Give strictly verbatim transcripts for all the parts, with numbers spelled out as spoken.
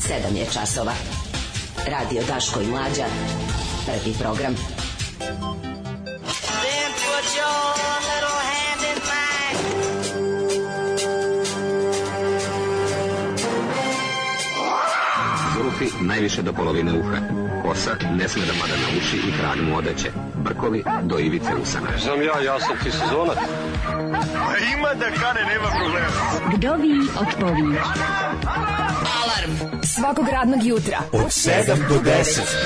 sedam je časova. Radio Daško i Mlađa. Prvi program. Then put your little hand in mine. Zulufi najviše do polovine uha. Kosa ne sme da pada na uši i kralj mu odeće. Brkovi do ivice usana. Znam ja, ja sam ti sezonac. Ima da kane, nema problema. Vdovi otpovi. Alarm svakog radnog jutra od sedam do deset.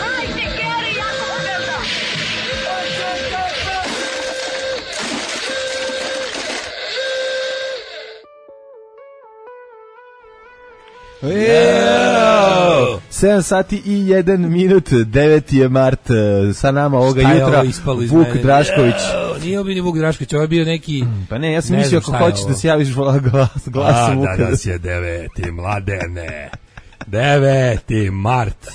Yeah! sedam sati i jedan minut, deveti je mart, sa nama ovoga šta jutra Vuk mene? Drašković. Yeah! Nije bio ni Vuk Drašković, ovo je bio neki... Pa ne, ja sam ne mislio ako hoćeš da se javiš glas, glasom Vuka. A, danas je deveti, mladene. deveti mart,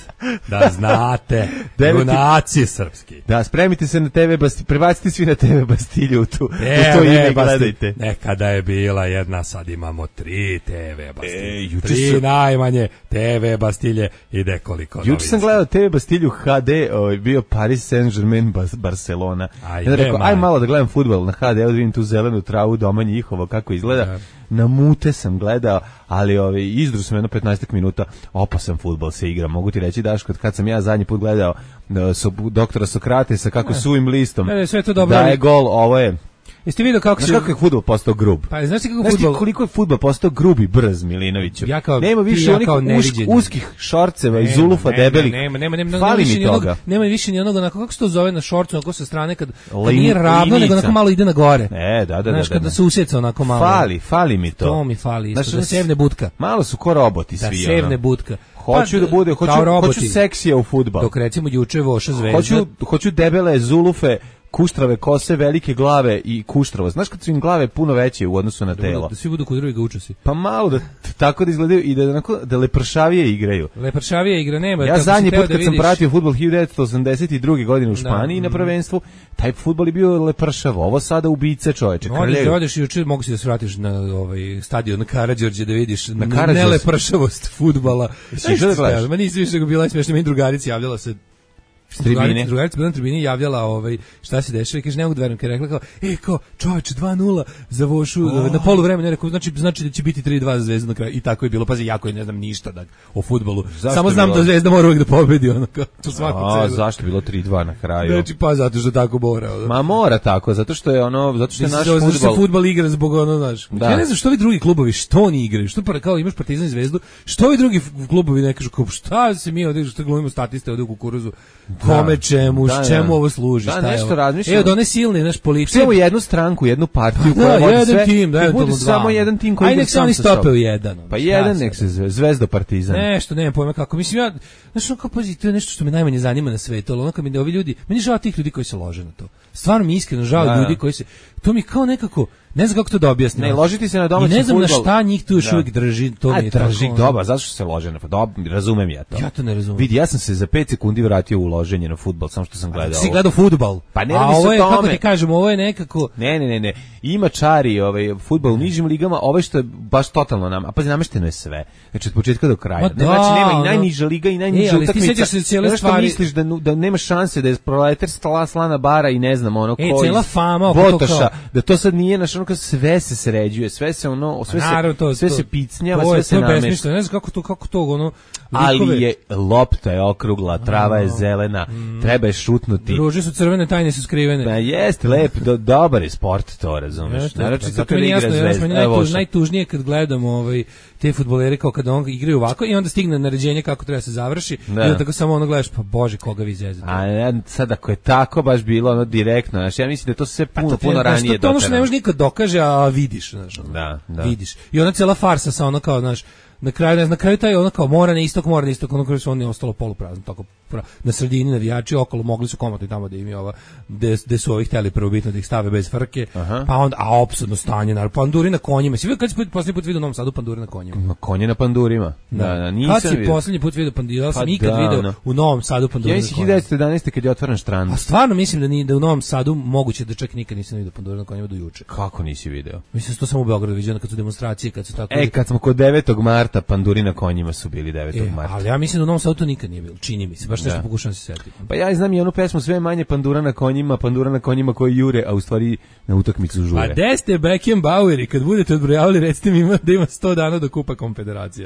da znate, junaci srpski. Da, spremite se na te ve Bastilju, prebacite svi na te ve Bastilju u, tu, e, u to ime gledajte. Nekada je bila jedna, sad imamo tri te ve Bastilje, e, tri sam... najmanje te ve Bastilje, ide koliko novinska. Juče sam gledao te ve Bastilju ha de, ovaj, bio Paris Saint-Germain Barcelona. Aj, ja rekao, aj malo da gledam fudbal na ha de, evo da vidim tu zelenu travu doma njihovo, kako izgleda. Ja. Na mute sam gledao, ali ovaj, izdru sam jedno petnaest minuta, opasan fudbal se igra, mogu ti reći Daško, kad sam ja zadnji put gledao so, doktora Sokratesa kako suvim listom ne, sve to dobro, da je gol, ovo je. Jeste vidio kako se... Znaš kako je fudbal postao grub? Pa, znaš ti kako znaš fudbal... ti koliko je fudbal postao grub i brz, Milinoviću? Ja kao, nema više ja onih usk, uskih šorceva i zulufa nema, debelih. Nema, nema, nema, fali nema mi toga. Onog, nema više ni onoga, onako, kako se to zove na šorcu, onako sa strane, kad, kad nije ravno, nego onako malo ide na gore. E, da, da, znaš, da. kada se usjeca onako malo. Fali, fali mi to. To mi fali isto, znaš, da sevne budka. Malo su ko roboti da svi. Da sevne budka. Hoću pa, da bude, hoću, hoću seksija u fudbal. Dok recimo juče Voša Zvezda. Hoću, hoću debele zulufe, kuštrave kose, velike glave i kuštravo. Znaš kad su im glave puno veće u odnosu na da telo? Budu, da svi budu kod drugih učesi. Pa malo da tako da izgledaju i da onako da lepršavije igraju. Lepršavije igra nema. Ja zadnji put kad da vidiš... sam pratio fudbal hiljadu devetsto osamdeset druge godine u Španiji da. na prvenstvu, taj fudbal je bio lepršav. Ovo sada ubice, čoveče. Odeš, odeš juče, mogu si da se vratiš na ovaj stadion na Karađorđe da vidiš na nelepršavost fudbala. Ma nisi više nego bila smešna, meni drugarici javljala se Drugarica, drugarica bila na tribini javljala ovaj, šta se dešava i kaže, ne mogu da verujem, kada je rekla kao, e, kao, čoveče, dva nula za Vošu, oh. na polu vremena, rekao, znači, znači da će biti tri dva za Zvezdu na kraju, i tako je bilo, pazi, jako je, ne znam ništa da, o fudbalu, zašto samo znam bilo? Da Zvezda mora uvijek da pobedi, ono, kao, to svaku cenu. A, zašto je bilo tri dva na kraju? Znači, pa, zato što tako mora. Ono. Ma mora tako, zato što je ono, zato što je naš fudbal. Zato što se fudbal igra zbog ono, znaš. Da. Ja ne znam što vi drugi klubovi, što oni igraju, što pa, kao imaš Partizan i Zvezdu, što vi drugi klubovi ne kažu, kao, šta se mi ovdje, što glumimo statiste ovdje u kukuruzu, kome čemu, da, čemu da. Ovo služi, da, šta nešto je razmišljam. Evo, da one silne, naš policija. Samo jednu stranku, jednu partiju koja da, vodi jedan sve. Tim, da, bude samo jedan tim koji aj nek se oni stope u jedan. Pa jedan nek se Zvezda Partizan. Nešto, nemam pojma kako. Mislim ja, znaš, ono kao pazi, to je nešto što me najmanje zanima na svetu, ali ono kad mi ovi ljudi, meni žao tih ljudi koji se lože na to. Stvarno mi iskreno žao da. ljudi koji se, to mi kao nekako, ne znam kako to da objasnim. Ne, ložiti se na domaći fudbal. I ne znam fudbal. Na šta njih tu još uvijek drži, to a, mi je drži tako. Dobar, zato što se lože na fudbal, razumem ja to. Ja to ne razumem. Vidi, ja sam se za pet sekundi vratio u loženje na fudbal, samo što sam gledao. Si gledao fudbal? Pa ne a radi se ovo je, o tome. kako ti kažem, ovo je nekako... Ne, ne, ne, ne. Ima čari ovaj, fudbal u nižim ligama, ovo što je baš totalno nam, a pazi, namešteno je sve. Znači, od početka do kraja. Da, znači, nema i najniža liga i najniža e, utakmica. Se cijele stvari... misliš da, da nema šanse da je proletar stala slana bara i ne znam, ono, e, koji... cijela fama oko Botoša, kao... da to sad nije, naš ono, sve se sređuje, sve se ono, sve se, naravno, to, sve to, se picnjava, to, sve se namešta. Ne znam kako to, kako to, ono... Ali je, lopta je okrugla, trava je zelena, mm. treba je šutnuti. Ruže su crvene, tajne su skrivene. Da, jeste, lep, do, dobar je sport, to razumeš. Naravno, zato mi jasno, jasno, najtuž, najtužnije kad gledamo ovaj, te fudbalere kao kada on igraju ovako i onda stigne naređenje kako treba se završi da. I onda tako samo ono gledaš, pa bože, koga vi zezate. A ja, sad ako je tako baš bilo ono direktno, znači ja mislim da to sve puno, pa to, puno ranije doterano. To ono što ne može nikad dokaže, a vidiš, znaš. Da, da. Vidiš. I ona cijela farsa sa ono kao, znaš, na kraju, ne znam, na kraju taj ono kao mora na istok, mora na istok, ono kraju su oni ostalo poluprazno, tako na sredini navijači, okolo mogli su komotno tamo da im je ova, gde su ovi hteli prvobitno da ih stave bez frke, aha. Pa onda, a opsadno stanje, naravno, panduri na konjima, si vidio kad si posljednji put vidio u Novom Sadu panduri na konjima? Ma konje na pandurima, da, da, nisam kad si vidio. Posljednji put vidio panduri, ja sam pa ikad da, vidio no. U Novom Sadu panduri ja na konjima. Ja hiljadu devetsto jedanaeste kad je otvoren štrand. A stvarno mislim da, ni, da u Novom Sadu moguće da čak nikad nisam vidio panduri na konjima do juče. Kako nisi video? Mislim da to samo u Beogradu vidio kad su demonstracije, kad su tako... E, kad smo kod devetog marta marta panduri na konjima su bili devetog marta. Ali ja mislim da u Novom Sadu to nikad nije bilo. Čini mi se, baš nešto pokušavam se setiti. Pa ja znam i onu pesmu sve manje pandura na konjima, pandura na konjima koji jure, a u stvari na utakmicu žure. A gde ste Beckenbaueri, kad budete odbrojavali, recite mi ima, da ima sto dana do Kupa Konfederacije.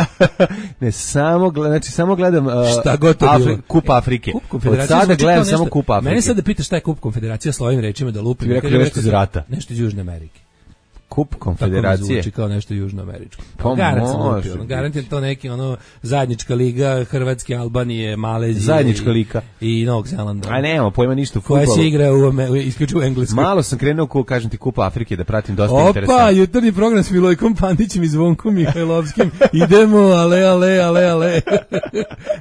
Ne, samo, znači, samo gledam uh, šta god to Afri, bilo. Kup Afrike. Kup Konfederacije. Od sada gledam samo Kup Afrike. Mene sad da pitaš šta je Kup Konfederacija, slovim rečima da lupim. Ti rekao nešto iz rata. Nešto iz Južne Amerike. Kup Konfederacije. Tako mi zvuči kao nešto južnoameričko. Pa može. Garantijem to neki ono zajednička liga Hrvatske, Albanije, Malezije. Zajednička liga. I Novog Zelanda. A nema pojma ništa u fudbalu. Koja se igra u, isključivo u Engleskoj. Malo sam krenuo, ko kažem ti, Kupa Afrike, da pratim dosta Opa, interesantno. Opa, jutarnji program s Milojkom Pandićem i Zvonkom Mihajlovskim. Idemo, ale, ale, ale, ale.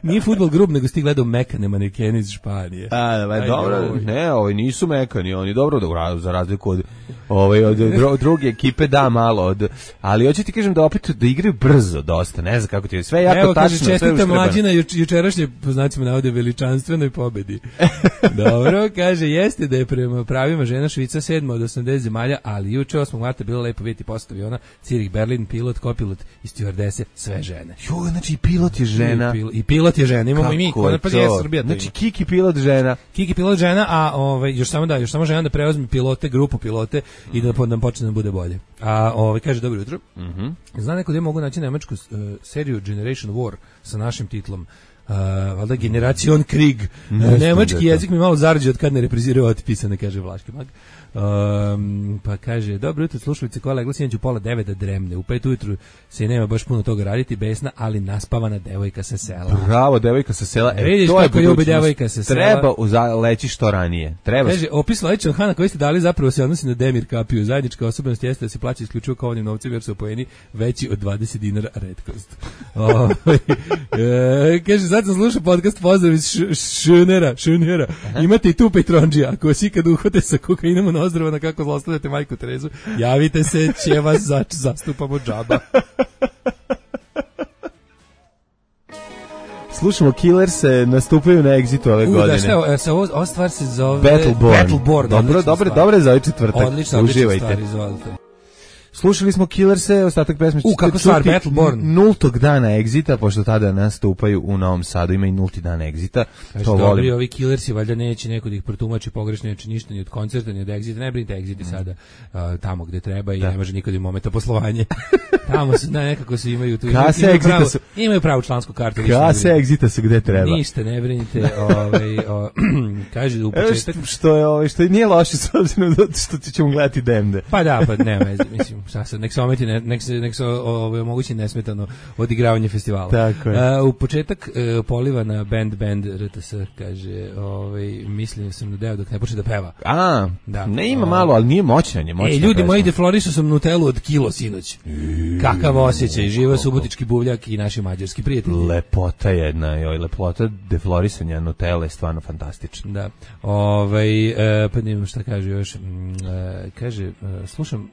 Nije fudbal grub, nego si ti gledao mekane manekene iz Španije. A, da, Aj, dobro, ovo. Ne, ovi nisu mekani, oni dobro, dobro za razliku od, ovaj, od dru, druge ekipe, da, malo, od, ali hoću ti kažem da opet da igraju brzo dosta, ne znam kako ti je, sve jako Evo, tačno, sve uštrebano. Evo, kaže, čestita mlađina juč, jučerašnje, po znacima navode, veličanstvenoj pobedi. Dobro, kaže, jeste da je prema pravima žena Švica sedma od osamdeset zemalja, ali juče osmog marta bilo lepo vidjeti postav aviona, Zurich, Berlin, pilot, kopilot i stewardese, sve žene. Jo, znači i pilot je žena. I, pil, i pilot je žena, imamo kako i mi, kod pa je Srbija. Znači Kiki pilot žena. Kiki pilot žena, a ovaj još samo da, još samo žena da preuzme pilote, grupu pilote i da nam počne da bude bolje. A ovaj kaže dobro jutro. Mhm. Mm Zna neko da mogu naći nemačku uh, seriju Generation War sa našim titlom. Uh, valjda Generation Krieg. Uh, nemački jezik mi malo zarđe od kad ne repriziraju otpisane, kaže Vlaški mag. Um, pa kaže, dobro jutro slušalice, koja legla sinoć u pola devet da dremne. U pet ujutru se nema baš puno toga raditi, besna, ali naspavana devojka sa sela. Bravo, devojka sa sela. E, vidiš to kako ljubi devojka sa sela. Treba uza, leći što ranije. Treba. Kaže, opis Laičan Hana koji ste dali zapravo se odnosi na Demir Kapiju. Zajednička osobnost jeste da se plaća isključivo kao onim novcem jer su poeni veći od dvadeset dinara retkost. O, e, kaže, sad sam slušao podcast Pozdrav iz Šunera, Šunera. Imate i tu Petronđija. Ako vas ikad uhvate sa kokainom na ozdravo na kako zlostavljate majku Terezu, javite se, će vas zač, zastupamo džaba. Slušamo Killers, nastupaju na Exitu ove U, godine. Da, šta je, ovo, ova stvar se zove Battleborn. Battleborn. Dobro, dobro, dobro za ovaj četvrtak. Odlično, uživajte. Stvar, izvolite. Slušali smo Killerse, ostatak pesme U, kako stvar, Battleborn. Nultog dana Exita, pošto tada nastupaju u Novom Sadu, ima i nulti dan Exita. Kaže, to dobri, volim. Ovi Killersi, valjda neće neko da ih protumači pogrešno, neće ništa ni od koncerta, ni od Exita, ne brinite Exiti mm. sada uh, tamo gde treba i da. Ne može niko da im ometa poslovanje. Tamo su, ne, nekako se imaju tu. Kase imaju, Exita pravu, su... imaju pravu člansku kartu. Kase Exita su gde treba. Ništa, ne brinite. Ovaj, o, kaže u početak... Što, što, je, ovaj, što je nije loše s obzirom da što ćemo gledati Demde. Pa da, pa nema veze, mislim, šta sad, nek se ometi Ne, nek se, nek se ovaj, omogući nesmetano odigravanje festivala. Tako je. Uh, u početak uh, poliva na band band R T S, kaže, ovaj, mislim sam na deo dok ne počne da peva. A, da. Ne ima malo, ali nije moćan je moćan. E, ljudi moji, deflorisao sam Nutellu od kilo sinoć. Kakav osjećaj, živo subotički buvljak i naši mađarski prijatelji. Lepota jedna, joj, lepota deflorisanja Nutelle je stvarno fantastična. Da. Ovaj, uh, pa nemam šta kaže još. Uh, kaže, uh, slušam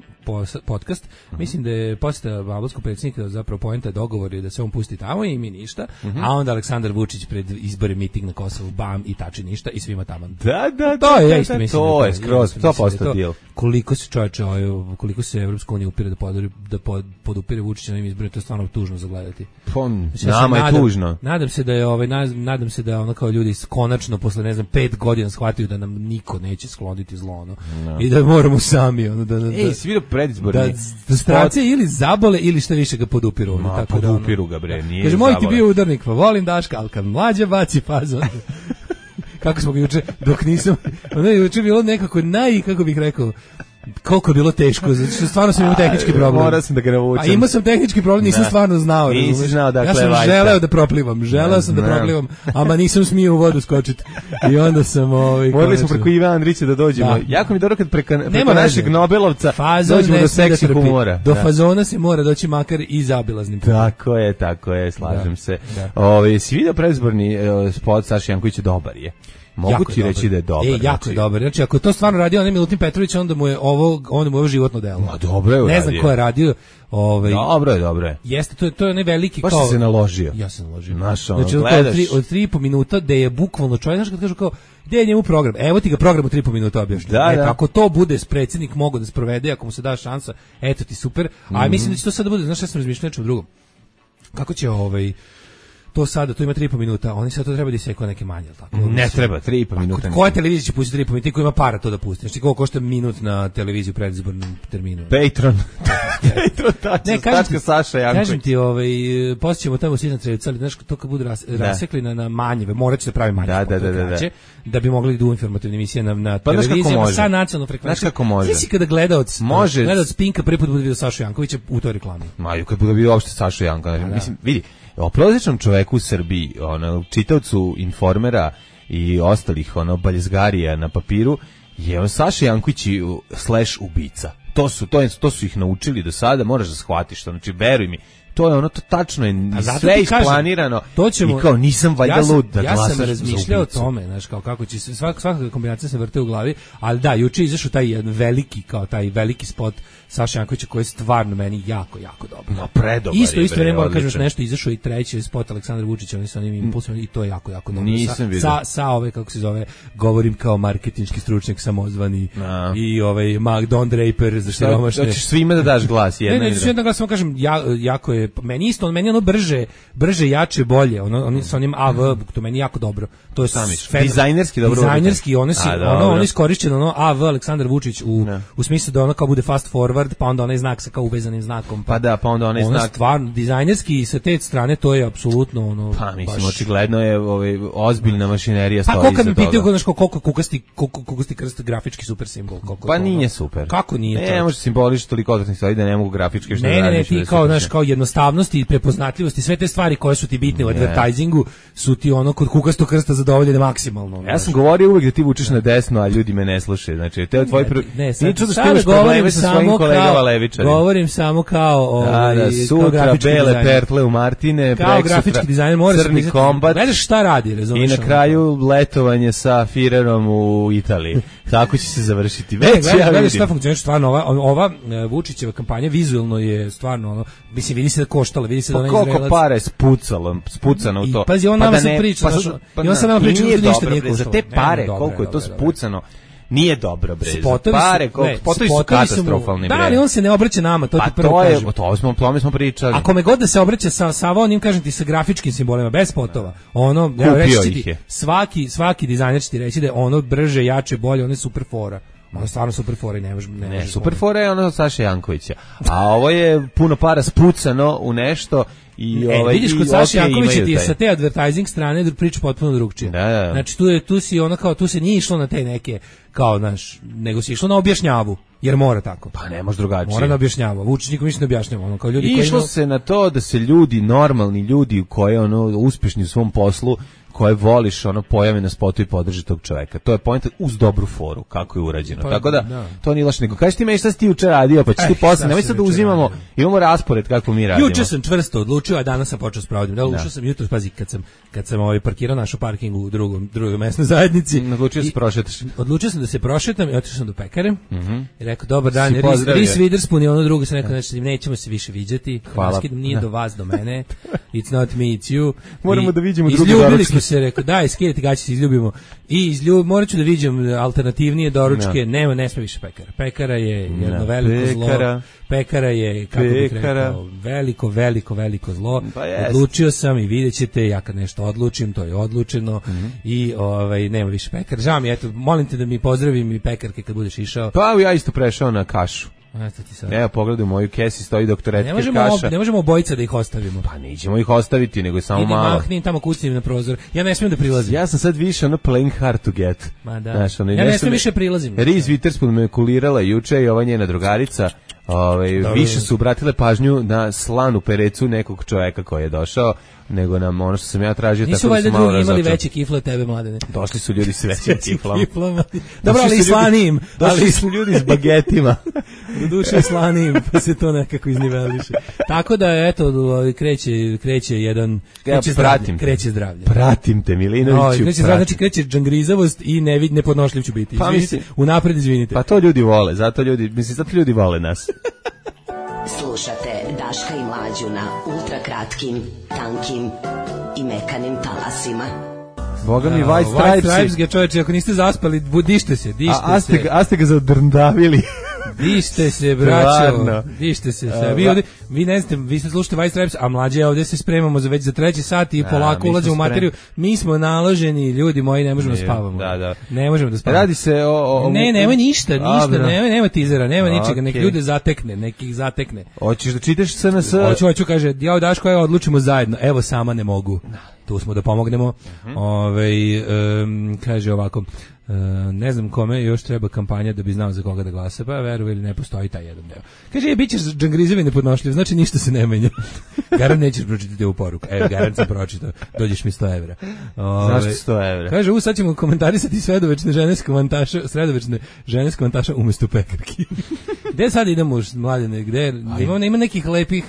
podcast, mm-hmm. mislim da je posjeta albanskog predsjednika zapravo poenta dogovor je da se on pusti tamo i mi ništa, mm-hmm. a onda Aleksandar Vučić pred izbore miting na Kosovu, bam, i tači ništa i svima tamo. Da, da, to je, da, ja isto da, mislim. To da je skroz, sto posto deal. Koliko se čovječe, koliko se Evropska unija upire da, poduri, da pod, podupire Vučića na ovim izborima, to je stvarno tužno za gledati. Pon, znači, nama ja je nadam, tužno. Nadam se da je, ovaj, nadam se da ono kao ljudi konačno posle, ne znam, pet godina shvataju da nam niko neće skloniti zlo, ono. No. I da moramo sami, ono, da... da Ej, svi do predizborni. Da, da stranci ili zabole ili šta više ga podupiru. Ma, tako podupiru da, ga, bre, nije kaže, moj ti bio udarnik, pa volim Daška, ali kad mlađa baci fazon. Kako smo ga juče, dok nisam, ono je juče bilo nekako naj, kako bih rekao, koliko je bilo teško, zato što stvarno sam imao tehnički problem. Morao sam da ga navučem. A imao sam tehnički problem, nisam da. stvarno znao. Nisi znao dakle ja sam vajta. želeo da proplivam, želeo sam da proplivam, ama nisam smio u vodu skočiti. I onda sam... Ovaj, morali smo preko Iva Andrića da dođemo. Da. Jako mi dobro kad preko, preko našeg Nobelovca fazon dođemo do seksi da humora. Do da. fazona se mora doći makar i zabilaznim. Tako je, tako je, slažem da. se. Da. Ove, si vidio predizborni uh, spot Saša Jankovića, dobar je. Mogu jako ti reći da je dobar. E, jako znači, je dobar. Znači, ako to stvarno radio onaj Milutin Petrović, onda mu je ovo, onda mu je ovo životno delo. Ma dobro je uradio. Ne znam ko je radio. Ovaj, dobro je, dobro je. Jeste, to je, to je onaj veliki baš kao... Baš se naložio. Ja sam naložio. Znaš, ono, znači, gledaš... od tri, od tri i po minuta, gde je bukvalno čovjek, znaš kad kažu kao, gde je njemu program? Evo ti ga program u tri i po minuta objašnja. Da, eto, da. ako to bude predsjednik mogo da sprovede, ako mu se da šansa, eto ti super. A mm-hmm. mislim da će to sad da bude, znaš šta sam razmišljao nečem drugom. kako će ovaj to sada, to ima tri i po minuta, oni sad to treba da iseku neke manje, tako? Ne treba, tri i po minuta. Koja televizija će pustiti tri i po minuta, ko ima para to da pusti? Znači, koliko košta minut na televiziju pred izbornom terminu? Patreon. Patreon, tačno, tačka Saša Janković. Kažem ti, ovaj, posjećemo tamo sitna trevica, ali znaš, to kad budu ras, rasekli na, na manjeve, morat će da pravi manje, da, da, da, da, da. da bi mogli da u informativne emisije na, na pa, televizijama sa nacionalnom frekvencijom. Znaš kako može? Znači, kada gledaoc, može. Gledaoc Pinka prvi put bude vidio Sašu Jankovića u toj reklami. Maju, kad bude vidio uopšte Sašu Jankovića. Da. Mislim, vidi, o prosječnom čoveku u Srbiji, ono, čitaocu Informera i ostalih ono baljezgarija na papiru, je on Saša Janković slash ubica. To su, to, je, to su ih naučili do sada, moraš da shvatiš to, znači veruj mi, to je ono, to tačno je sve isplanirano to ćemo, i kao nisam valjda ja lud da ja glasaš za ubicu. Ja sam razmišljao o tome, znaš, kao kako će se, svaka, svaka kombinacija se vrte u glavi, ali da, juče izašao taj jedan veliki, kao taj veliki spot Saša Jankovića koji je stvarno meni jako, jako dobro. No, predobar isto, je. Isto, isto, ne moram kažem nešto, izašao i treći spot Aleksandra Vučića, oni su onim impulsima i to je jako, jako dobro. Nisam vidio. Sa, sa ove, kako se zove, govorim kao marketinški stručnjak samozvani no. i ovaj Mark Don Draper za siromašne. Hoćeš svima da daš glas, jedna. Ne, ne, ne, jedan glas, samo kažem, ja, jako je, meni isto, meni ono brže, brže, jače, bolje, ono, oni sa onim A V, to meni jako dobro. To je Samiš, dizajnerski dobro. Dizajnerski, ono si, A, ono, ono iskorišćeno, ono A V Aleksandar Vučić u, no. u smislu da ono kao bude fast forward, pa onda onaj znak sa kao uvezanim znakom. Pa, pa da, pa onda onaj ono znak. Stvarno, dizajnerski i sa te strane to je apsolutno ono. Pa mislim, baš očigledno je ovaj, ozbiljna mašinerija stoji. Pa koliko mi pitaju znaš koliko kukasti, koliko kukasti krst grafički super simbol. Koliko, pa nije super. Kako nije ne, to? Ne, može simboliš toliko odvratnih stvari da ne mogu grafički što ne, da ne, ne, ti kao, znaš, kao jednostavnosti i prepoznatljivosti, sve te stvari koje su ti bitne u advertisingu su ti ono kod kukastog krsta zadovoljene maksimalno. Ja sam govorio uvek da ti vučeš na desno, a ljudi me ne slušaju. Znači, te tvoj prvi. Ne, sad, sad govorim samo kao, govorim samo kao ovaj, da, da, sutra bele pertle u Martine, kao grafički dizajner mora crni se kombat. Gledaš šta radi, razumiješ? I na kraju letovanje sa Firerom u Italiji. Tako će se završiti. Već ne, ja vidim. Šta funkcioniše stvarno ova ova Vučićeva kampanja vizuelno je stvarno ono, mislim vidi se da koštala, vidi se da ona izrelac. Koliko pare spucalo, spucano u to. I pazi, on pa nama da se priča, pa, znači, pa, i on se nama priča da ništa nije koštalo. Za te pare, koliko je to spucano. Nije dobro, bre. Spotovi pare, su, ne, spotovi su katastrofalni, bre. Da, ali on se ne obraća nama, to pa ti prvo to je, kažem. To smo, to smo pričali. Ako me god da se obraća sa, sa onim, kažem ti, sa grafičkim simbolima, bez spotova, ono, kupio ja, reći ih ti, je. Svaki, svaki dizajner će ti reći da je ono brže, jače, bolje, ono je super fora. Ono je stvarno super fora i ne može... Ne, ne super fora je ono Saša Jankovića. A ovo je puno para spucano u nešto i e, ovaj vidiš kod Saša Jankovića ti sa te advertising strane priča potpuno drugčije. Da, da. Znači tu je tu si ono kao tu se nije išlo na te neke kao naš nego se išlo na objašnjavu jer mora tako. Pa ne može drugačije. Mora na objašnjava. Vučić nikom ništa ne objašnjava, ono kao ljudi I koji išlo se na to da se ljudi normalni ljudi koji ono uspešni u svom poslu koje voliš, ono pojave na spotu i podrži tog čoveka. To je poenta uz dobru foru, kako je urađeno. Pa, tako da, da, to nije loš nego. Kaži ti meni šta si ti juče radio, pa ćeš eh, ti posle, nemoj sad da uzimamo, radio. Imamo raspored kako mi radimo. Juče sam čvrsto odlučio, a danas sam počeo sprovodim. Da, ušao sam jutros, pazi, kad sam, kad sam ovaj parkirao našu parking u drugom, drugoj mesnoj zajednici. Odlučio se prošetaš. Odlučio sam da se prošetam i otišao sam do pekare. Mm -hmm. I rekao, dobar dan, Reese Witherspoon i ono drugo sam rekao, znači, nećemo se više viđati. Hvala. Nije do vas, do mene. It's not me, it's you. Moramo da vidimo drugu Izljubili smo se, rekao, daj, skidati gaće se izljubimo. I izljub, morat ću da viđem alternativnije doručke. No. Nema, ne sme više pekara. Pekara je jedno no. veliko pekara. zlo. Pekara je, kako bih rekao, veliko, veliko, veliko zlo. Pa odlučio sam i vidjet ćete, ja kad nešto odlučim, to je odlučeno. Mm -hmm. I ovaj, nema više pekara. Žao mi, eto, molim te da mi pozdravim i pekarke kad budeš išao. Pa ja isto prešao na kašu. Evo, pogledaj u moju kesi, stoji doktor Etke kaša. Ne možemo obojica da ih ostavimo. Pa nećemo ih ostaviti, nego je samo Idi malo. Idi mahnim tamo kucnim na prozor. Ja ne smijem da prilazim. Ja sam sad više ono playing hard to get. Ma da. Znaš, ono, ja ne smijem više prilazim. Reese Witherspoon me kulirala juče i ova njena drugarica. Ove, više su obratile pažnju na slanu perecu nekog čoveka koji je došao, nego nam ono što sam ja tražio. Nisu valjda drugi imali veće kifle od tebe, Mladene. Došli su ljudi s većim kiflom. Dobro, ali i slanijim. Došli su ljudi s bagetima. Do duše slanijim, pa se to nekako izniveliše. Tako da, eto, kreće, kreće jedan... Kreće ja, zdravlje. Kreće zdravlje. Pratim te, Milinoviću. No, kreće zdravlje, znači kreće džangrizavost i nevid, nepodnošljiv ću biti. Pa mislim, unapred izvinite. Pa to ljudi vole, zato ljudi, mislim, zato ljudi vole nas. Slušate Daška i Mlađu na ultrakratkim, tankim i mekanim talasima. Boga mi, White Stripes. White Stripes ga, čoveče, ako niste zaspali, dište se, dište a, a ste, se. A ste ga zadrndavili. Dište se, braćo, dište se. Se. Vi ovdje, vi ne znate, vi ste slušate Vice Raps, a mlađe ovdje se spremamo za već za treći sat i polako ulazimo u materiju. Mi smo naloženi, ljudi moji, ne možemo da spavamo. Da, da. Ne možemo da spavamo. Radi se o... o ne, nema ništa, ništa, Dobro. nema, nema tizera, nema Okay. ničega, nek ljude zatekne, nek ih zatekne. Hoćeš da čitaš S N S? Hoću, hoću, kaže, ja Daško, evo, odlučimo zajedno, evo sama ne mogu. Tu smo da pomognemo. Uh-huh. Ove, um, kaže ovako, Uh, ne znam kome još treba kampanja da bi znao za koga da glasa, pa veruj ili ne postoji taj jedan deo. Kaže, je, bit ćeš džangrizevi nepodnošljiv, znači ništa se ne menja. Garant nećeš pročitati ovu poruku. Evo, garant sam pročitao, dođeš mi sto evra. Ove, Zašto sto evra? Kaže, u sad ćemo komentarisati sredovečne žene komantaša, sredovečne žene komantaša umjesto pekarki. Gde sad idemo, mladine, gde? Ima, ima nekih lepih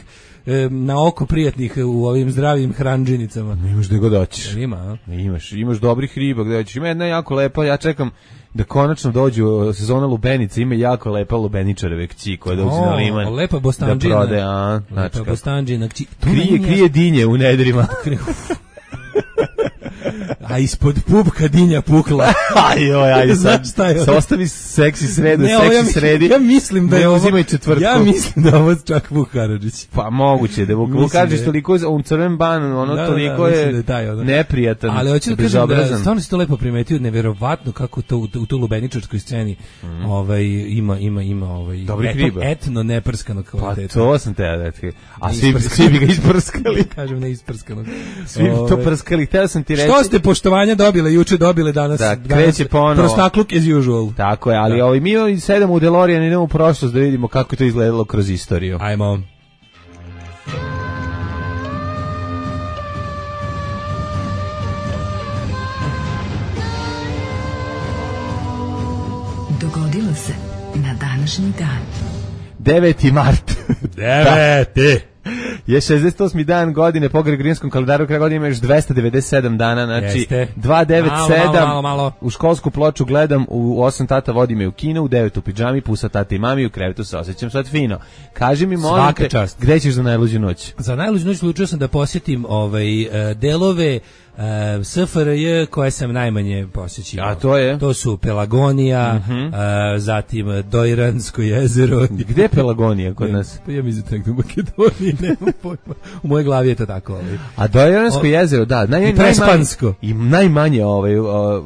na oko prijatnih u ovim zdravim hranđinicama. Imaš da god hoćeš. Ima, a? Imaš, imaš dobrih riba gde hoćeš. Ima jedna jako lepa, ja čekam da konačno dođu sezona lubenica, ima jako lepa lubeničareve kći koja dođe na liman. Lepa bostanđina. Da prode, a, znači lepa bostanđina kći. Krije, krije dinje u nedrima. A ispod pupka dinja pukla. Ajoj, ajde sad. Sa ostavi seksi sredu, ne, seksi ja, sredi. Ja mislim da je ovo... uzimaj četvrtku. Ja mislim da ovo čak Vuk Karadžić. Pa moguće, da Vuk, Vuk Karadžić je... toliko, on crven ban, ono da, toliko da, je, da je taj, ono. neprijatan. Ali hoću da kažem da stvarno si to lepo primetio, neverovatno kako to u, u tu lubeničarskoj sceni mm. ovaj, ima, ima, ima ovaj, eto, etno neprskano kvaliteta. Pa to sam te da ti. A svi, svi bi ga isprskali. Kažem ne isprskano. Svi bi to prskali, htio sam ti reći. Što ste poštovanja dobile, juče dobile, danas, da, danas prostakluk as usual. Tako je, ali ovaj, mi sedemo u DeLorean i idemo u prošlost da vidimo kako je to izgledalo kroz istoriju. Ajmo. Dogodilo se na današnji dan. deveti mart. Deveti. Je šezdeset osmi dan godine po Gregorijanskom kalendaru, kraj godine ima još dvesta devedeset sedam dana, znači Jeste. dvesta devedeset sedam. Malo, malo, malo. U školsku ploču gledam, u osam tata vodi me u kino, u devet u pidžami, pusa tata i mami, u krevetu se osjećam sad fino. Kaži mi, molim te, gde ćeš za najluđu noć? Za najluđu noć odlučio sam da posjetim ovaj, delove Uh, S F R J koje sam najmanje posjećivao. A to je? To su Pelagonija, mm-hmm. uh, zatim Dojransko jezero. Gde je Pelagonija kod nas? Pa ja mislim da u Makedoniji, nema pojma. U mojoj glavi je to tako. Ali. A Dojransko jezero, da. Naj, I Prespansko. I najmanje ovaj, o,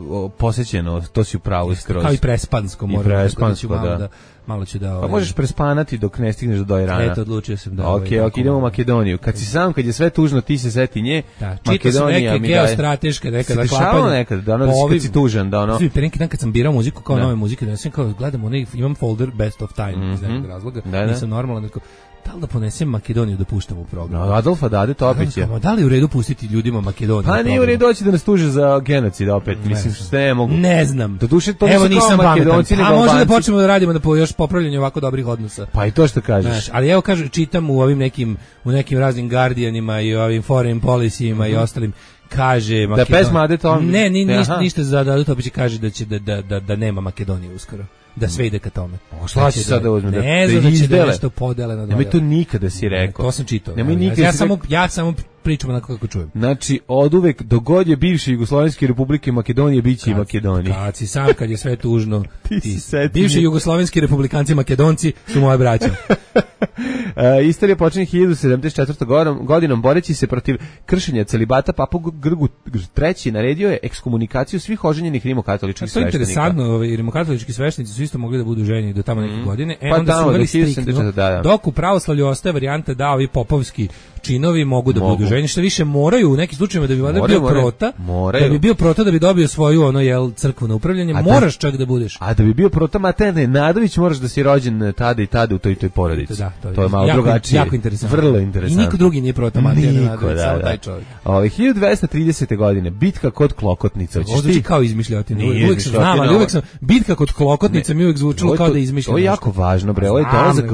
o, posjećeno, to si upravo skroz. Kao i Prespansko. I Prespansko, da. da. Malo ću da... Pa možeš prespanati dok ne stigneš do Dojrana. Eto, odlučio sam da... Ok, ok, idemo u Makedoniju. Kad si sam, kad je sve tužno, ti se seti nje. Da, čitao sam neke geostrateške, neka zaklapanja. Nekad, da ono da kad si tužan, da ono... Svi, pre neki dan kad sam birao muziku kao nove muzike, da sam kao gledam, onaj, imam folder Best of Time, mm-hmm. iz nekog razloga, da, nisam normalan, neko... Da li da ponesem Makedoniju da puštam u program? No, Adolfa Dade Topić je. Da li je u redu pustiti ljudima Makedoniju? Pa nije u redu doći da nas tuže za genocid opet. Ne. Mislim što ne mogu. Ne znam. Do duše to Evo nisam Makedonci. A može da počnemo da radimo da po još popravljanju ovako dobrih odnosa. Pa i to što kažeš. Znaš, ali evo kažem, čitam u ovim nekim u nekim raznim Guardianima i ovim Foreign Policyima mm-hmm. i ostalim kaže da pesma Ade Tomić. Ne, ni, ništa, ništa za Ade Tomić kaže da će da, da, da, da nema Makedonije uskoro. Da sve ide ka tome. O, šta će sad da uzme? Da, ne znam da će da nešto podele na dva. Nemoj to nikada si rekao. To sam čitao. Nemoj ja, nikada ja, si samo, ja samo pričam onako kako čujem. Znači, od uvek, dogod je bivše Jugoslovenske republike Makedonije, bit će i Makedonije. Kad si sam, kad je sve tužno, ti, ti bivši Jugoslovenski republikanci Makedonci su moje braće. Uh, istorija počinje hiljadu sedamdeset četvrtom godinom boreći se protiv kršenja celibata. Papa Grgu treći naredio je ekskomunikaciju svih oženjenih rimokatoličkih sveštenika. To je interesantno, ovaj, rimokatolički sveštenici su isto mogli da budu ženi do tamo neke mm. godine. E, pa onda tamo, su uveli striktno, da, da. dok u pravoslavlju ostaje varijanta da ovi popovski činovi mogu da mogu. budu ženi, što više moraju u nekim slučajevima da bi valjda bio moraju, prota, moraju. da bi bio prota da bi dobio svoju ono jel crkveno upravljanje, a moraš da, čak da budeš. A da bi bio prota Materne Nadović moraš da si rođen tada i tada u toj toj porodici. Da, to, je, to je malo jako, drugačije. Jako interesantno. Vrlo interesantno. I niko drugi nije prota Materne Nadović, da, samo da. taj čovjek. Ove hiljadu dvesta tridesete godine bitka kod Klokotnica. Ovo zvuči kao izmišljotina. Uvijek sam znam, ali uvijek sam bitka kod Klokotnica mi uvijek zvučilo kao da izmišljam. Ovo je jako važno, bre. Ovo je dolazak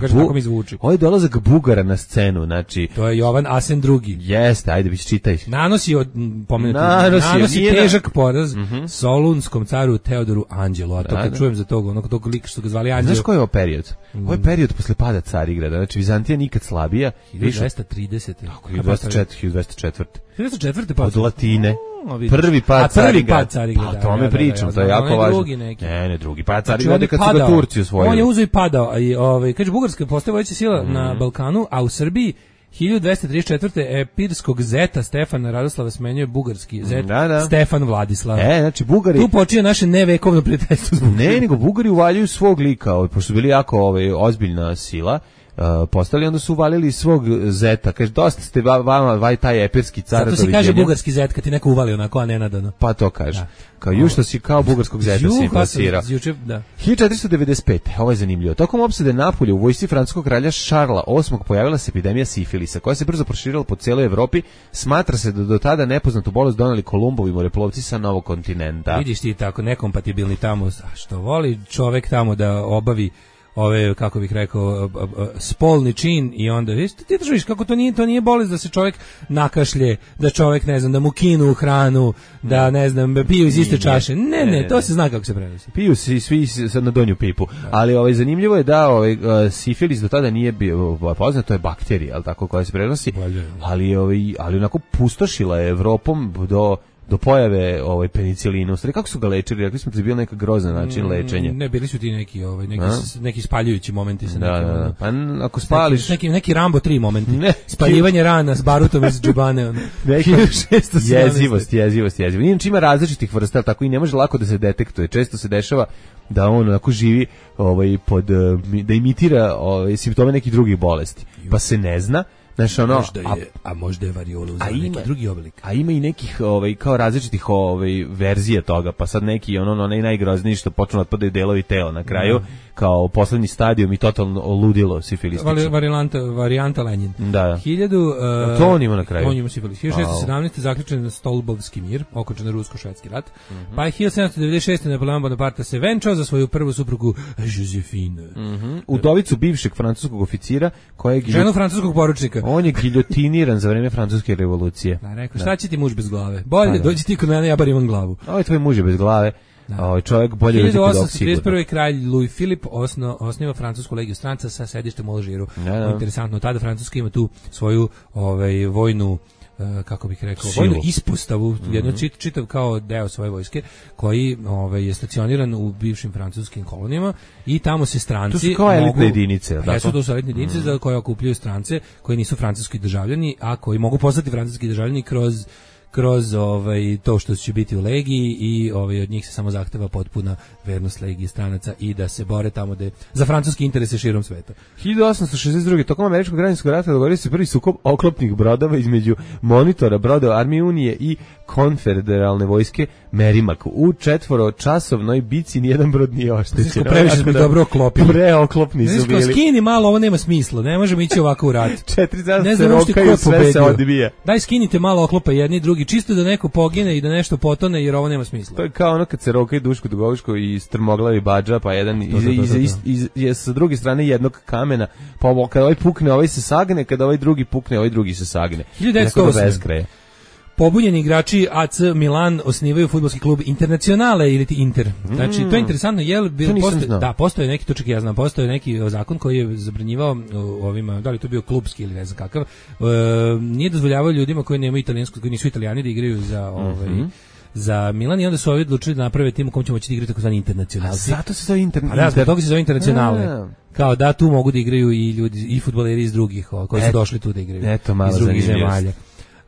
Ovo je dolazak Bugara na scenu, znači. To je Jovan Asen drugi. Jeste, ajde bić čitaj. Nanosi od pomenuti. Nanosi, nanosi težak poraz mm-hmm. Solunskom caru Teodoru Anđelu, a to da, kad da. čujem za toga, onog tog lika što ga zvali Anđelo. Znaš koji je ovo period? Ovo je period posle pada Carigrada, znači Vizantija nikad slabija. hiljadu dvesta tridesete. Tako, hiljadu dvesta četvrte. hiljadu dvesta četvrte pa od Latine. No, prvi pad Carigrada. Pa o tome pričam, to je jako važno. Ne, ne, drugi pad Carigrada kad su ga Turci osvojili. On je uzeo i padao. I, ovaj, kaže, Bugarska postaje vodeća sila mm. na Balkanu, a u Srbiji hiljadu dvesta trideset četvrte epirskog zeta Stefana Radoslava smenjuje bugarski zet da, da. Stefan Vladislav. E, znači Bugari... Tu počinje naše nevekovno prijateljstvo. Ne, nego Bugari uvaljuju svog lika, ovaj, pošto su bili jako ovaj, ozbiljna sila. Uh, postali, onda su uvalili svog zeta. Kaže, dosta ste vama vaj taj epirski car. Zato se kaže bugarski zet kad ti neko uvali onako, a nenadano. Pa to kaže. Da. Kao ju što si kao bugarskog zeta si plasirao. Da. hiljadu četiristo devedeset pete. Ovo je zanimljivo. Tokom opsade Napolja u vojsci francuskog kralja Šarla osmog pojavila se epidemija sifilisa, koja se brzo proširila po cijeloj Evropi. Smatra se da do tada nepoznatu bolest doneli Kolumbovi moreplovci sa novog kontinenta. Vidiš ti tako nekompatibilni tamo, što voli čovek tamo da obavi ove, kako bih rekao, spolni čin i onda, viš, ti državiš kako to nije, to nije bolest da se čovjek nakašlje, da čovjek, ne znam, da mu kinu hranu, da, ne znam, piju iz iste čaše. Ne, ne, to se zna kako se prenosi. Piju se svi sad na donju pipu. Ali ovaj, zanimljivo je da ovaj, sifilis do tada nije bio poznat, to je bakterija, al tako, koja se prenosi, ali, ovaj, ali onako pustošila je Evropom do do pojave ovaj penicilina. U stvari, kako su ga lečili? Rekli smo da je bio neka grozna način lečenja. Ne, bili su ti neki ovaj neki A? neki spaljujući momenti sa da, nekim. Da, da. Pa ako spališ neki neki Rambo tri momenti. Ne. Spaljivanje rana s barutom iz džubane. Jezivost, jezivost, jezivost. Inače ima različitih vrsta, tako i ne može lako da se detektuje. Često se dešava da on onako živi ovaj pod da imitira ovaj simptome nekih drugih bolesti. Pa se ne zna. Znaš, ono, možda je, a, a možda je variola uzela neki drugi oblik. A ima i nekih ovaj, kao različitih ovaj, verzija toga, pa sad neki ono, onaj najgrozniji što počnu otpadaju delovi tela na kraju, mm. kao poslednji stadijum i totalno ludilo sifilistično. Varijanta, varijanta Lenin. Da. Hiljadu, uh, to on ima na kraju. On ima sifilis. hiljadu šesto sedamnaeste. zaključen Stolbovski mir, okončan rusko-švedski rat. Mm-hmm. Pa je hiljadu sedamsto devedeset šeste. Napoleon Bonaparte se venčao za svoju prvu suprugu Josephine. Mm-hmm. Udovicu bivšeg francuskog oficira, kojeg... Ženu francuskog poručnika. On je giljotiniran za vreme francuske revolucije. Da, rekao, šta će ti muž bez glave? Bolje, dođi ti kod mene, ja bar imam glavu. Ovo je tvoj muž je bez glave. Ovaj čovjek bolje hiljadu osamsto trideset prve. kralj Louis Philippe osno, osniva francusku legiju stranca sa sedištem u Alžiru. Ja, ja. Interesantno, tada Francuska ima tu svoju ovaj, vojnu Uh, kako bih rekao, Silu. vojnu ispostavu, mm-hmm. jedno čit, čitav kao deo svoje vojske, koji ovaj, je stacioniran u bivšim francuskim kolonijama i tamo se stranci... To su kao elitne jedinice. A jesu to su elitne jedinice mm-hmm. koje okupljaju strance koji nisu francuski državljani, a koji mogu postati francuski državljani kroz kroz ovaj to što će biti u legiji i ovaj od njih se samo zahteva potpuna vernost legiji stranaca i da se bore tamo da za francuski interese širom sveta. hiljadu osamsto šezdeset druge. tokom američkog građanskog rata dogodio se prvi sukob oklopnih brodova između monitora brodova Armije Unije i konfederalne vojske Merrimack. U četvoročasovnoj bici nijedan brod nije oštećen. Previše smo dobro oklopili. Preoklopni su bili. Skini malo, ovo nema smisla. Ne možemo ići ovako u rat. Četiri dana se rokaju, sve se odbija. Daj skinite malo oklopa jedni drugi, čisto da neko pogine i da nešto potone, jer ovo nema smisla. To je kao ono kad se rokaju Duško Dugoviško i strmoglavi Badža, pa jedan to, to, to, to, iz, iz, iz, sa druge strane jednog kamena, pa ovo, kada ovaj pukne, ovaj se sagne, kada ovaj drugi pukne, ovaj drugi se sagne. hiljadu devetsto osme. Pobunjeni igrači A C Milan osnivaju fudbalski klub Internacionale ili ti Inter. Znači, mm. to je interesantno, jel postoje, da, postoje neki, to čak ja znam, postoje neki zakon koji je zabranjivao ovima, da li to bio klubski ili ne znam kakav, e, nije dozvoljavao ljudima koji nemaju italijansko, koji nisu Italijani da igraju za ovaj mm-hmm. za Milan i onda su ovi odlučili da naprave tim u kom će moći da igrati takozvani internacionalci. A zato se zove inter... A da, zbog toga se zove internacionale. Kao da tu mogu da igraju i ljudi, i fudbaleri iz drugih, koji su došli tu da igraju. Eto, malo iz drugih zemalja.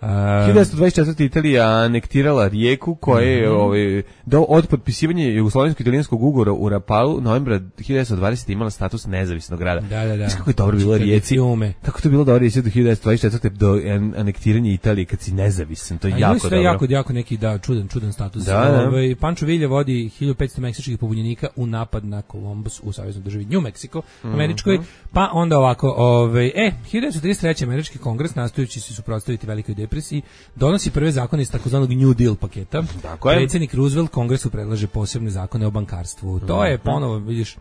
Uh, hiljadu devetsto dvadeset četvrte. Italija anektirala Rijeku koja je mm-hmm. ovaj, do, od potpisivanja jugoslovensko-italijanskog ugovora u Rapalu novembra hiljadu devetsto dvadesete. imala status nezavisnog grada. Da, da, da. Kako je dobro bilo Rijeci. Kako to bilo dobro Rijeci do hiljadu devetsto dvadeset četvrte. do anektiranja Italije kad si nezavisan. To je A jako dobro. Jako, jako neki da, čudan, čudan status. Da, da. Ovaj, Pancho Villa vodi hiljadu petsto meksičkih pobunjenika u napad na Columbus u saveznoj državi New Mexico, američkoj. Mm-hmm. Pa onda ovako, ovaj, e, hiljadu devetsto trideset treće. američki kongres nastojeći se suprotstaviti velikoj depresiji donosi prve zakone iz takozvanog New Deal paketa. Predsjednik Roosevelt Kongresu predlaže posebne zakone o bankarstvu. To je ponovo, vidiš,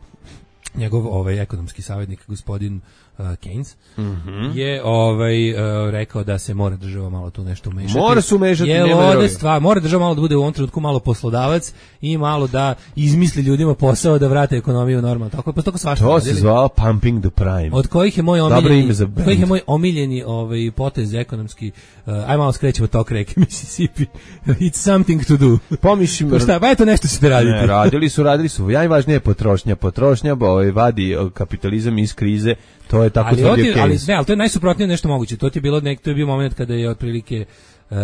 njegov ovaj ekonomski savjetnik gospodin uh, Keynes, mm-hmm. je ovaj, uh, rekao da se mora država malo tu nešto umešati. Mora se umešati, je ovde stvar, mora država malo da bude u ovom trenutku malo poslodavac i malo da izmisli ljudima posao da vrate ekonomiju normalno. Tako pa tako svašta. To se zvao pumping the prime. Od kojih je moj omiljeni, od kojih je moj omiljeni ovaj potez ekonomski. Uh, aj malo skrećemo tok reke Mississippi. It's something to do. Pomišljim. Pa šta, pa eto nešto ćete raditi. Ne, radili su, radili su. Najvažnije je potrošnja. Potrošnja ovaj, vadi kapitalizam iz krize. To je tako tvrdio Keynes. Ali ne, ali to je najsuprotnije nešto moguće. To ti je bilo nek, to je bio moment kada je otprilike uh,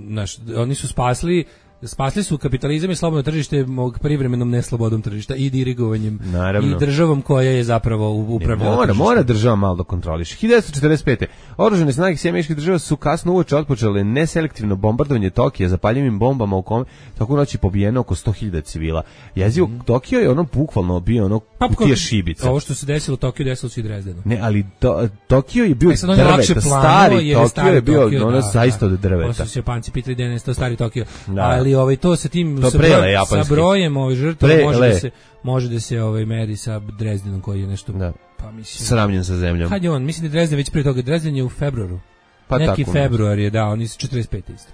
naš, oni su spasli spasli su kapitalizam i slobodno tržište mog privremenom neslobodom tržišta i dirigovanjem Naravno. i državom koja je zapravo upravljala. Mora, mora država malo da kontroliše. hiljadu devetsto četrdeset pete. Oružane snage Sjedinjenih Američkih Država su kasno uveče otpočele neselektivno bombardovanje Tokija zapaljivim bombama u kome tako noći pobijeno oko sto hiljada civila. Jezivo mm. Tokio je ono bukvalno bio ono pa, kutija šibica. Ovo što se desilo u Tokiju desilo se i Drezdenu. Ne, ali to, Tokio je bio e, drveta, stari je Tokio je bio Tokio, ono da, zaista od drveta. Posle se Japanci pitali da je to stari Tokio. Da. Ali ovaj to sa tim to sa, prele, broj, sa brojem ovaj žrtava može le. da se može da se ovaj meri sa Drezdenom koji je nešto da. Pa mislim sravnjen sa zemljom. Kad je on, mislim da je Drezden već prije toga, Drezden je u februaru. Pa neki tako, februar je, da, oni su četrdeset pete isto.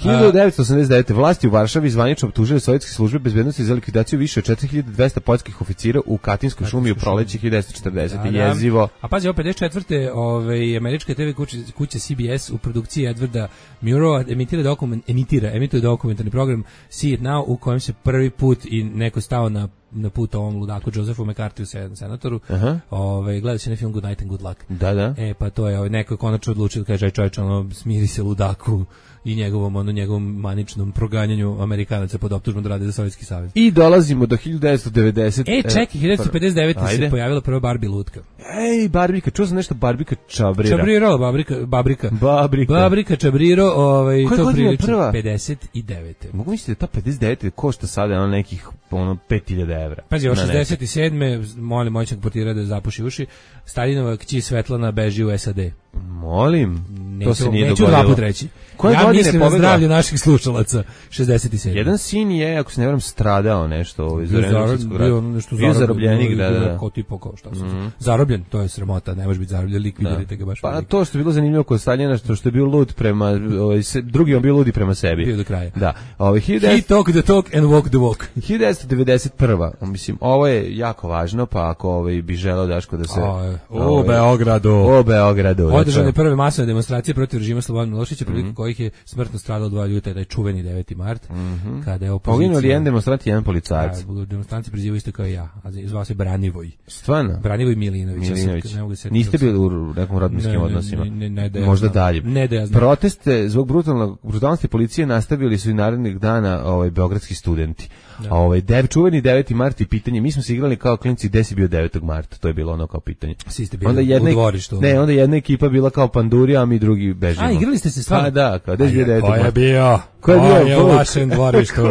hiljadu devetsto osamdeset devete. Vlasti u Varšavi zvanično optužile sovjetske službe bezbednosti za likvidaciju više od četiri hiljade dvesta poljskih oficira u Katinskoj šumi u proleće hiljadu devetsto četrdesete. Da, jezivo. A pazi, ovo pedeset četvrte. Ovaj, američka te ve kuća, kuća C B S u produkciji Edwarda Murrowa emitira, dokument, emitira, emitira dokumentarni program See It Now u kojem se prvi put i neko stao na na put ovom ludaku Josephu McCarthy u senatoru. Uh-huh. Ovaj gleda se na film Good Night and Good Luck. Da, da. E pa to je ovaj neko konačno odlučio da kaže aj čovjek, ono smiri se ludaku i njegovom ono njegovom maničnom proganjanju Amerikanaca pod optužbom da rade za Sovjetski savez. I dolazimo do hiljadu devetsto devedesete. E, čekaj, hiljadu devetsto pedeset devete se pojavila prva Barbie lutka. Ej, Barbika, čuo sam nešto Barbika Čabrira. Čabriro, Babrika, Babrika. Babrika. Babrika Čabriro, ovaj koje to prilično prva? pedeset devete. Mogu misliti da ta pedeset devete košta sada ono nekih ono pet hiljada evra. Pazi, od šezdeset sedme molim moćnog portira da zapuši uši. Staljinova kći Svetlana beži u S A D. Molim, neću, to se nije neću dogodilo. Neću dva put reći. Koje ja godine mislim na zdravlje naših slušalaca, šezdeset sedam. Jedan sin je, ako se ne varam, stradao nešto ovaj, za Renesanskog rata. Bio nešto bio zarobljenik, da, da, da. Kao tipa kao šta se mm-hmm. Zarobljen, to je sramota, ne može biti zarobljen, likvidirajte ga baš. Pa velik. To što je bilo zanimljivo kod Staljina, što, što je bio lud prema, ovaj, se, drugi on bio ludi prema sebi. Bio do kraja. Da. Ovaj, He talk the talk and walk the walk. hiljadu devetsto devedeset prva. Mislim, ovo je jako važno, pa ako ovaj, bi želeo Daško da se... O, o Beogradu. O Beogradu. Održane prve masovne demonstracije protiv režima Slobodana Miloševića, prilikom mm-hmm. kojih je smrtno stradalo dva ljudi, taj čuveni deveti mart, mm-hmm. kada je opozicija... Poginuo li jedan demonstrant i jedan policajac? Da, demonstranci prizivaju isto kao ja, a zvao se Branivoj. Stvarno? Branivoj Milinović. Milinović. Ja se, niste bili u nekom rodbinskim odnosima? Ne, ne, ne, ne, možda dalje. Ne da ja znam. Proteste zbog brutalnog, brutalnosti policije nastavili su i narednih dana ovaj, beogradski studenti. Da. Ovaj, dev, čuveni deveti mart i pitanje, mi smo se igrali kao klinci, gde si bio devetog marta, to je bilo ono kao pitanje. Svi ste bili onda jedna, u dvorištu. Ne, onda jedna ekipa bila kao Pandurija, a mi drugi bežimo. A, igrali ste se stvarno? Pa da, kao, gde si bio devetog marta? Ko je bio? Ko je bio? Ko je u vašem dvorištu?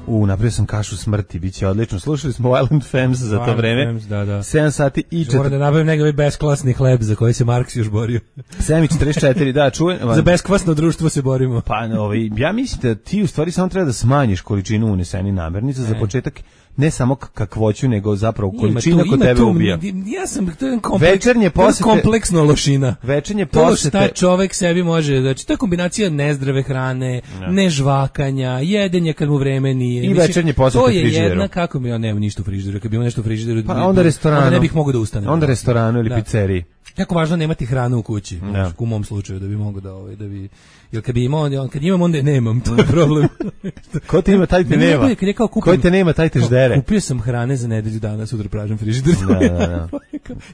U, napravio sam kašu smrti, bit će odlično. Slušali smo Violent Femmes za Violent to vreme. Femmes, da, da. sedam sati i četiri. Moram da nabavim nekakvi beskvasni hleb za koji se Marks još borio. sedam i četrdeset četiri, da, čujem. Za beskvasno društvo se borimo. Pa, ovaj, ja mislim da ti u stvari samo treba da smanjiš količinu unesenih namirnica. Za početak ne samo kakvoću, nego zapravo količina kod tebe tu, ubija. Ja sam, to je kompleks, večernje posete, kompleksno lošina. Večernje posete. To šta čovek sebi može, znači to je kombinacija nezdrave hrane, no. nežvakanja, jedenja kad mu vreme nije. I mislim, večernje posete to je frižideru. jedna, kako mi, ja nemam ništa u frižideru, kad bi imao nešto u frižideru, pa onda restoranu. Onda ne bih mogao da ustanem. Onda restoranu ili da. pizzeriji. Jako važno nemati hranu u kući, no. u mom slučaju, da bi mogao da, ovaj, da bi... Jer kad bi imao, kad imam, onda nemam, to je problem. Ko te ima, taj te nema. Kad je kao kupim, Ko te nema, taj te ždere. Kupio sam hrane za nedelju dana, sutra pražem frižider. Da, da, da.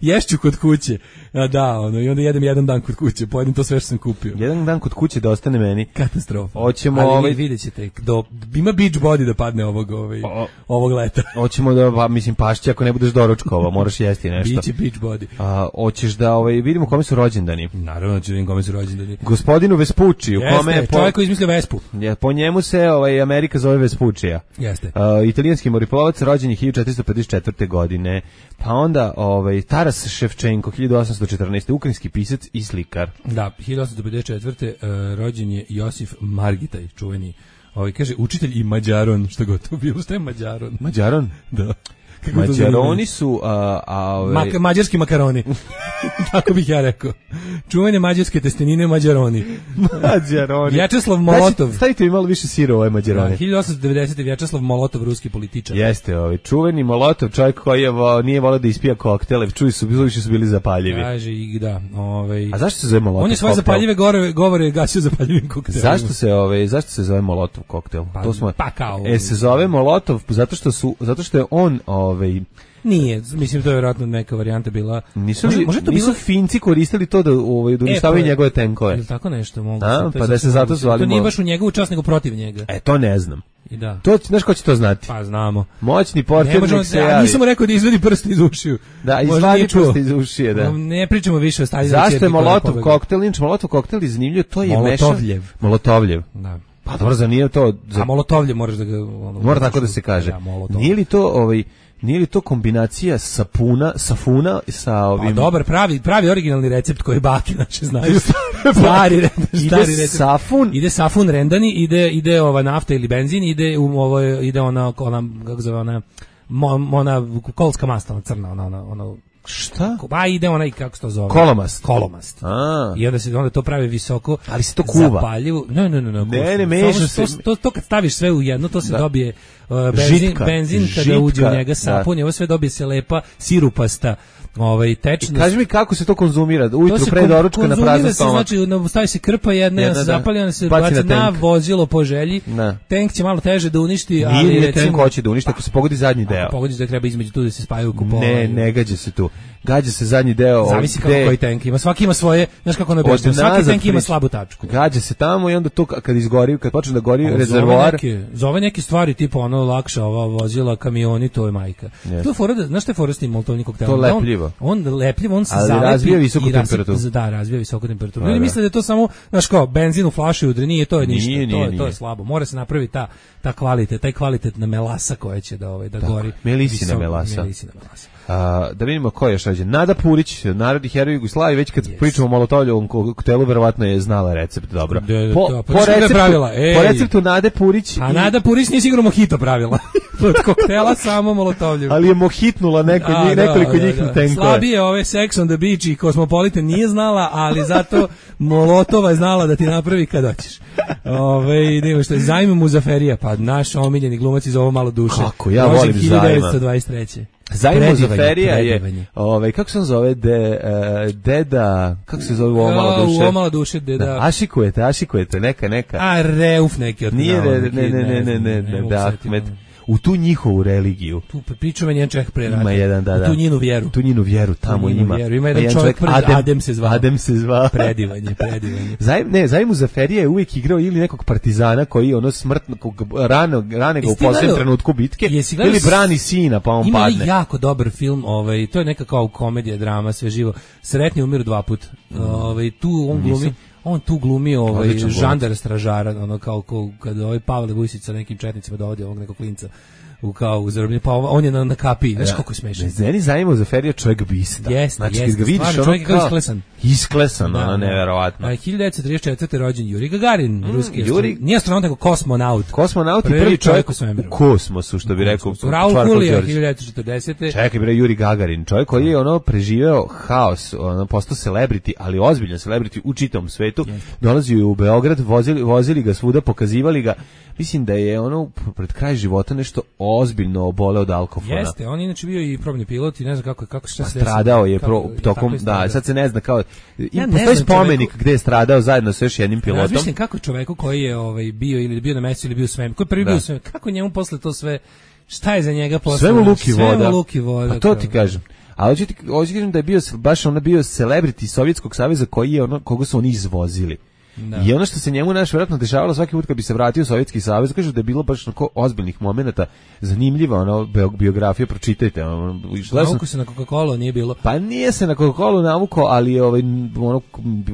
Ješću kod kuće. A da, ono, i onda jedem jedan dan kod kuće, pojedem to sve što sam kupio. Jedan dan kod kuće da ostane meni. Katastrofa. Hoćemo ali ovaj... vidjet ćete, do, ima beach body da padne ovog, ovaj, o, ovog leta. Hoćemo da, pa, mislim, pašće ako ne budeš doručkova, moraš jesti nešto. Biće beach body. A, hoćeš da, ovaj, vidimo kome su rođendani. Naravno, ću vidim kome su rođendani. Gospodinu Vespucci, u kome je po... čovjek koji izmislio Vespu. Ja, po njemu se ovaj, Amerika zove Vespuccija. Jeste. Uh, italijanski moriplovac, rođen je hiljadu četiristo pedeset četvrte. godine. Pa onda ovaj, Taras Ševčenko, hiljadu osamsto četrnaeste. ukrajinski pisac i slikar. Da, hiljadu osamsto pedeset četvrte. Uh, rođen je Josif Margitaj, čuveni. Ovaj, kaže, učitelj i Mađaron, što god to bilo, što je Mađaron? Mađaron? Da. Mađaroni su a, a ove... Mak, mađarski makaroni. Tako bih ja rekao. Čuvene mađarske testenine Mađaroni. Mađaroni. Vječeslav Molotov. Znači, stavite mi malo više sira u ove Mađaroni. Da, hiljadu osamsto devedesete. Vječeslav Molotov, ruski političar. Jeste, ovaj čuveni Molotov, čovjek koji je vo, nije voleo da ispija koktele, čuju su, više su bili zapaljivi. Kaže i da, ovaj. A zašto se zove Molotov? On je svoje zapaljive govore, govore gasio zapaljivim koktelima. Zašto se ovaj zašto se zove Molotov koktel? Pa, to smo pa kao. E se zove Molotov zato što su zato što je on ovaj nije, mislim to je vjerojatno neka varijanta bila. Nisu li, može to nisu bilo... Finci koristili to da ovaj da uništavaju e, pa, njegove tenkove. Ili tako nešto mogu. A, pa da se zato zvali. To nije baš u njegovu čast nego protiv njega. E to ne znam. I da. To znaš ko će to znati? Pa znamo. Moćni portir se javi. Nisam mu rekao da izvadi prst iz ušiju. Da, izvadi prst iz ušije, da. Ne pričamo više o Staljinu. Zašto je Molotov koktel? Inč Molotov koktel je zanimljiv, to je Molotovljev. Molotovljev. Da. Pa dobro, za nije to... Za... A Molotovljev moraš da ga... Ono, mora tako da se kaže. Da, nije li to ovaj... Nije li to kombinacija sapuna, safuna sa ovim... Pa dobar, pravi, pravi originalni recept koji bake naše znaju. Stari, stari ide recept. Safun. Ide safun rendani, ide, ide ova nafta ili benzin, ide, u, ovo, ide ona, ona, kako zove, ona, mo, ona kolska masta, ona crna, ona, ona, ona šta? Ba ide onaj kako se to zove? Kolomast. Kolomast. A. I onda se onda to pravi visoko, ali se to kuva. Zapaljivo. Ne, ne, ne, ne. Ne, ne meša se. To, to, to kad staviš sve u jedno, to se da. dobije uh, benzin, Žitka. benzin kada Žitka. uđe u njega sapun, i ovo sve dobije se lepa sirupasta ovaj tečnost. Kaži mi kako se to konzumira? Ujutru pre doručka na prazan stomak. Znači, stavi se krpa jedna, jedna se zapali, ona se baci na, na vozilo po želji. Na. Tank će malo teže da uništi, ali nije recimo tank hoće da uništi ako se pogodi zadnji deo. Ako pogodi da treba između tu da se spajaju kupovi. Ne, ne gađa se tu. Gađa se zadnji deo. Zavisi kako koji tank ima. Svaki ima svoje, znaš kako ono objašnjeno. Svaki tank ima slabu tačku. Gađa se tamo i onda to kad izgori, kad počne da gori rezervoar. Neke, za ove neke stvari tipa ono lakša ova vozila, kamioni, to je majka. Yes. To je fora da, znaš šta je fora s tim molotovnim koktelom? To lepljivo. On, on lepljivo, on se ali zalepi razvija visoku i temperaturu. Rasip, da, razvija visoku temperaturu. Ljudi misle da je to samo, znaš kao, benzin u flaši udri, nije, to je ništa, nije, to, nije, je, to je nije. slabo. Mora se napraviti ta, ta kvalitet, taj kvalitetna melasa koja će da, ovaj, da tako, gori. Melisina visok, melasa. Melisina melasa. A, da vidimo ko je još rađen. Nada Purić, narodni heroj Jugoslavije, već kad yes. pričamo o Molotovljevom koktelu, verovatno je znala recept dobro. De, po, da, po, receptu, pravila. po receptu Nade Purić... A i... Nada Purić nije sigurno mojito pravila. Od koktela samo Molotovljev. Ali je mohitnula neko, a, njih, nekoliko da, njih da, da. tenkova. Slabije ove Sex on the Beach i Cosmopolitan nije znala, ali zato Molotova je znala da ti napravi kad hoćeš. Ove, idemo što je Zajm Muzaferija, pa naš omiljeni glumac iz Ovo malo duše. Kako, ja volim Zajma. hiljadu devetsto dvadeset treće. Zajm Muzaferija je, ovaj kako se on zove, de, uh, deda, kako se zove u Ovo malo duše? U Ovo malo duše, deda. Da, ašikujete, ašikujete, neka, neka. A Reuf neki od nije, ne, ne, ne, ne, ne, ne, ne, da, Ahmed. U tu njihovu religiju. Tu pričamo njen čovjek pre rata. Ima jedan, da, da. U tu njenu vjeru. Tu njenu vjeru tamo njenu ima. Vjeru. Ima jedan čovjek pred Adem, Adem se zvao. Adem se zvao. Predivanje, predivanje. Zajm, ne, Zajm Muzaferija je uvijek igrao ili nekog partizana koji ono smrtno, rane, rane ga u posljednjem trenutku bitke, ili brani sina pa on ima padne. Ima jako dobar film, ovaj, to je neka kao komedija, drama, sve živo. Sretni umiru dva put. Mm. Ovaj, tu on glumi... On tu glumi ovaj žandar stražara, ono kao, kao kad ovaj Pavle Vujsić sa nekim četnicima dovodi ovog nekog klinca u kao u zarobljenje, pa on je na, na kapiji, znaš kako je smešan. Meni Zajmo Zaferija čovjek bista. Jest, znači, jest, kad ga vidiš, ono čovjek kao isklesan. Isklesan, da, ono, neverovatno. A hiljadu devetsto trideset četvrte rođen Juri Gagarin, mm, ruski Juri... Nije astronaut, nego kosmonaut. Kosmonaut i prvi, prvi čovjek u kosmosu, što bi rekao. Raul Julia, hiljadu devetsto četrdesete Čekaj, bre, Juri Gagarin, čovjek koji je ono preživeo haos, ono postao celebrity, ali ozbiljan celebrity u čitavom svetu. Yes. Dolazio u Beograd, vozili, vozili ga svuda, pokazivali ga. Mislim da je ono pred kraj života nešto ozbiljno oboleo od alkofona. Jeste, on inače bio i probni pilot i ne znam kako kako šta se stradao je pro, tokom je da, sad se ne zna kao ja postoji spomenik čoveku, gde je stradao zajedno sa još jednim pilotom. Ja mislim kako čoveku koji je ovaj bio ili bio na mesecu ili bio sve, koji prvi da. bio sve, kako njemu posle to sve, šta je za njega posle? Sve mu luki voda. Sve mu luki voda. Pa to ti kažem. A hoću ti kažem da je bio baš on bio celebrity Sovjetskog saveza koji je ono koga su oni izvozili. Da. I ono što se njemu naš vjerojatno dešavalo svaki put kad bi se vratio u Sovjetski savez, kaže da je bilo baš onako ozbiljnih momenata, zanimljiva ono biografija, pročitajte. Ono, navuko se na Coca-Cola, nije bilo. Pa nije se na Coca-Cola navuko, ali ovaj, ono,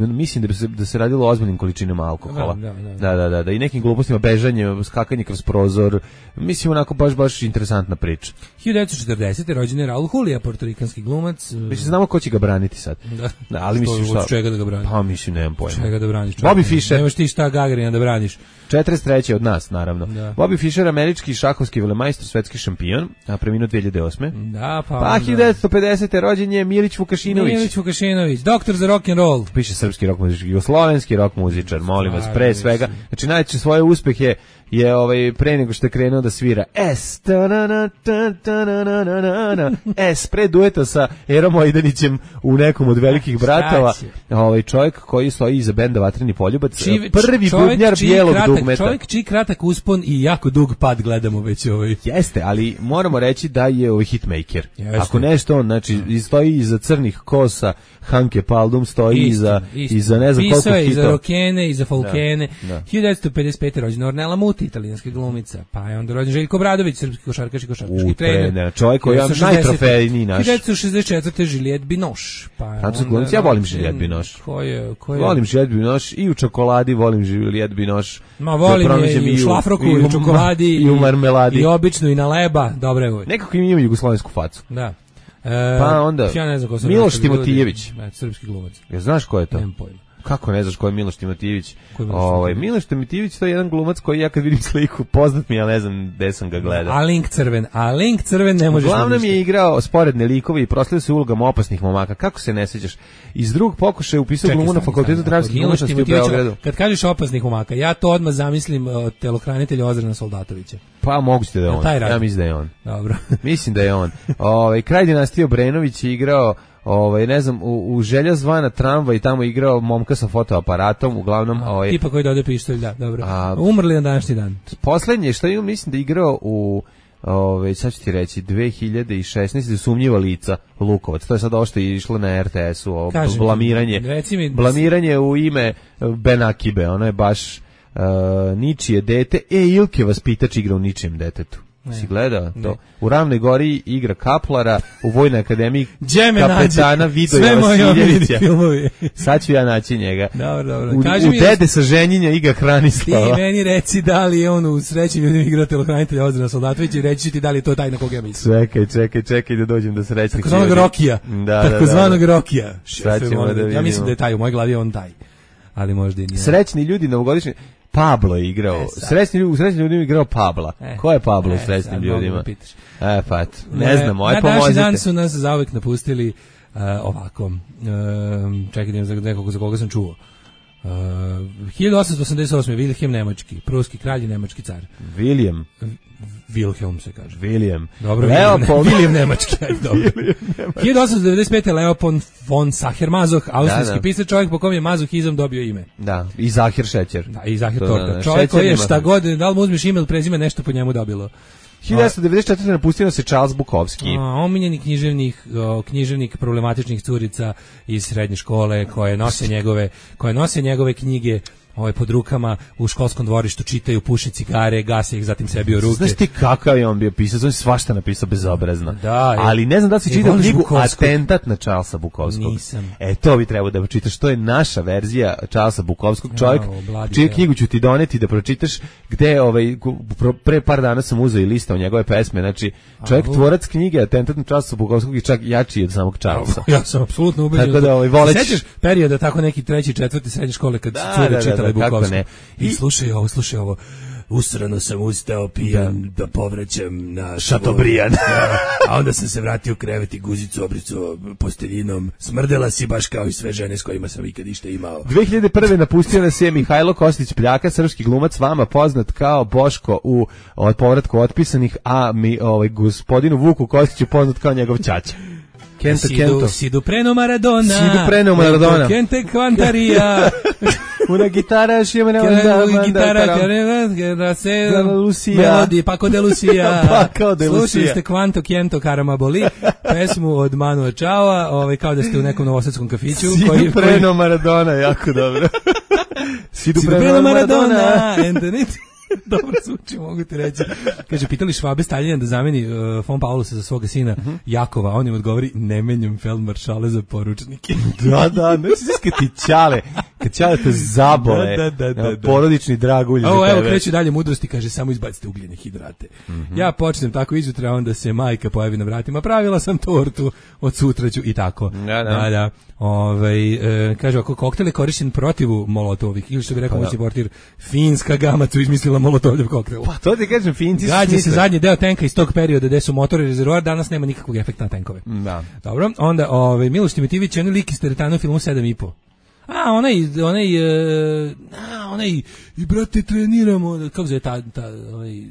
mislim da bi se, da se radilo o ozbiljnim količinama alkohola. Da, da, da. Da, da, da, da. I nekim glupostima, bežanje, skakanje kroz prozor, mislim onako baš, baš interesantna priča. hiljadu devetsto četrdesete rođen je Raul Julia, portorikanski glumac. Mislim, znamo ko će ga braniti sad. Da, da ali mislim što, od čega da ga brani? Pa mislim, nemam pojma. Čega da braniš? Bobby Fischer. Nemaš ti šta Gagarina da braniš. četrdeset treće od nas, naravno. Da. Bobby Fischer, američki šahovski velemajstor, svetski šampion, a preminuo dve hiljade osme. Da, pa. Pa hiljadu devetsto pedesete rođen je Milić Vukašinović. Milić Vukašinović, doktor za rock and roll. Piše srpski rock muzičar, jugoslovenski rock muzičar, molim vas, pre svega. Znači najveće svoje uspehe je ovaj pre nego što je krenuo da svira S S pre dueta sa Erom Ojdanićem u nekom od velikih bratova. Ovaj čovjek koji stoji iza benda Vatreni poljubac, Či, prvi bubnjar bijelog dugmeta. Čovjek čiji kratak uspon i jako dug pad gledamo već ovaj. Jeste, ali moramo reći da je ovaj hitmaker. Jeste. Ako nešto on, znači stoji iza crnih kosa, Hanke Paldum stoji istina, iza istina. iza ne znam koliko hitova. Pisao je hitova. iza Rokene, iza Folkene. Da, da. hiljadu devetsto pedeset pete rođena Ornella Muti, italijanska glumica. Pa je onda rođen Željko Obradović, srpski košarkaš i košarkaški trener. Čovjek koji je najtrofejniji naš. hiljadu devetsto šezdeset četvrte Juliette Binoche. Pa Francuski glumica, ja volim Juliette Binoche. Ko je, ko je? Volim Juliette Binoche i u čokoladi volim Juliette Binoche. Ma volim je i u šlafroku, i u čokoladi, i u marmeladi. I običnu, i na leba, dobre je uvijek. Nekako im ima jugoslovensku facu. Da. E, pa onda, ja ne znam ko sam Miloš Timotijević. Ne, srpski glumac. Ja znaš ko je to? Nemam pojma. Kako ne znaš ko je Miloš Timotijević? Miloš ovaj Miloš Timotijević to je jedan glumac koji ja kad vidim sliku poznat mi, ja ne znam gde sam ga gledao. A link crven, a link crven ne možeš. Uglavnom je igrao sporedne likove i proslavio se ulogama opasnih momaka. Kako se ne sećaš? Iz drugog pokušaja upisao glumu na fakultetu dramskih umetnosti u Beogradu. Kad kažeš opasnih momaka, ja to odmah zamislim uh, telohranitelja Ozrena Soldatovića. Pa moguće da je on. Ja mislim da je on. Dobro. Mislim da je on. Ovaj kraj dinastije Obrenović je igrao ovaj ne znam u, u Želja zvana tramvaj, tamo igrao momka sa fotoaparatom, uglavnom a, ovaj tipa koji dode pištolj, da, dobro. A, umrli na današnji dan. Poslednje što je, mislim da je igrao u ovaj sad ću ti reći dve hiljade šesnaeste sumnjiva lica Lukovac. To je sad ovo što je išlo na er te esu, ovo blamiranje. Mi, blamiranje u ime Ben Akibe, ono je baš uh, ničije dete. E, Ilke vaspitač igra u ničijem detetu. Ne, si gleda to? U Ravnoj Gori igra Kaplara, u Vojnoj akademiji kapetana Vidoja Vasiljevića. Sad ću ja naći njega. Dobro, dobro. U, Kaži u mi, Dede sa ženjenja igra Hranislava. Ti meni reci da li je on u Srećnim ljudima igrao telohranitelja Ozrena Soldatovića i reći ti da li je to taj na koga ja mislim. Čekaj, čekaj, čekaj da dođem do Srećnih. Takozvanog Rokija. Da, Takozvanog da, da, da. Rokija. Da ja mislim da je taj, u mojoj glavi je on taj. Ali možda i nije. Srećni ljudi novogodišnji. Pablo je igrao. E, srećni ljudi, u srećnim ljudima je igrao Pabla. E, Ko je Pablo e, u srećnim ljudima? E, pa, ne znamo, aj pomozite. Na današnji dan su nas zauvek napustili uh, ovako. Uh, čekaj, za nekog za koga sam čuo. Uh, hiljadu osamsto osamdeset osme. Wilhelm Nemački, pruski kralj i nemački car. William. Wilhelm se kaže. William. Dobro, Leopold. William Nemački. Dobro. hiljadu osamsto devedeset pete. Leopold von Sacher-Masoch, austrijski da, da. pisac, čovjek po kom je mazohizam dobio ime. Da, i Zahir Šećer. Da, i Zahir Torka. Da, da. Čovjek koji je šta god, da li mu uzmeš ime ili prezime, nešto po njemu dobilo. hiljadu devetsto devedeset četvrte. napustio se Charles Bukowski. A, omiljeni književnik, o, književnik problematičnih curica iz srednje škole koje nose njegove, koje nose njegove knjige ovaj pod rukama u školskom dvorištu, čitaju, puše cigare, gase ih, zatim sebi u ruke. Znaš ti kakav je on bio pisac, on je svašta napisao bezobrazno. Da, ali ne znam da li si čitao knjigu Atentat na Charlesa Bukowskog. Nisam. E, to bi trebao da pročitaš, to je naša verzija Charlesa Bukowskog, čovjek, čiju knjigu ću ti doneti da pročitaš, gde ovaj, pre par dana sam uzeo i listao njegove pesme, znači čovjek A, tvorac knjige Atentat na Charlesa Bukowskog je čak jači od samog Charlesa. Ja sam apsolutno ubeđen. Tako da ovaj, voleć... Sećaš perioda tako neki treći, četvrti srednje škole kad da, cure da, čitale Bukowskog. I, I slušaj ovo, slušaj ovo. Usrano sam ustao pijan da, da povraćam na Šatobrijan. A onda sam se vratio u krevet i guzicu obricu posteljinom. Smrdela si baš kao i sve žene s kojima sam ikad išta imao. dve hiljade prve. napustio nas je Mihajlo Kostić Pljaka, srpski glumac, vama poznat kao Boško u od povratku otpisanih, a mi ovaj gospodinu Vuku Kostiću poznat kao njegov ćaća. Kento, Sidu, Kento. Sidu preno Maradona. Sidu preno Maradona. Kente Kvantarija. Una gitara šiva ne onda. Una gitara da melodi Paco de Lucia. Paco de Lucia. Slušali ste Kvanto Kento Karamaboli, pesmu od Manua Čava, ovaj, kao da ste u nekom novosadskom kafiću. Sidu koji, preno koji... Maradona, jako dobro. Sidu, Sidu preno, preno Maradona. Maradona. Dobro zvuči, mogu ti reći. Kaže, pitali Švabe Staljina da zameni uh, von Paulusa za svoga sina uh-huh. Jakova, on im odgovori, ne menjam feldmaršale za poručnike. Da, da, ne si kad ti ćale, kad ćaleta zabole, da, da, da, da. porodični dragulj. Ovo, evo, kreću dalje mudrosti, kaže, samo izbacite ugljene hidrate. Mm-hmm. Ja počnem tako izutra, onda se majka pojavi na vratima, pravila sam tortu, od sutra ću i tako. Da, da. da, da. Ove, e, kaže, ako koktel je korišćen protiv molotovih, ili što bi rekao moći pa, portir, finska gamacu izmislila molotovljev koktel. Pa to ti kažem, finci su gađa se zadnji deo tenka iz tog perioda gde su motori rezervoar, danas nema nikakvog efekta na tenkove. Da. Dobro, onda ove, Miloš Timotivić je onaj lik iz teretana u filmu sedam i po. A, onaj, onaj, uh, a, onaj, i brate, treniramo, kako zove ta, ta, onaj,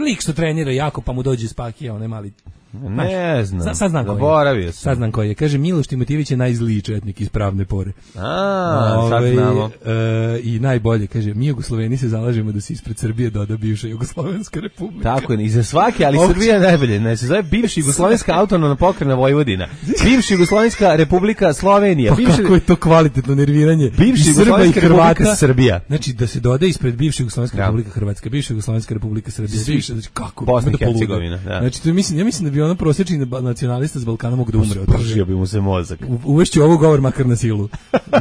lik što trenira jako, pa mu dođe spakija, onaj mali. Ne znam, sad, sad znam zaboravio sam. Sad znam koji je. Kaže, Miloš Timotivić je najzliji četnik iz Pravne Pore. A, Ove, sad znamo. E, I najbolje, kaže, mi Jugosloveni se zalažemo da se ispred Srbije doda bivša Jugoslovenska republika. Tako je, i za svake, ali Ovdje. Srbija je najbolje. Ne, se zove bivša Jugoslovenska autonomna pokrajina Vojvodina. Bivša Jugoslovenska republika Slovenija. Pa bivša... kako je to kvalitetno nerviranje. Bivša Jugoslovenska republika Srbija. Znači, da se doda ispred bivša Jugoslovenska ja. republika Hrvatska, bivša Jugoslovenska republika Srbija. Bivša, znači, kako? Bosna i Hercegovina. Da. Znači, to mislim, ja mislim da bi ono prosječni nacionalista s Balkana mogu da umre od toga. Bi mu se mozak. U, uvešću ovo govor makar na silu.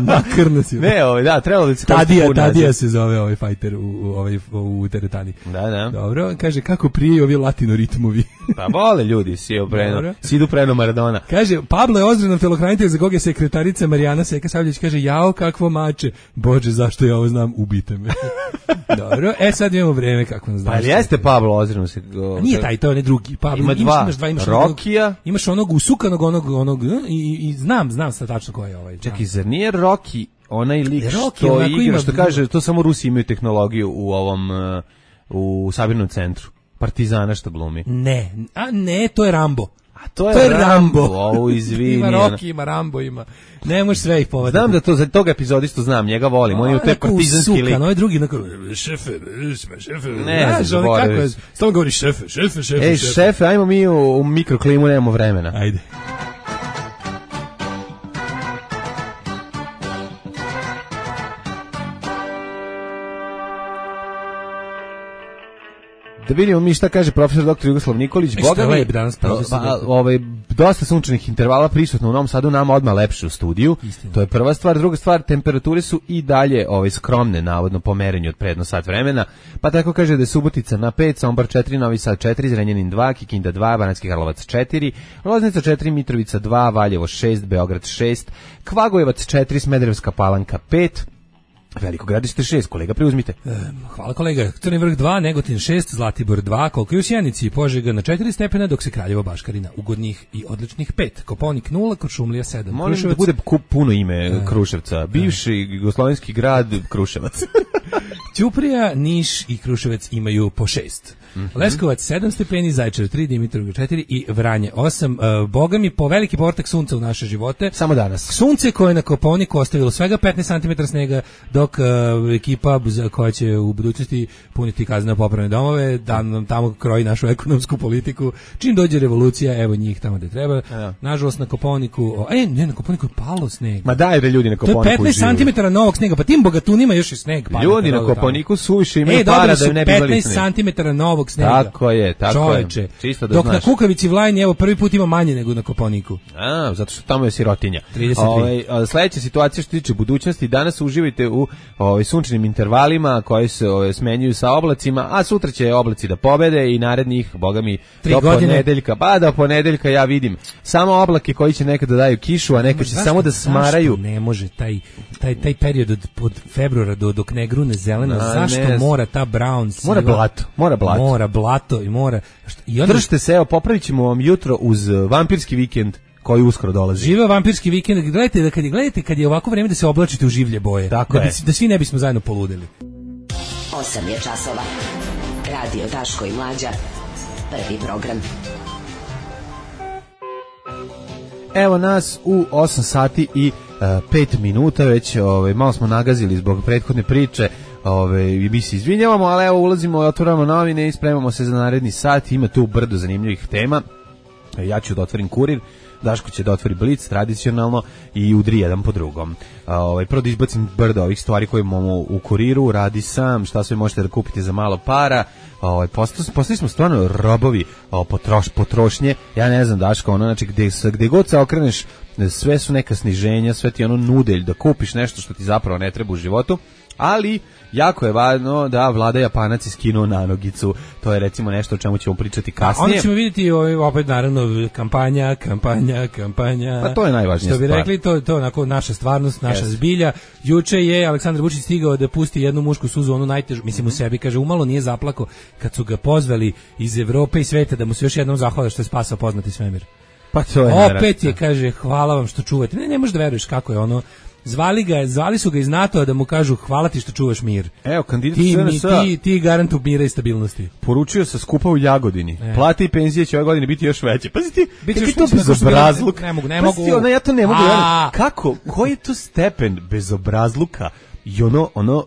Makar na silu. Ne, ovaj, da, trebalo da se Tadija, Tadija se zove ovaj fajter u, u, ovaj, u teretani. Da, da. Dobro, kaže, kako prije ovi latino ritmovi. Pa vole ljudi, si opreno, sidu preno Maradona. Kaže, Pablo je ozbiljno telokranitelj za koga je sekretarica Marijana Seka Savljević, kaže, jao, kakvo mače. Bože, zašto ja ovo znam, ubite me. Dobro, e sad imamo vreme kako nas znaš. Pa jeste Pablo ozbiljno se... A nije taj, to je onaj drugi. Pablo, ima dva, imaš dva, imaš Rokija. Onog, imaš onog usukanog, onog, onog, i, i znam, znam sad tačno ko je ovaj. Čekaj, zar nije Roki onaj lik Rocky, što igra, ima, što kaže, to samo Rusi imaju tehnologiju u ovom, u sabirnom centru. Partizana što glumi. Ne, a ne, to je Rambo. A to je, to je Rambo. Rambo. Ovo, izvini. Ima Rocky, ima Rambo, ima. Ne možeš sve ih povedati. Znam da to, za tog epizodistu znam, njega volim. On je u te partizanski lik. No je drugi, onako, šefe, šefe. Ne, znaš, kako je. Stalno govori šefe, šefe, šefe. Ej, šefe, ajmo mi u, u mikroklimu, nemamo vremena. Ajde. Da vidimo mi šta kaže profesor doktor Jugoslav Nikolić. Boga mi, danas ba, ovaj, dosta sunčanih intervala prisutno u Novom Sadu, nama odmah lepše u studiju. Istina. To je prva stvar. Druga stvar, temperature su i dalje ovaj, skromne, navodno po merenju od predno sat vremena. Pa tako kaže da je Subotica na pet, Sombor četiri, Novi Sad četiri, Zrenjanin dva, Kikinda dva, Banatski Karlovac četiri, Loznica četiri, Mitrovica dva, Valjevo šest, Beograd šest, Kvagojevac četiri, Smederevska Palanka pet, Veliko Gradište šest, kolega, preuzmite. E, hvala kolega. Crni vrh dva, Negotin šest, Zlatibor dva, koliko je u Sjenici, Požega na četiri stepena, dok se Kraljevo Baškarina ugodnih i odličnih pet. Koponik nula, Kuršumlija sedam. Molim Kruševac... da bude puno ime Kruševca. Bivši jugoslovenski grad Kruševac. Ćuprija, Niš i Kruševac imaju po šest. Mm-hmm. Leskovac sedam stepeni, Zaječar tri, Dimitrovgrad četiri i Vranje osam. Uh, Boga mi po veliki portak sunca u naše živote. Samo danas. Sunce koje je na Koponiku ostavilo svega petnaest santimetara snega, dok uh, ekipa koja će u budućnosti puniti kazneno popravne domove, da nam tamo kroji našu ekonomsku politiku. Čim dođe revolucija, evo njih tamo gde treba. Ja. Nažalost na Koponiku, o, e, ne, na Koponiku je palo sneg. Ma daj da ljudi na Koponiku. To je petnaest santimetara novog snega, pa tim bogatunima još i sneg pada. Ljudi na Koponiku suviše imaju e, para da ne bi petnaest santimetara novog snega. Tako je, tako Čoveče. je. Čisto da dok znaš. Na Kukavici Vlajni, evo, prvi put ima manje nego na Koponiku. A, zato što tamo je sirotinja. trideset tri. Ovaj, sledeća situacija što tiče budućnosti, danas uživajte u ovaj, sunčanim intervalima koji se ovaj, smenjuju sa oblacima, a sutra će oblaci da pobede i narednih, boga mi, Tri do godine. ponedeljka. Pa do ponedeljka ja vidim samo oblake koji će nekada daju kišu, a nekad će zašto, samo da smaraju. Zašto ne može taj, taj, taj period od, od februara do, dok ne grune zelena, a, zašto ne, mora ta brown siva? Mora blato, mora blato. Mora blato i mora... I onda... Držite se, evo, popravit ćemo vam jutro uz vampirski vikend koji uskoro dolazi. Živeo vampirski vikend, gledajte da kad je, gledajte kad je ovako vreme da se oblačite u življe boje. Tako da, je. Bi, da svi ne bismo zajedno poludeli. osam je časova. Radio Daško i Mlađa. Prvi program. Evo nas u osam sati i pet minuta već, ovaj, malo smo nagazili zbog prethodne priče. Ove, i mi se izvinjavamo, ali evo ulazimo, otvoramo novine i spremamo se za naredni sat. Ima tu brdo zanimljivih tema. Ja ću da otvorim Kurir, Daško će da otvori Blic tradicionalno i udri jedan po drugom. Ovaj, prvo da izbacim brdo ovih stvari koje imamo u Kuriru, radi sam, šta sve možete da kupite za malo para. Ovaj, postali, postali smo stvarno robovi o, potroš, potrošnje. Ja ne znam, Daško, ono, znači gde, gde god se okreneš sve su neka sniženja, sve ti ono nudelj da kupiš nešto što ti zapravo ne treba u životu, ali jako je važno da vlada Japanac iskinuo nanogicu, to je recimo nešto o čemu ćemo pričati kasnije. Onda ćemo vidjeti ovaj, opet naravno kampanja, kampanja, kampanja. Pa to je najvažnija stvar. Što bi stvar. rekli, to, to je onako naša stvarnost, naša yes. zbilja. Juče je Aleksandar Vučić stigao da pusti jednu mušku suzu, onu najtežu, mislim u sebi, kaže, umalo nije zaplako kad su ga pozvali iz Evrope i sveta da mu se još jednom zahvale što je spasao poznati svemir. Pa to je opet naravno. je, kaže, hvala vam što čuvate. Ne, ne možeš da veruješ kako je ono. Zvali ga, zvali su ga iz NATO-a da mu kažu hvala ti što čuvaš mir. Evo, kandidat ti, S N S ti, ti garantu mira i stabilnosti. Poručio sa skupa u Jagodini. E. Plate i penzije će ove godine biti još veće. Pazi ti, biti još to bezobrazluk. Ne mogu, ne mogu. Pazi ti, ono, ja to ne mogu. Kako? Koji je to stepen bezobrazluka? I ono, ono,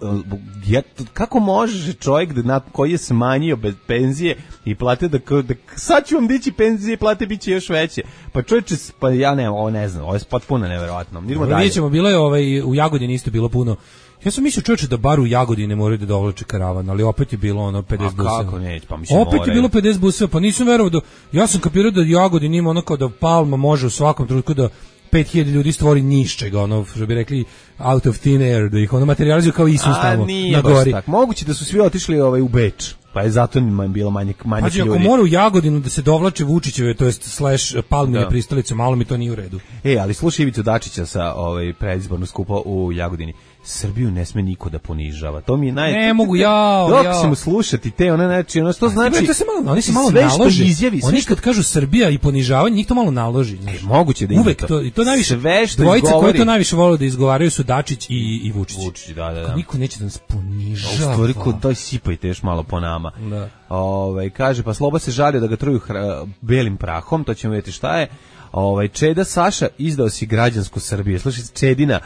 ja, kako može čovjek da, na, koji je smanjio bez penzije i plate da, da sad ću vam dići penzije i plate bit će još veće. Pa čovječe, pa ja ne, ovo ne znam, ovo je potpuno neverovatno. Idemo dalje. Vidjet ćemo, bilo je ovaj, u Jagodini isto bilo puno. Ja sam mislio čovječe da bar u Jagodini moraju da dovlače karavan, ali opet je bilo ono pedeset buseva. A kako neće, pa mislim opet je bilo pedeset buseva, pa nisam verovao da, ja sam kapirao da Jagodin ima ono kao da Palma može u svakom trenutku da pet hiljada ljudi stvori nišćega, ono, što bi rekli, out of thin air, da ih ono materializuju kao Isus tamo na gori. Tak. Moguće da su svi otišli ovaj, u Beč, pa je zato bilo manje, manje Pađi, ljudi. Ako mora u Jagodinu da se dovlače Vučićeve, to jest slash Palmine pristalice, malo mi to nije u redu. E, ali slušaj Ivicu Dačića sa ovaj, predizbornog skupa u Jagodini. Srbiju ne sme niko da ponižava. To mi je naj... Ne mogu, jao, dok jao. ćemo slušati te, ono, znači, ono, što znači... To se malo, oni se malo naloži. Izjavi, oni kad kažu Srbija i ponižavanje, njih to malo naloži. E, moguće da uvek to. I to najviše, sve što dvojice izgovori... koje to najviše vole da izgovaraju su Dačić i, i Vučić. Vučić, da, da, da. Niko neće da nas ponižava. U stvari, kod daj sipajte još malo po nama. Da. Ove, kaže, pa Sloba se žalio da ga truju hra, belim prahom, to ćemo vidjeti šta je. Ovaj Čeda Saša izdao si građansku Srbiju. Slušaj, Čedina.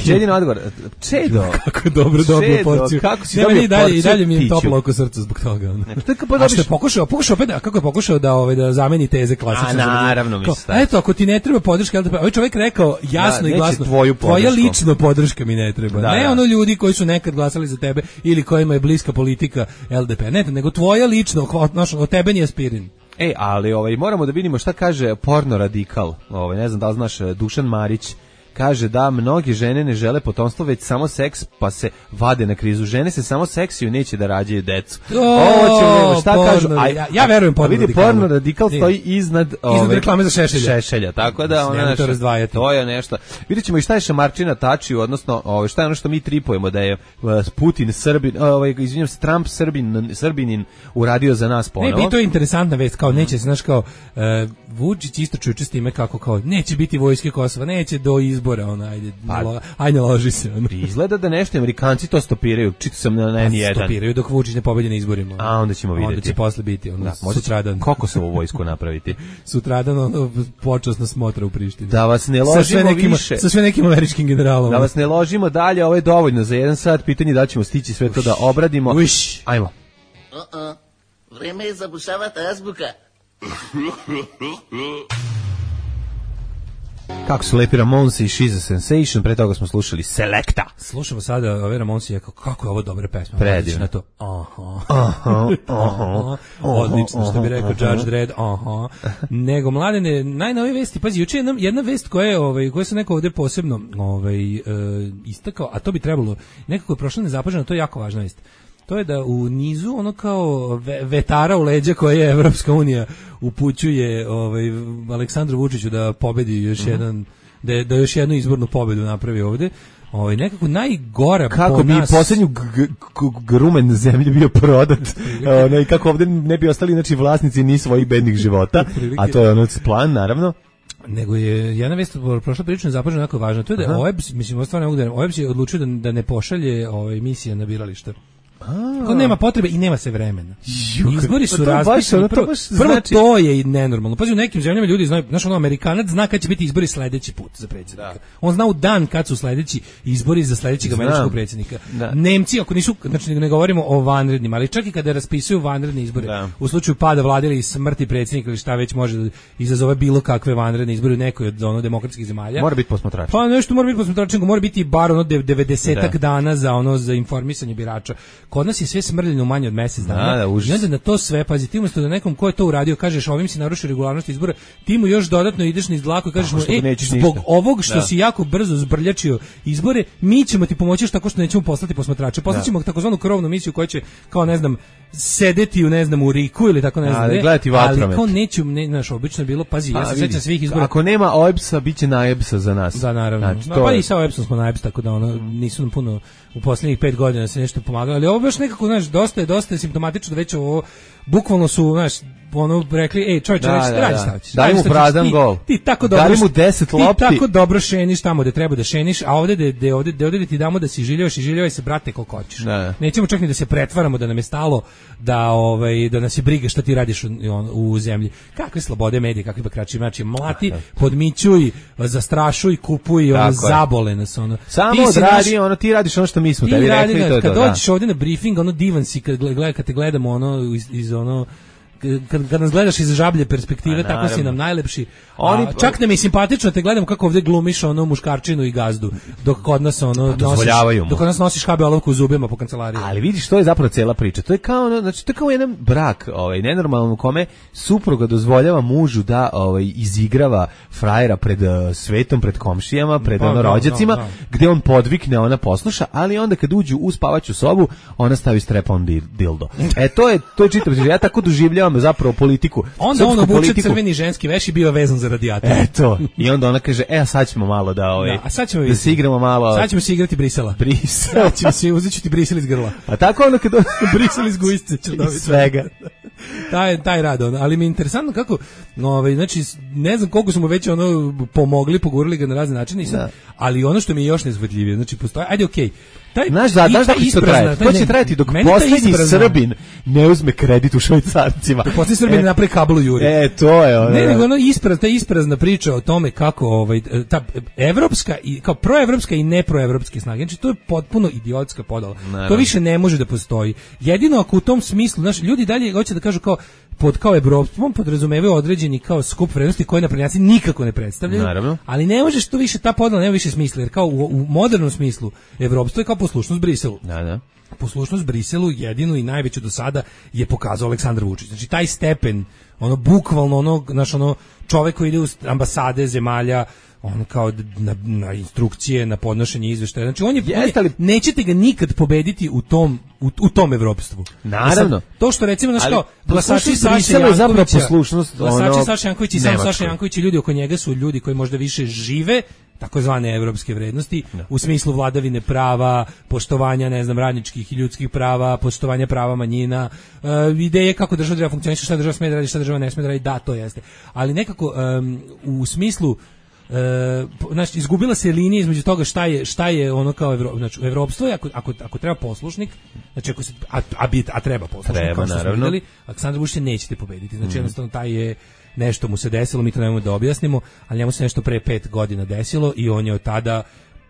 Čedina odgovor. Čedo. Kako dobro dobio porciju. Kako si dobio i dalje, i dalje mi je toplo oko srca zbog toga. Ne, pa a što je pokušao, pokušao opet, a kako je pokušao da ovaj da zameni teze klasične. A naravno mi sta. Eto, ako ti ne treba podrška, ovaj čovjek rekao jasno da, i glasno, tvoja lično podrška mi ne treba. Da, ne da. Ono ljudi koji su nekad glasali za tebe ili kojima je bliska politika L D P. Ne, nego tvoja lično, od tebe nije aspirin. E, ali ovaj moramo da vidimo šta kaže porno radikal. Ovaj ne znam da li znaš, Dušan Marić kaže da mnogi žene ne žele potomstvo, već samo seks, pa se vade na krizu. Žene se samo seksiju, neće da rađaju decu. Ovo ćemo, šta porno, kažu? A, ja, ja verujem porno vidi, radikalu. Porno radikal stoji iznad, iznad ove, reklame za šešelja. šešelja. Tako da ona to razdvajati. To je nešto. Vidjet ćemo i šta je Šamarčina tačio, odnosno ove, šta je ono što mi tripujemo, da je Putin Srbin, ovaj, izvinjam se, Trump Srbin, Srbinin uradio za nas ponovo. Ne, to je interesantna vest, kao neće, znaš kao, uh, Vučić isto čuče s time kako kao, neće biti vojske Kosova, neće do izbora, ona, ajde, pa, lo, ajde loži se. Ono. Izgleda da nešto Amerikanci to stopiraju, čito sam na, na N jedan. Stopiraju dok Vučić ne pobedi na izborima. A onda ćemo vidjeti. Onda će posle biti, ono, da, sutradan. Kokosovu vojsku napraviti. Sutradan, ono, počasna smotra u Prištini. Da vas ne ložimo sa sve nekim, više. Sa sve nekim američkim generalom. Da vas ne ložimo dalje, ovo je dovoljno za jedan sat, pitanje da ćemo stići sve to da obradimo. Uš. Ajmo. Uh-uh. Vreme je zabušavati azbuka. Kako su lepi Ramonsi i She's a Sensation, pre toga smo slušali Selecta. Slušamo sada ove Ramonsi i kako je ovo dobra pesma. Predivno. Na to. Aha. Aha. Aha. Odlično, što bi rekao Judge Dredd. Aha. Nego, mladene, najnovije vesti, pazi, juče jedna, jedna vest koja je, ovaj, koja se neko ovde posebno ovaj, e, istakao, a to bi trebalo, nekako je prošlo nezapaženo, to je jako važna vest. To je da u nizu ono kao vetara u leđa koje je Evropska unija upućuje ovaj, Aleksandru Vučiću da pobedi još mm-hmm. jedan, da, da još jednu izbornu pobedu napravi ovde. Ovaj nekako najgora kako po bi nas... poslednju grumen na zemlji bio prodat, ono, i kako ovde ne bi ostali znači vlasnici ni svojih bednih života, a to je ono plan naravno. Nego je jedna vest prošla prilično zapažena jako važna. To je da O E B S, mislim, stvarno ne mogu da O E B S je odlučio da, da ne pošalje ovaj misije na birališta. Ko nema potrebe i nema se vremena. Izbori su raspisani. Prvo, prvo znači... to je i nenormalno. Pazi, u nekim zemljama ljudi znaju, znaš, ono, Amerikanac zna kad će biti izbori sledeći put za predsjednika. Da. On zna u dan kad su sledeći izbori za sledećeg američkog predsjednika. Da. Nemci, ako nisu, znači ne govorimo o vanrednim, ali čak i kada raspisuju vanredne izbore, da. U slučaju pada vlade ili smrti predsjednika ili šta već može da izazove bilo kakve vanredne izbore u nekoj od ono demokratskih zemalja. Mora biti posmatrač. Pa nešto mora biti posmatrač, mora biti bar ono devedesetak da. Dana za ono za informisanje birača. kod nas je sve smrljeno manje od mjesec dana. Da, da, i onda na to sve, pazi, ti umjesto da nekom ko je to uradio, kažeš ovim si narušio regularnost izbora, ti mu još dodatno ideš niz dlaku i kažeš mu, e, zbog ništa. ovog što da. si jako brzo zbrljačio izbore, mi ćemo ti pomoći tako što nećemo poslati posmatrače. Poslaćemo takozvanu krovnu misiju koja će, kao ne znam, sedeti u ne znam u Riku ili tako ne znam, ali, gledati vatromet. Ali kao neću, ne, znaš, obično je bilo, pazi, ja se sećam svih izbora. Ako nema O E B S-a, bit će na E B S-a za nas. Da, naravno. Znači, pa je... i sa O E B S-om smo na E B S, tako da ono, nisu nam puno u posljednjih pet godina se nešto pomagalo, ali ovo baš nekako, znaš, dosta je, dosta je simptomatično da već ovo, bukvalno su, znaš, ono rekli, ej, čovječe, da, da, radi šta hoćeš. Daj mu prazan gol. Ti tako dobro, daj mu deset lopti. Ti tako dobro šeniš tamo gde treba da šeniš, a ovde de, de, ovde, de, ovde ti damo da si žiljevaš i žiljevaj se, brate, koliko hoćeš. Da. Nećemo čak ni da se pretvaramo da nam je stalo da ovaj da nas je briga šta ti radiš u, u zemlji. Kakve slobode medija, kakvi bakrači, znači mlati, podmićuj, zastrašuj, kupuj, ono zabole nas ono. Samo odradi, naš, ono ti radiš ono što mi smo tebi rekli, to je to. Kad dođeš ovde na briefing, ono divan si kad gleda, kad te gledamo ono iz, iz ono Kad, kad nas gledaš iz žablje perspektive, a, tako si nam najlepši. Oni, a, čak nam je simpatično te gledamo kako ovdje glumiš ono muškarčinu i gazdu, dok kod nas ono nosiš, dok kod nas nosiš ha be olovku u zubima po kancelariji. Ali vidiš, to je zapravo cela priča. To je kao, znači, to je kao jedan brak, ovaj, nenormalno, u kome supruga dozvoljava mužu da ovaj, izigrava frajera pred uh, svetom, pred komšijama, pred pa, ono no, rođacima, no, no. gde on podvikne, ona posluša, ali onda kad uđu u spavaću sobu, ona stavi strep-on dildo. E, to je, to je čitav, ja tako doživljavam zapravo politiku. Onda on obuče crveni ženski veš i bio vezan za radijator. Eto. I onda ona kaže, e, a sad ćemo malo da, ovaj, da, a sad ćemo da se igramo malo. Sad ćemo se igrati Brisela. Brisel. Sad ćemo se, uzet ću ti Brisel iz grla. A tako ono kad... Brisel iz gujice ću dobiti. Svega. taj, taj rad, on. Ali mi je interesantno kako, ovaj, znači, ne znam koliko smo već ono pomogli, pogurili ga na razne načine, sad, ali ono što mi je još nezvodljivije, znači, postoji, ajde, okej, okay. Taj, znaš, da, znaš da to traje? To će trajati dok posljednji Srbin ne uzme kredit u švajcarcima. Dok posljednji Srbin e, ne napravi kablu juri. E, to je ono. Ne, nego ono ispraz, ta isprazna priča o tome kako ovaj, ta evropska, i, kao proevropska i neproevropske snage, znači to je potpuno idiotska podala. Naravno. To više ne može da postoji. Jedino ako u tom smislu, znaš, ljudi dalje hoće da kažu kao, pod kao evropstvom podrazumevaju određeni kao skup vrednosti koje naprednjaci nikako ne predstavljaju. Naravno. Ali ne može što više ta podela nema više smisla, jer kao u, u modernom smislu evropstvo je kao poslušnost Briselu. Da, da. Poslušnost Briselu jedinu i najveću do sada je pokazao Aleksandar Vučić. Znači taj stepen, ono bukvalno ono, naš ono čovjek koji ide u ambasade zemalja, on kao na, na instrukcije, na podnošenje izveštaja. Znači on je, Jest, ali... nećete ga nikad pobediti u tom u, u tom evropstvu. Naravno. Sad, to što recimo znači kao glasači Saše Jankovića, glasači Saše Janković i sam Saša Janković i ljudi oko njega su ljudi koji možda više žive takozvane evropske vrednosti no. u smislu vladavine prava, poštovanja, ne znam, radničkih i ljudskih prava, poštovanja prava manjina, uh, ideje kako država treba funkcioniše, šta država sme da radi, šta država ne sme da radi, da, to jeste. Ali nekako um, u smislu E, znači izgubila se linija između toga šta je šta je ono kao Evro, znači evropstvo, ako ako ako treba poslušnik, znači ako se a, a, bit, a treba poslušnik, treba, kao što smo naravno. videli, Aleksandar Vučić nećete pobediti. Znači mm. jednostavno taj je nešto mu se desilo, mi to nemamo da objasnimo, ali njemu se nešto pre pet godina desilo i on je od tada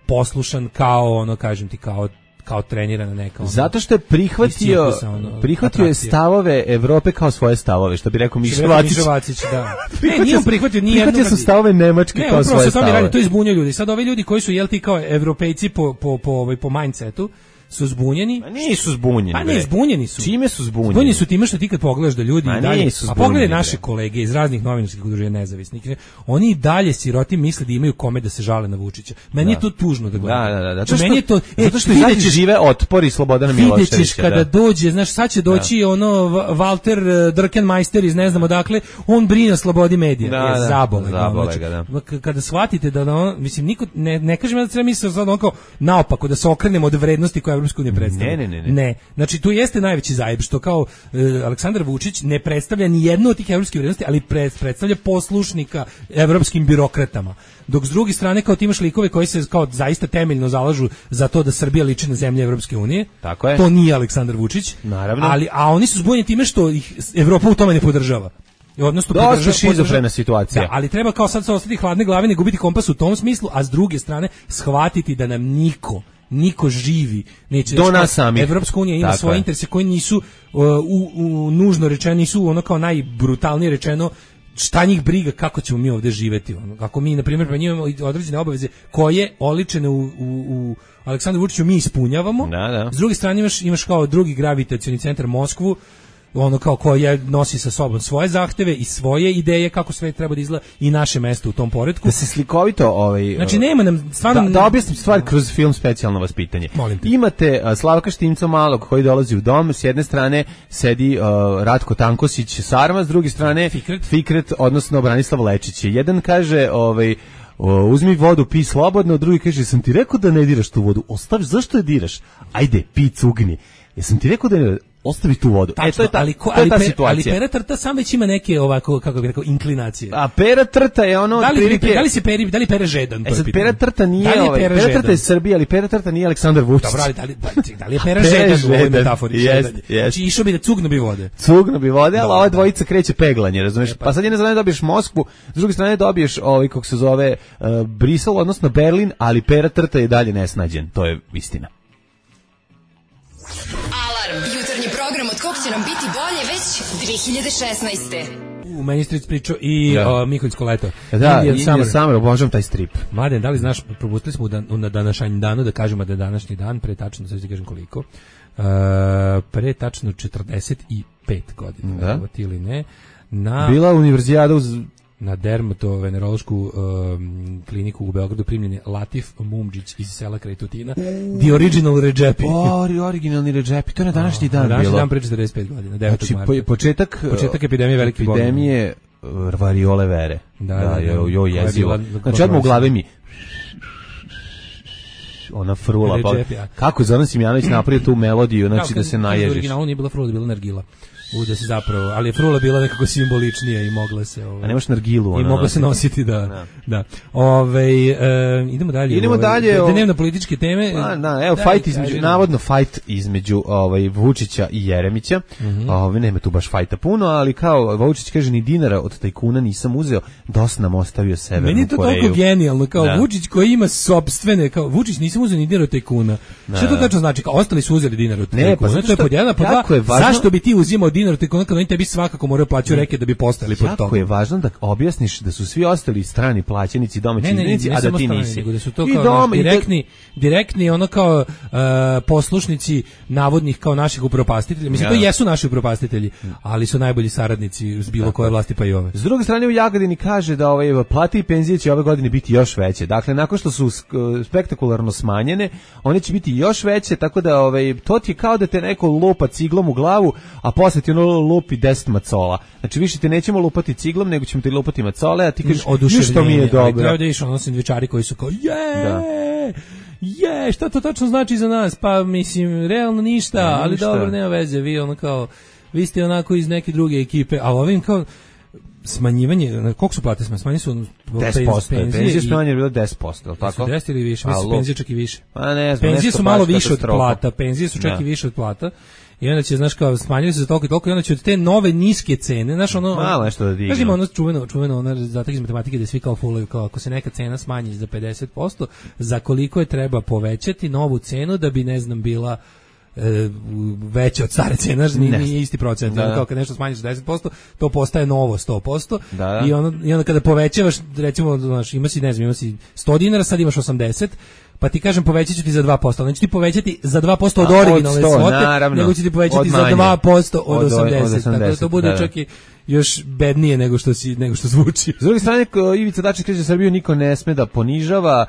poslušan kao ono, kažem ti, kao kao trenirana neka ono, zato što je prihvatio ono, prihvatio je stavove Evrope kao svoje stavove, što bi rekao Mišovacić. Da. Ne, nije on prihvatio ni prihvatio su stavove Nemačke ne, kao svoje stavove. Radi, to izbunjuje ljudi. Sad ovi ljudi koji su jel ti kao evropejci po po po ovaj po mindsetu su zbunjeni. Ma nisu zbunjeni. Pa ne, zbunjeni su. Čime su zbunjeni? Zbunjeni su time što ti kad pogledaš da ljudi i dalje, a pogledaj naše kolege iz raznih novinarskih udruženja nezavisnih, oni i dalje siroti misle da imaju kome da se žale na Vučića. Meni da. je to tužno da gledam. Da, da, da. Zato što, meni je to, e, zato što izađe žive otpor i Slobodana Miloševića. Videćeš kada da. dođe, znaš, sad će doći da. ono Walter Drkenmeister iz ne znam odakle, on brine o slobodi medija. Da, je da, zabole. zabole znači, ga, da. Kada shvatite da on, mislim, niko, ne, ne kažem da treba misliti sad on kao naopako, da se okrenemo od vrednosti koje Evropska unija predstavlja. Ne, ne, ne. ne. Znači, tu jeste najveći zajeb, što kao e, Aleksandar Vučić ne predstavlja ni jednu od tih evropskih vrednosti, ali pre, predstavlja poslušnika evropskim birokratama. Dok s druge strane, kao ti imaš likove koji se kao zaista temeljno zalažu za to da Srbija liči na zemlje Evropske unije. Tako je. To nije Aleksandar Vučić. Naravno. Ali, a oni su zbunjeni time što ih Evropa u tome ne podržava. Odnosno dosta šizofrena situacija. Da, ali treba kao sad se ostati hladne glave, ne gubiti kompas u tom smislu, a s druge strane shvatiti da nam niko niko živi neće do nas samih. Evropska unija ima svoje interese koji nisu uh, u, u nužno rečeno, nisu ono kao najbrutalnije rečeno šta njih briga kako ćemo mi ovdje živeti, ono. Ako mi na primjer pa imamo određene obaveze koje oličene u, u, u Aleksandru Vučiću mi ispunjavamo. Da, da. S druge strane imaš imaš kao drugi gravitacioni centar Moskvu, ono kao koja nosi sa sobom svoje zahteve i svoje ideje kako sve treba da izgleda i naše mesto u tom poretku. Da se slikovito ovaj znači nema nam stvarno da, da objasnim stvar kroz film Specijalno vaspitanje. Imate uh, Slavka Štimca malog koji dolazi u dom, s jedne strane sedi uh, Ratko Tankosić Sarma, s druge strane Fikret, Fikret odnosno Branislav Lečić. Jedan kaže ovaj O, uzmi vodu, pi slobodno, drugi kaže, sam ti rekao da ne diraš tu vodu, ostavi, zašto je diraš? Ajde, pi cugni. Jesam ti rekao da ne, ostavi tu vodu. Tačno, e, to je ta, ali, ko, to je ta ali, situacija. Ali Pera Trta sam već ima neke, ovako, kako bih rekao, inklinacije. A Pera Trta je ono... Da li, prilike... da li se Peri, da li Pere žedan? E sad, Pera Trta nije, da ovaj, Pera, Pera Trta je Srbija, ali Pera Trta nije Aleksandar Vučić. Dobro, ali da li, da li je Pera žedan u ovoj metafori? Jest, jest. Znači, išao bi da cugno bi vode. Cugno bi vode, ali ova dvojica kreće peglanje, razumiješ? Pa sad jedne strane dobiješ Moskvu, s druge strane dobiješ, ovaj, kako se zove, uh, Brisel, odnosno Berlin, ali Pera Trta je dalje nesnađen. To je istina. Jutarnji program od kog će nam biti bolje već dve hiljade šesnaeste. U meni stric pričao i ja. o, Miholjsko leto. Da, Indian Summer, Summer, obožavam taj strip. Mladen, da li znaš, propustili smo u dan, na današnji danu da kažemo da je današnji dan, pre tačno, sad ti kažem koliko, uh, pre tačno četrdeset pet godina, da. Evo ti ili ne, na... Bila univerzijada uz... Na dermatovenerološku um, kliniku u Beogradu primljen je Latif Mumdžić iz sela kraj Tutina. The original Redžepi. O, originalni Redžepi, to je na današnji dan bilo. Na današnji dan pre četrdeset pet godina, devetog Znači, marta. početak, početak epidemije velike bolesti. Epidemije variole vere. Da, da, da. Jo, jo, jezivo. Znači, odmah u glavi mi ona frula. Pa, kako je Zoran Simjanović napravio tu melodiju, znači da se naježiš. Originalno nije bila frula, bila nargila. U da se zapravo, ali je frula bila nekako simboličnija i mogla se ovaj, a nemaš nargilu ona, i mogla se nositi da da, da. Ovaj e, idemo dalje idemo ovaj, dalje da, dnevno političke teme a, da, evo da, fight između navodno fight između ovaj Vučića i Jeremića. Mm-hmm. Ovaj nema tu baš fajta puno, ali kao Vučić kaže ni dinara od tajkuna nisam uzeo, dosta nam ostavio Severnu Koreju. Meni je to Koreju. Toliko genijalno kao da. Vučić koji ima sopstvene kao Vučić nisam uzeo ni dinar od tajkuna. Da. Šta to tačno znači? Kao ostali su uzeli dinar od tajkuna. Pa to je pod jedan, pod dva. Zašto bi ti uzimao dinar od tajkuna kad oni tebi svakako moraju plaćati reke da bi postali pod tom? Jako je važno da objasniš da su svi ostali strani plaćenici, domaći izbjegnici, a da ti strani, nisi. Nego da su to kao doma, direktni, da... direktni ono kao uh, poslušnici navodnih kao naših upropastitelja. Mislim, ja. To jesu naši upropastitelji, ali su najbolji saradnici s bilo koje vlasti pa i ove. S druge strane u Jagodini kaže da ovaj plate i penzije će ove godine biti još veće. Dakle, nakon što su spektakularno smanjene, one će biti još veće, tako da ovaj to ti je kao da te neko lupa ciglom u glavu, a posle ti ono lupi deset macola. Znači više te nećemo lupati ciglom, nego ćemo ti lupati macole, a ti kažeš što mi je dobro. Treba da iš ono sendvičari koji su kao je, da. je, šta to tačno znači za nas? Pa mislim, realno ništa, ne, ali ništa. Dobro, nema veze, vi ono kao, vi ste onako iz neke druge ekipe, a ovim kao smanjivanje, koliko su plate smanjene? Smanjene su deset posto. Penzije smanjene je bilo deset posto, je tako? deset ili više, mislim penzije čak i više. Pa ne znam, penzije su malo više od plata, penzije su čak ja. i više od plata. I onda će, znaš, kao, smanjili se za toliko i toliko i onda će od te nove niske cene, znaš, ono... Malo nešto da dignu. Znaš, ima ono čuveno, čuveno, ono zadatak iz matematike da svi kao fulaju, kao ako se neka cena smanji za pedeset posto, za koliko je treba povećati novu cenu da bi, ne znam, bila e, veća od stare cene, nije, nije isti procent, da, da. Kao kad nešto smanjiš za deset posto, to postaje novo sto posto, da, da. I, ono, i onda kada povećavaš, recimo, znaš, ima si, ne znam, ima si sto dinara, sad imaš osamdeset, pa ti kažem povećat ću ti za dva posto, neću ti povećati za dva posto od originalne svote, nego ću ti povećati za dva posto od, od osamdeset, tako da to bude da, čak i još bednije nego što si nego što zvuči. S druge strane, Ivica Dačić kaže Srbiju niko ne sme da ponižava,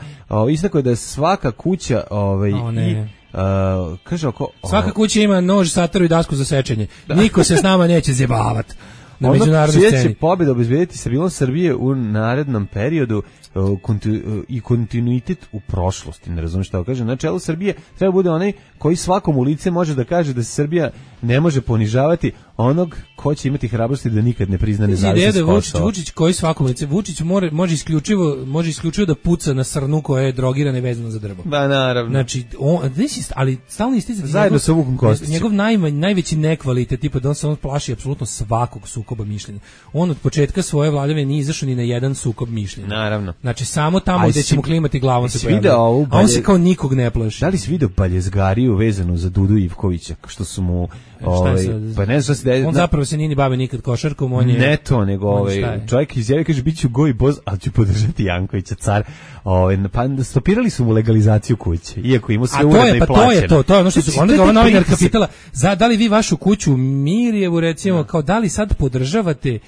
istakao je da je svaka kuća ovaj o, i Uh, kaže oko, oh. Svaka kuća ima nož, sataru i dasku za sečenje. Da. Niko se s nama neće zjebavati na međunarodnoj sceni. Će pobjeda obezbediti stabilnost Srbije u narednom periodu uh, konti, uh, i kontinuitet u prošlosti. Ne razumiješ šta kaže. Na čelu Srbije treba bude onaj koji svakom u lice može da kaže da se Srbija ne može ponižavati onog ko će imati hrabrosti da nikad ne prizna nezavisnost Kosova. Vučić, Vučić koji svakom lice, Vučić more, može isključivo može isključivo da puca na srnu koja je drogirana i vezana za drvo. Da, naravno. Znači, on, ali stalno isticati zajedno sa Vukom Kostićem. Njegov najmanj, najveći nekvalitet, tipa da on se on plaši apsolutno svakog sukoba sukoba mišljenja. On od početka svoje vladavine nije izašao ni na jedan sukob mišljenja. Naravno. Znači samo tamo gde ćemo klimati glavom se pojavlja. A on se kao nikog ne plaši. Da li si video baljezgariju vezanu za Dudu Ivkovića, što su mu ovaj pa ne znam šta se on zapravo se nije ni bavio nikad košarkom, on je ne to nego ovaj čovjek izjavio, kaže biću goj boz, al ću podržati Jankovića car. Ovaj pa stopirali su mu legalizaciju kuće, iako ima sve uredno i plaćeno. Pa to je to, to je ono što su onda ga novinarka pitala, za da li vi vašu kuću Mirjevu recimo, kao da li sad podržavate,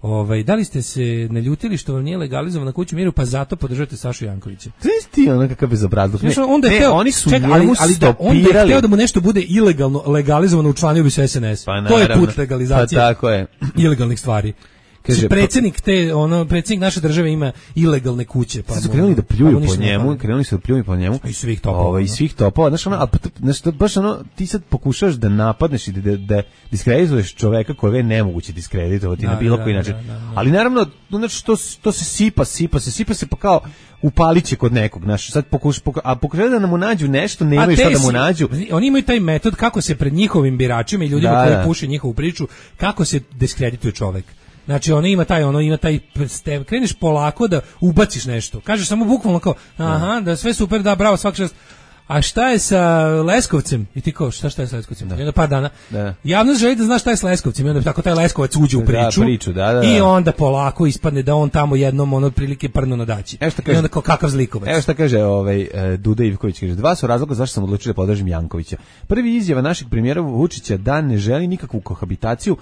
ovaj da li ste se naljutili što vam nije legalizovana kuća Miru, pa zato podržavate Sašu Jankovića. Ti ona kakav bezobrazluk. Ne, onda je teo, oni su ček, ali, ali da on je hteo da mu nešto bude ilegalno legalizovano, učlanio bi se S N S. Pa, to je put legalizacije. Pa tako je. Ilegalnih stvari. Kaže predsjednik te ono predsjednik naše države ima ilegalne kuće, pa su krenuli da pljuju po njemu, krenuli su da pljuju po njemu i svih topova. Ovaj i svih topova, znači ono, znači baš ono ti sad pokušaš da napadneš i da da diskredituješ čoveka kojeg je nemoguće diskreditovati na bilo koji način. Ali naravno, znači to to se sipa, sipa se, sipa se pa kao upaliće kod nekog, znaš, sad pokuša, pokuša, a pokušaju da mu nađu nešto, nemaju šta da mu nađu. Oni imaju taj metod kako se pred njihovim biračima i ljudima da, koji da. puše njihovu priču, kako se diskredituje čovek. Znači ono ima taj ono ima taj stev, kreneš polako da ubaciš nešto. Kažeš samo bukvalno kao aha, da sve super, da bravo, svaka čast. A šta je sa Leskovcem? I ti kao, šta šta je sa Leskovcem? Da. I onda par dana. Da. Javnost želi da zna šta je s Leskovcem. I onda tako taj Leskovac uđe u priču. Da, priču da, da, da. I onda polako ispadne da on tamo jednom ono otprilike prno na daći. Evo šta kaže, I onda kao kakav zlikovac. Evo šta kaže ovaj, Duda Ivković. Kaže, dva su razloga zašto sam odlučio da podržim Jankovića. Prvi izjava našeg premijera Vučića da ne želi nikakvu kohabitaciju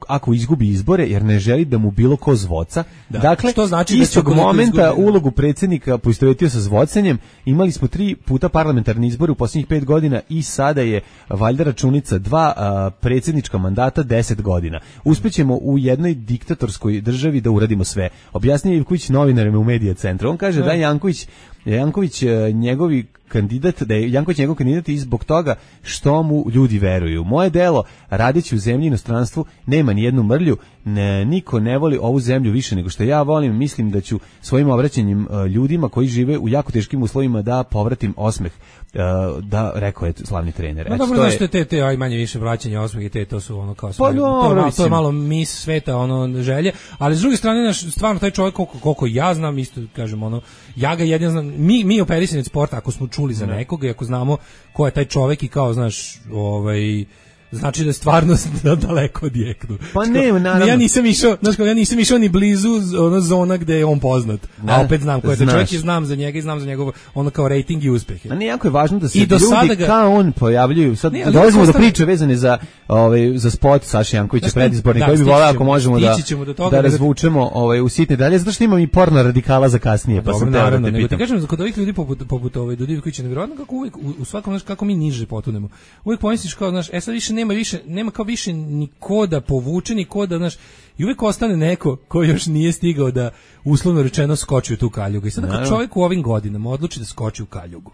ako izgubi izbore, jer ne želi da mu bilo ko zvoca. Da. Dakle, što znači istog da momenta izgubi, ulogu predsjednika poistovetio sa zvocanjem. Imali smo tri puta parlamentarni izbori u posljednjih pet godina i sada je valjda računica dva a, predsjednička mandata deset godina. Uspećemo u jednoj diktatorskoj državi da uradimo sve. Objasnio Ivković novinarima u Medija centru. On kaže ne. da je Janković, Janković njegovi kandidat, da je Janković njegov kandidat i zbog toga što mu ljudi veruju. Moje delo, radeći u zemlji i inostranstvu, nema ni jednu mrlju, ne, niko ne voli ovu zemlju više nego što ja volim. Mislim da ću svojim obraćanjem uh, ljudima koji žive u jako teškim uslovima da povratim osmeh, uh, da rekao je slavni trener. No, dobro, znaš, je... te, te, aj manje više vraćanje osmeh i te, to su ono kao sve, pa, no, to, malo, to je malo mis sveta, ono, želje, ali s druge strane, naš, stvarno, taj čovjek, koliko, koliko ja znam, isto, kažem, ono, ja ga jedin znam, mi, mi operisani od sporta, ako smo čuli za nekoga i ako znamo ko je taj čovjek i kao, znaš, ovaj, znači da je stvarno daleko od jeknu. Pa ne, naravno. Ja nisam išao, znači ja nisam išao ni blizu ono zona gde je on poznat. Da, a opet znam ko je taj čovjek i znam za njega i znam za njegov ono kao rating i uspehe. A ne, jako je važno da se ljudi ga... kao on pojavljuju. Sad ne, dolazimo do priče vezane za ovaj za spot Saše Jankovića predizborni koji bi voleo ako možemo da do toga, da razvučemo ovaj u sitne dalje, zato što imam i porno radikala za kasnije, pa sam teo da te pitam. Kažem, kod ovih ljudi poput poput ovaj Duda Ivkovića nevjerovatno kako uvek u svakom znači kako mi niže potonemo. Uvek pomisliš kao, znaš, e sad više nema više, nema kao više ni ko da povuče, ni ko da, znaš, i uvijek ostane neko ko još nije stigao da, uslovno rečeno, skoči u tu kaljugu. I sad kad čovjek u ovim godinama odluči da skoči u kaljugu,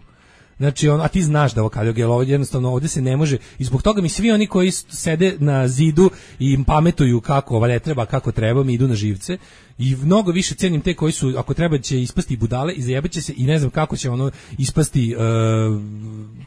znači, on, a ti znaš da ovo kaljuga, jer ovdje jednostavno ovdje se ne može, i zbog toga mi svi oni koji sede na zidu i im pametuju kako ova ne treba, kako treba, mi idu na živce, i mnogo više cenim te koji su, ako treba će ispasti budale i zajebaće se i ne znam kako će ono ispasti, uh,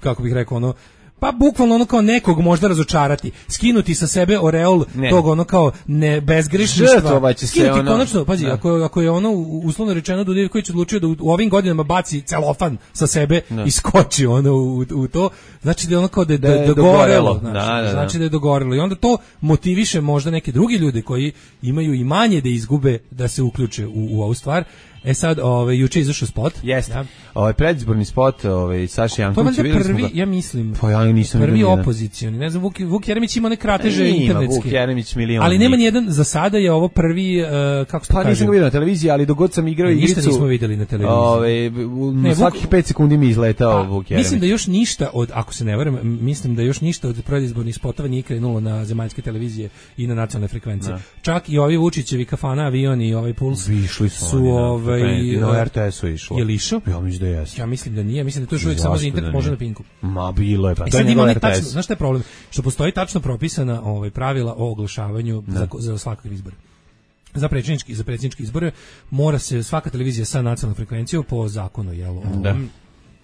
kako bih rekao, ono, pa bukvalno ono kao nekog možda razočarati, skinuti sa sebe oreol ne. tog ono kao ne bezgrešništva, skinuti ono, konačno, pazi, ako, ako je ono uslovno rečeno Duda Ivković odlučio da u, u ovim godinama baci celofan sa sebe ne. i skoči ono u, u to, znači da je ono kao da je, da je dogorelo, znači, da, da, znači da je dogorelo i onda to motiviše možda neke drugi ljude koji imaju i manje da izgube da se uključe u, u ovu stvar. E sad, ovaj juče izašao spot. Jeste. Ja. Ovaj predizborni spot, ovaj Saša Janković, videli smo ga. Ja mislim. Pa ja nisam prvi opozicioni. Ne znam, Vuk, Vuk Jeremić ima one krateže e, internetske. Vuk Jeremić milion. Ali nema ni jedan, za sada je ovo prvi, uh, kako se to pa, kaže. Pa nisam ga vidio na televiziji, ali dogod sam igrao igricu. Ništa nismo videli na televiziji. Ovaj na svakih pet sekundi mi izletao pa, Vuk Jeremić. Mislim da još ništa od, ako se ne varam, mislim da još ništa od predizbornih spotova nije krenulo na zemaljske televizije i na nacionalne frekvencije. Da. Čak i ovi Vučićevi kafana, avioni i ovaj Puls išli su, su ovaj R T S-u išlo. Je li išao? Ja mislim da jeste. Ja mislim da nije, mislim da to još uvijek samo za internet, može na Pinku. Ma bilo je, pa e, to je njegov R T S. Znaš šta je problem? Što postoji tačno propisana ovaj, pravila o oglašavanju za, za svakog izbora. Za predsjednički, za predsjednički izbore mora se svaka televizija sa nacionalnom frekvencijom po zakonu, jel? Da.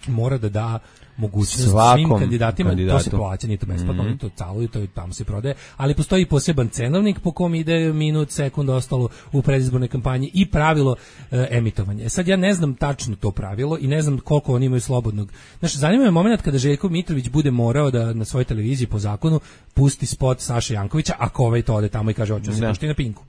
mora da da mogućnost Svakom svim kandidatima, kandidatu. To se plaća, nije to besplatno, mm-hmm. to calo i to tamo se prodaje, ali postoji poseban cenovnik po kom ide minut, sekund, ostalo u predizbornoj kampanji i pravilo e, emitovanja. E sad ja ne znam tačno to pravilo i ne znam koliko oni imaju slobodnog. Znači, zanima me moment kada Željko Mitrović bude morao da na svojoj televiziji po zakonu pusti spot Saše Jankovića, ako ovaj to ode tamo i kaže hoću se pušti na Pinku.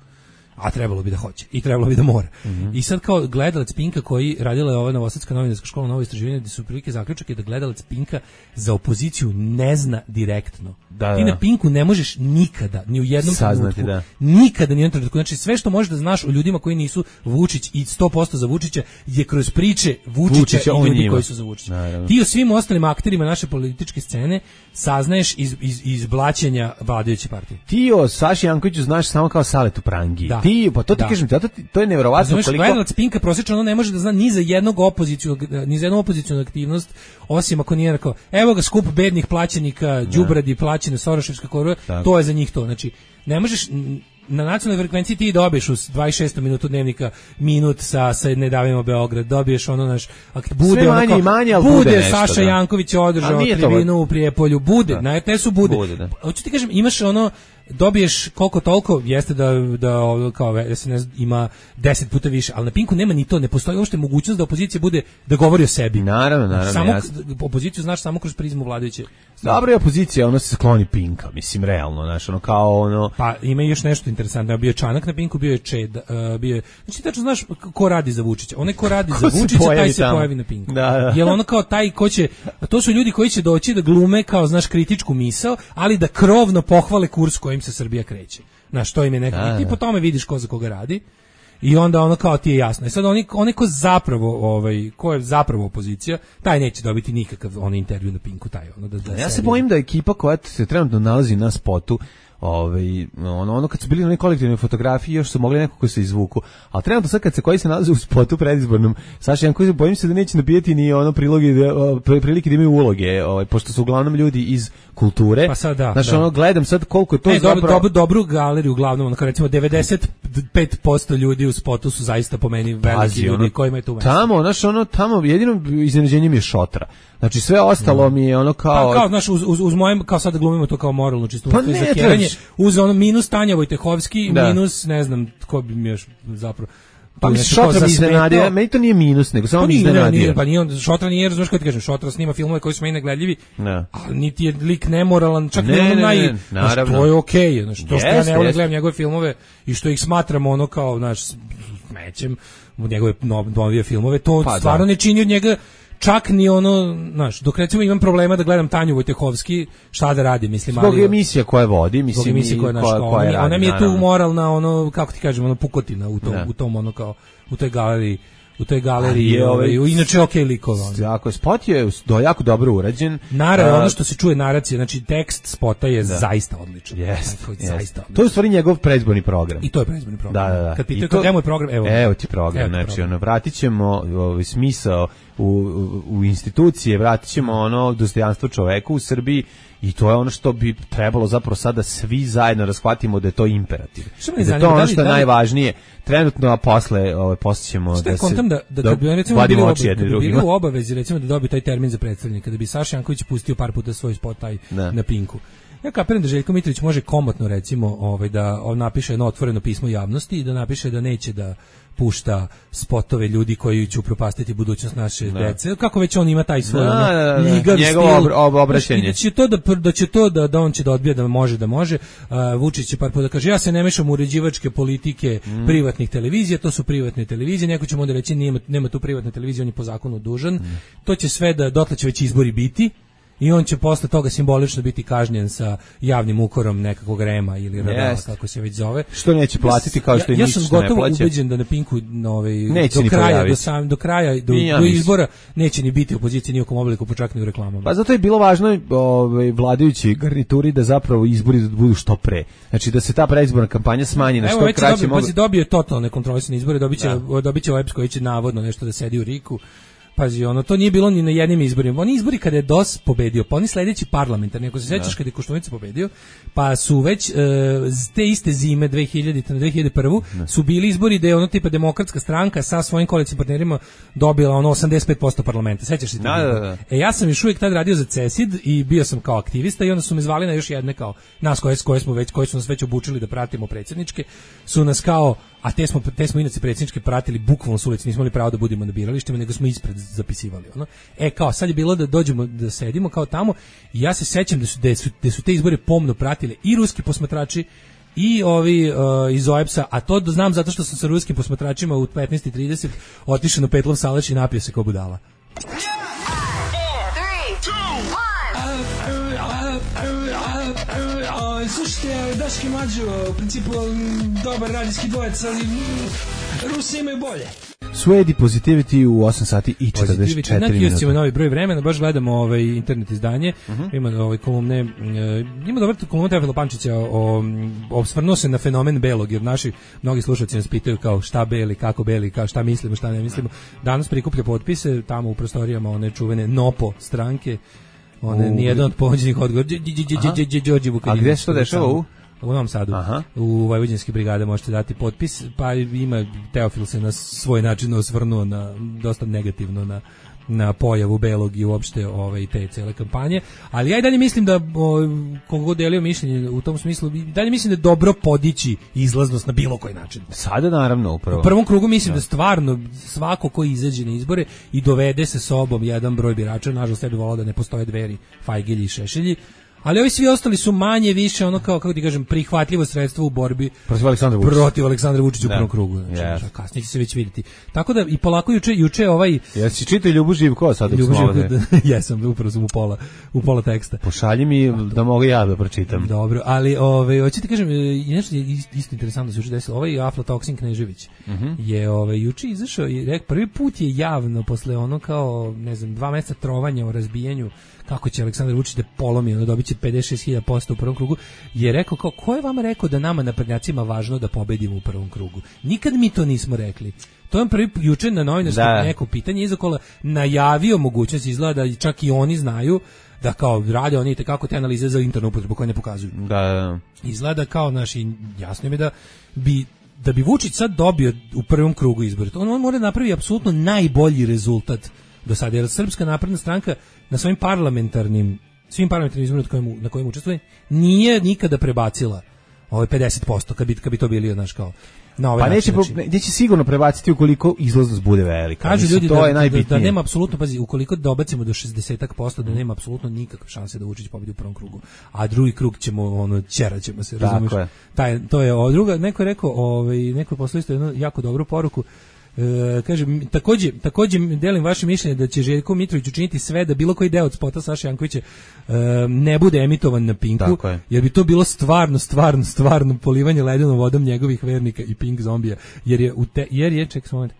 A trebalo bi da hoće i trebalo bi da mora. Mm-hmm. I sad kao gledalac Pinka koji radila je ova Novosadska novinarska škola Novo istraživanje, gdje su prilike zaključak je da gledalac Pinka za opoziciju ne zna direktno. Da, ti da. na Pinku ne možeš nikada, ni u jednom saznati, trenutku, da. nikada ni u jednom trenutku. Znači sve što možeš da znaš o ljudima koji nisu Vučić i sto posto za Vučića je kroz priče Vučića, Vučića i ljudi koji su za Vučića. Naravno. Ti o svim ostalim akterima naše političke scene saznaješ iz, iz, iz blaćenja vladajuće partije. Ti o Saši Jankoviću znaš samo kao Saletu Prangi. Da. Ti, pa to ti da. kažem, to, to je neverovatno Znaš, koliko... gledalac Pinka prosječno ono ne može da zna ni za jednog opoziciju, ni za jednu opozicionu aktivnost, osim ako nije rekao, evo ga skup bednih plaćenika, đubradi plaćene Soroševska korova, to je za njih to. Znači, ne možeš... Na nacionalnoj frekvenciji ti dobiješ u dvadeset šestom minutu dnevnika minut sa, sa Ne davimo Beograd, dobiješ ono naš, bude sve manje ono i manje, ali bude, bude nešto, Saša da. Janković održao tribinu u Prijepolju, bude, da. Na R T S-u bude. bude da. Hoću ti kažem, imaš ono, dobiješ koliko toliko, jeste da, da kao S N S ima deset puta više, ali na Pinku nema ni to, ne postoji uopšte mogućnost da opozicija bude, da govori o sebi. Naravno, naravno. Samo, jasno. opoziciju znaš samo kroz prizmu vladajuće. Dobro je opozicija, ono se skloni Pinka, mislim, realno, znaš, ono kao ono... Pa ima još nešto interesantno, bio je Čanak na Pinku, bio je Čed, uh, bio je... Znači, tačno znaš ko radi za Vučića. Onaj ko radi ko za Vučića, taj se tamo. pojavi na Pinku. Da, da. Jer ono kao taj ko će... To su ljudi koji će doći da glume kao, znaš, kritičku misao, ali da krovno pohvale kurs kojim se Srbija kreće. Znaš, to im je nekako... Da, I ti po tome vidiš ko za koga radi. I onda ono kao ti je jasno. I sad oni, oni ko zapravo, ovaj, ko je zapravo opozicija, taj neće dobiti nikakav on intervju na Pinku, taj ono da, da ja se bojim da ekipa koja se trenutno nalazi na spotu, ovaj ono ono kad su bili na kolektivnoj fotografiji još su mogli nekako se izvuku, a trenutno sad kad se koji se nalaze u spotu predizbornom Saša Janković, bojim se da neće nabijeti ni ono priloge prilike da imaju uloge, ovaj pošto su uglavnom ljudi iz kulture. Pa sad da. Znači da. ono gledam sad koliko je to ne, zapravo dobro, dobro, dobru galeriju uglavnom, ono kao recimo devedeset pet posto ljudi u spotu su zaista po meni veliki Pazi, ljudi ono, kojima je tu mesto. Tamo, znaš, ono tamo jedino iznenađenje mi je šotra. Znači sve ostalo mm. mi je ono kao... Pa kao, znaš, uz, uz, uz mojem, kao sad glumimo to kao moralno čisto. Pa ne, zakjeranje, uz ono minus Tanja Vojtehovski, da. minus, ne znam, ko bi mi još zapravo... Pa mi Šotra mi iznenadio, meni to nije minus, nego samo pa mi iznenadio. Pa nije on, Šotra nije, razumiješ kako ti kažem, Šotra snima filmove koji su meni negledljivi, ne. Ali niti je lik nemoralan, čak ne, ne, naj, ne, znaš, to je okej, okay, znaš, to što yes, ja ne volim yes. gledam njegove filmove i što ih smatramo ono kao, znaš, smećem, njegove novije filmove, to pa, stvarno da. Ne čini od njega čak ni ono, znaš, dok recimo imam problema da gledam Tanju Vojtehovski, šta da radi, mislim, ali... Zbog emisija koje vodi, mislim, zbog emisije koje, naš, koja, koja ona, radi, ona mi je tu moralna, ono, kako ti kažem, ono, pukotina u tom, ne. u tom, ono, kao, u toj galeriji, u toj galeriji, je, ovaj, inače okej okay likova. Jako, spot je do, jako dobro urađen. Naravno, ono što se čuje naracija, znači tekst spota je da. Zaista odličan. Yes, dakle, yes. Zaista odličan. To je u stvari njegov predizborni program. I to je predizborni program. Da, da, da. Kad pitaju to... kako je program, evo. Evo ti program, evo znači, program. Ono, vratit ćemo ovaj, smisao u, u, u institucije, vratit ćemo ono dostojanstvo čoveku u Srbiji. I to je ono što bi trebalo zapravo sada svi zajedno razhvatimo da je to imperativ. Da je to ono što je najvažnije trenutno, a posle ovaj, posle ćemo da se... da, da, da kad bi recimo bili, oba, kad bi bili u obavezi recimo da dobiju taj termin za predstavljanje, kada bi Saša Janković pustio par puta svoj spot taj da. Na Pinku. Ja kapiram da Željko Mitrović može komotno recimo ovaj, da on napiše jedno otvoreno pismo javnosti i da napiše da neće da pušta spotove ljudi koji će upropastiti budućnost naše da. Dece. Kako već on ima taj svoj da, ono, da, da, ljigav njegovo stil. Ob, ob, obraćenje. Da će to da, da će to da, da on će da odbija da može da može. Uh, Vučić će par puta da kaže ja se ne mešam u uređivačke politike mm. privatnih televizija, to su privatne televizije. Neko će mu onda reći nema, nema tu privatne televizije, on je po zakonu dužan. Mm. To će sve da dotle će već izbori biti. I on će posle toga simbolično biti kažnjen sa javnim ukorom nekakvog rema ili radala, yes. kako se već zove. Što neće platiti kao što ja, i ja ništa sam gotovo ubeđen da na Pinku ovaj, do kraja, do, sam, do kraja, do, ja do izbora neće ni biti opozicije ni u kom obliku, pa čak ni u reklamama. Pa zato je bilo važno ovaj, vladajući garnituri da zapravo izbori budu što pre. Znači da se ta predizborna kampanja smanji na što kraće mogu. Evo već dobio totalne kontrolisane izbore, dobiće, da. dobiće O E B S koji će navodno nešto da sedi u Riku. pazi, ono, to nije bilo ni na jednim izborima. Oni izbori kada je D O S pobedio, pa oni sledeći parlamentarni, ako se sećaš kada je Koštunica pobedio, pa su već uh, te iste zime dve hiljadite na dve hiljade prvu ne. su bili izbori da je ono tipa demokratska stranka sa svojim koalicijskim partnerima dobila ono osamdeset pet posto parlamenta. Sećaš se? Da, da, da. E ja sam još uvijek tad radio za CESID i bio sam kao aktivista i onda su me zvali na još jedne kao nas koje, koje smo već koji su nas već obučili da pratimo predsjedničke, su nas kao a te smo te smo inače predsjedničke pratili bukvalno s ulici, nismo imali pravo da budemo na biralištima, nego smo ispred zapisivali ono. E kao sad je bilo da dođemo da sedimo kao tamo i ja se sećam da su da su, da su te izbore pomno pratili i ruski posmatrači i ovi uh, iz O E B S-a, a to znam zato što sam sa ruskim posmatračima u petnaest i trideset otišao na Petlov Salaš i napio se kao budala. Slušajte, Daški Mađo, u principu dobar radijski dvojec, ali Rusi imaju bolje. Suedi Positivity u osam sati i četrdeset četiri minuta. Na Q S-ima novi broj vremena, baš gledamo ovaj internet izdanje, uh-huh. ima ovaj kolumne, uh, ima dobar kolumna Teofila Pančića o, osvrnuo se na fenomen belog, jer naši mnogi slušalci nas pitaju kao šta beli, kako beli, kao šta mislimo, šta ne mislimo. Danas prikuplja potpise tamo u prostorijama one čuvene Nopo stranke, one nijedan od ponuđenih odgovora. A gde se to dešava u? U Novom Sadu, aha. U Vojvođanske brigade možete dati potpis, pa ima Teofil se na svoj način osvrnuo na dosta negativno na na pojavu belog i uopšte ovaj te cele kampanje, ali ja i dalje mislim da kogo delio mišljenje u tom smislu, dalje mislim da je dobro podići izlaznost na bilo koji način. Sada naravno upravo. U prvom krugu mislim ja. da stvarno svako ko izađe na izbore i dovede se sobom jedan broj birača, nažalost ja bih volao da ne postoje Dveri, Fajgilji i Šešelji, ali ovi svi ostali su manje više ono kao, kako ti kažem, prihvatljivo sredstvo u borbi protiv Aleksandra Vučića. Protiv Aleksandra Vučića u prvom krugu. Znači, yes. kasnije će se već vidjeti. Tako da i polako juče, juče ovaj... Jesi čitao Ljubu Živko sad dok Ljubu smo ovde? Jesam, upravo sam u pola, u pola teksta. Pošalji mi da mogu ja da pročitam. Dobro, ali ovaj, hoću ti kažem, nešto je isto interesantno da se juče desilo. Ovaj aflatoksin Knežević uh-huh. je ovaj, juče izašao i rekao, prvi put je javno posle ono kao, ne znam, dva meseca trovanja o razbijanju kako će Aleksandar Vučić da polomi, ono dobit će pedeset šest hiljada posto u prvom krugu, je rekao kao, ko je vama rekao da nama naprednjacima važno da pobedimo u prvom krugu? Nikad mi to nismo rekli. To je prvi juče na novinarskom da. neko pitanje izakola najavio mogućnost, izgleda da čak i oni znaju da kao rade oni te kako te analize za internu upotrebu koje ne pokazuju. Da, da. Izgleda kao naši, jasno mi da bi da bi Vučić sad dobio u prvom krugu izbora. On, on mora napraviti apsolutno najbolji rezultat do sada, jer Srpska napredna stranka na svojim parlamentarnim svim parlamentarnim izborima na kojim, na kojim učestvuje nije nikada prebacila ovaj pedeset posto kad bi, kad bi to bili znaš kao na ovaj pa način, neće, znači, neće sigurno prebaciti ukoliko izlaznost bude velika. Kažu ljudi to da, je najbitnije. Da, da nema apsolutno, pazi, ukoliko dobacimo do šezdeset posto da nema apsolutno nikakve šanse da Vučić pobedi u prvom krugu. A drugi krug ćemo ono ćeraćemo se, razumiješ? Taj to je o druga, neko je rekao, ovaj neko je poslao isto jednu jako dobru poruku. E, kažem, takođe, takođe delim vaše mišljenje da će Željko Mitrović učiniti sve da bilo koji deo od spota Saše Jankovića e, ne bude emitovan na Pinku, jer bi to bilo stvarno, stvarno, stvarno polivanje ledenom vodom njegovih vernika i Pink zombija, jer je, u te, jer je, ček moment,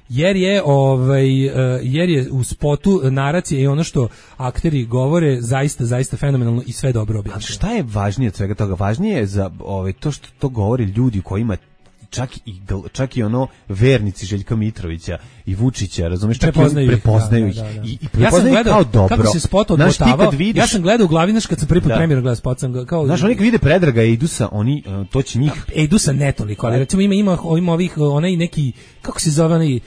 jer je ovaj jer je u spotu naracija i ono što akteri govore zaista zaista fenomenalno i sve dobro objašnjeno. A šta je važnije od svega toga? Važnije je za ovaj to što to govore ljudi kojima čak i čak i ono vernici Željka Mitrovića i Vučića, razumeš, čak prepoznaju, prepoznaju ih, da, da, da. i, i prepoznaju ja kao dobro. Kako se spot odmotavao, vidiš, ja sam gledao u Glavinaš kad sam prvi put da. premijer gledao spot, sam kao... Znaš, oni kad vide Predraga i Edusa, oni, to će njih... Edusa ne toliko, ali recimo ima, ima, ima ovih, onaj neki, kako se zove onaj,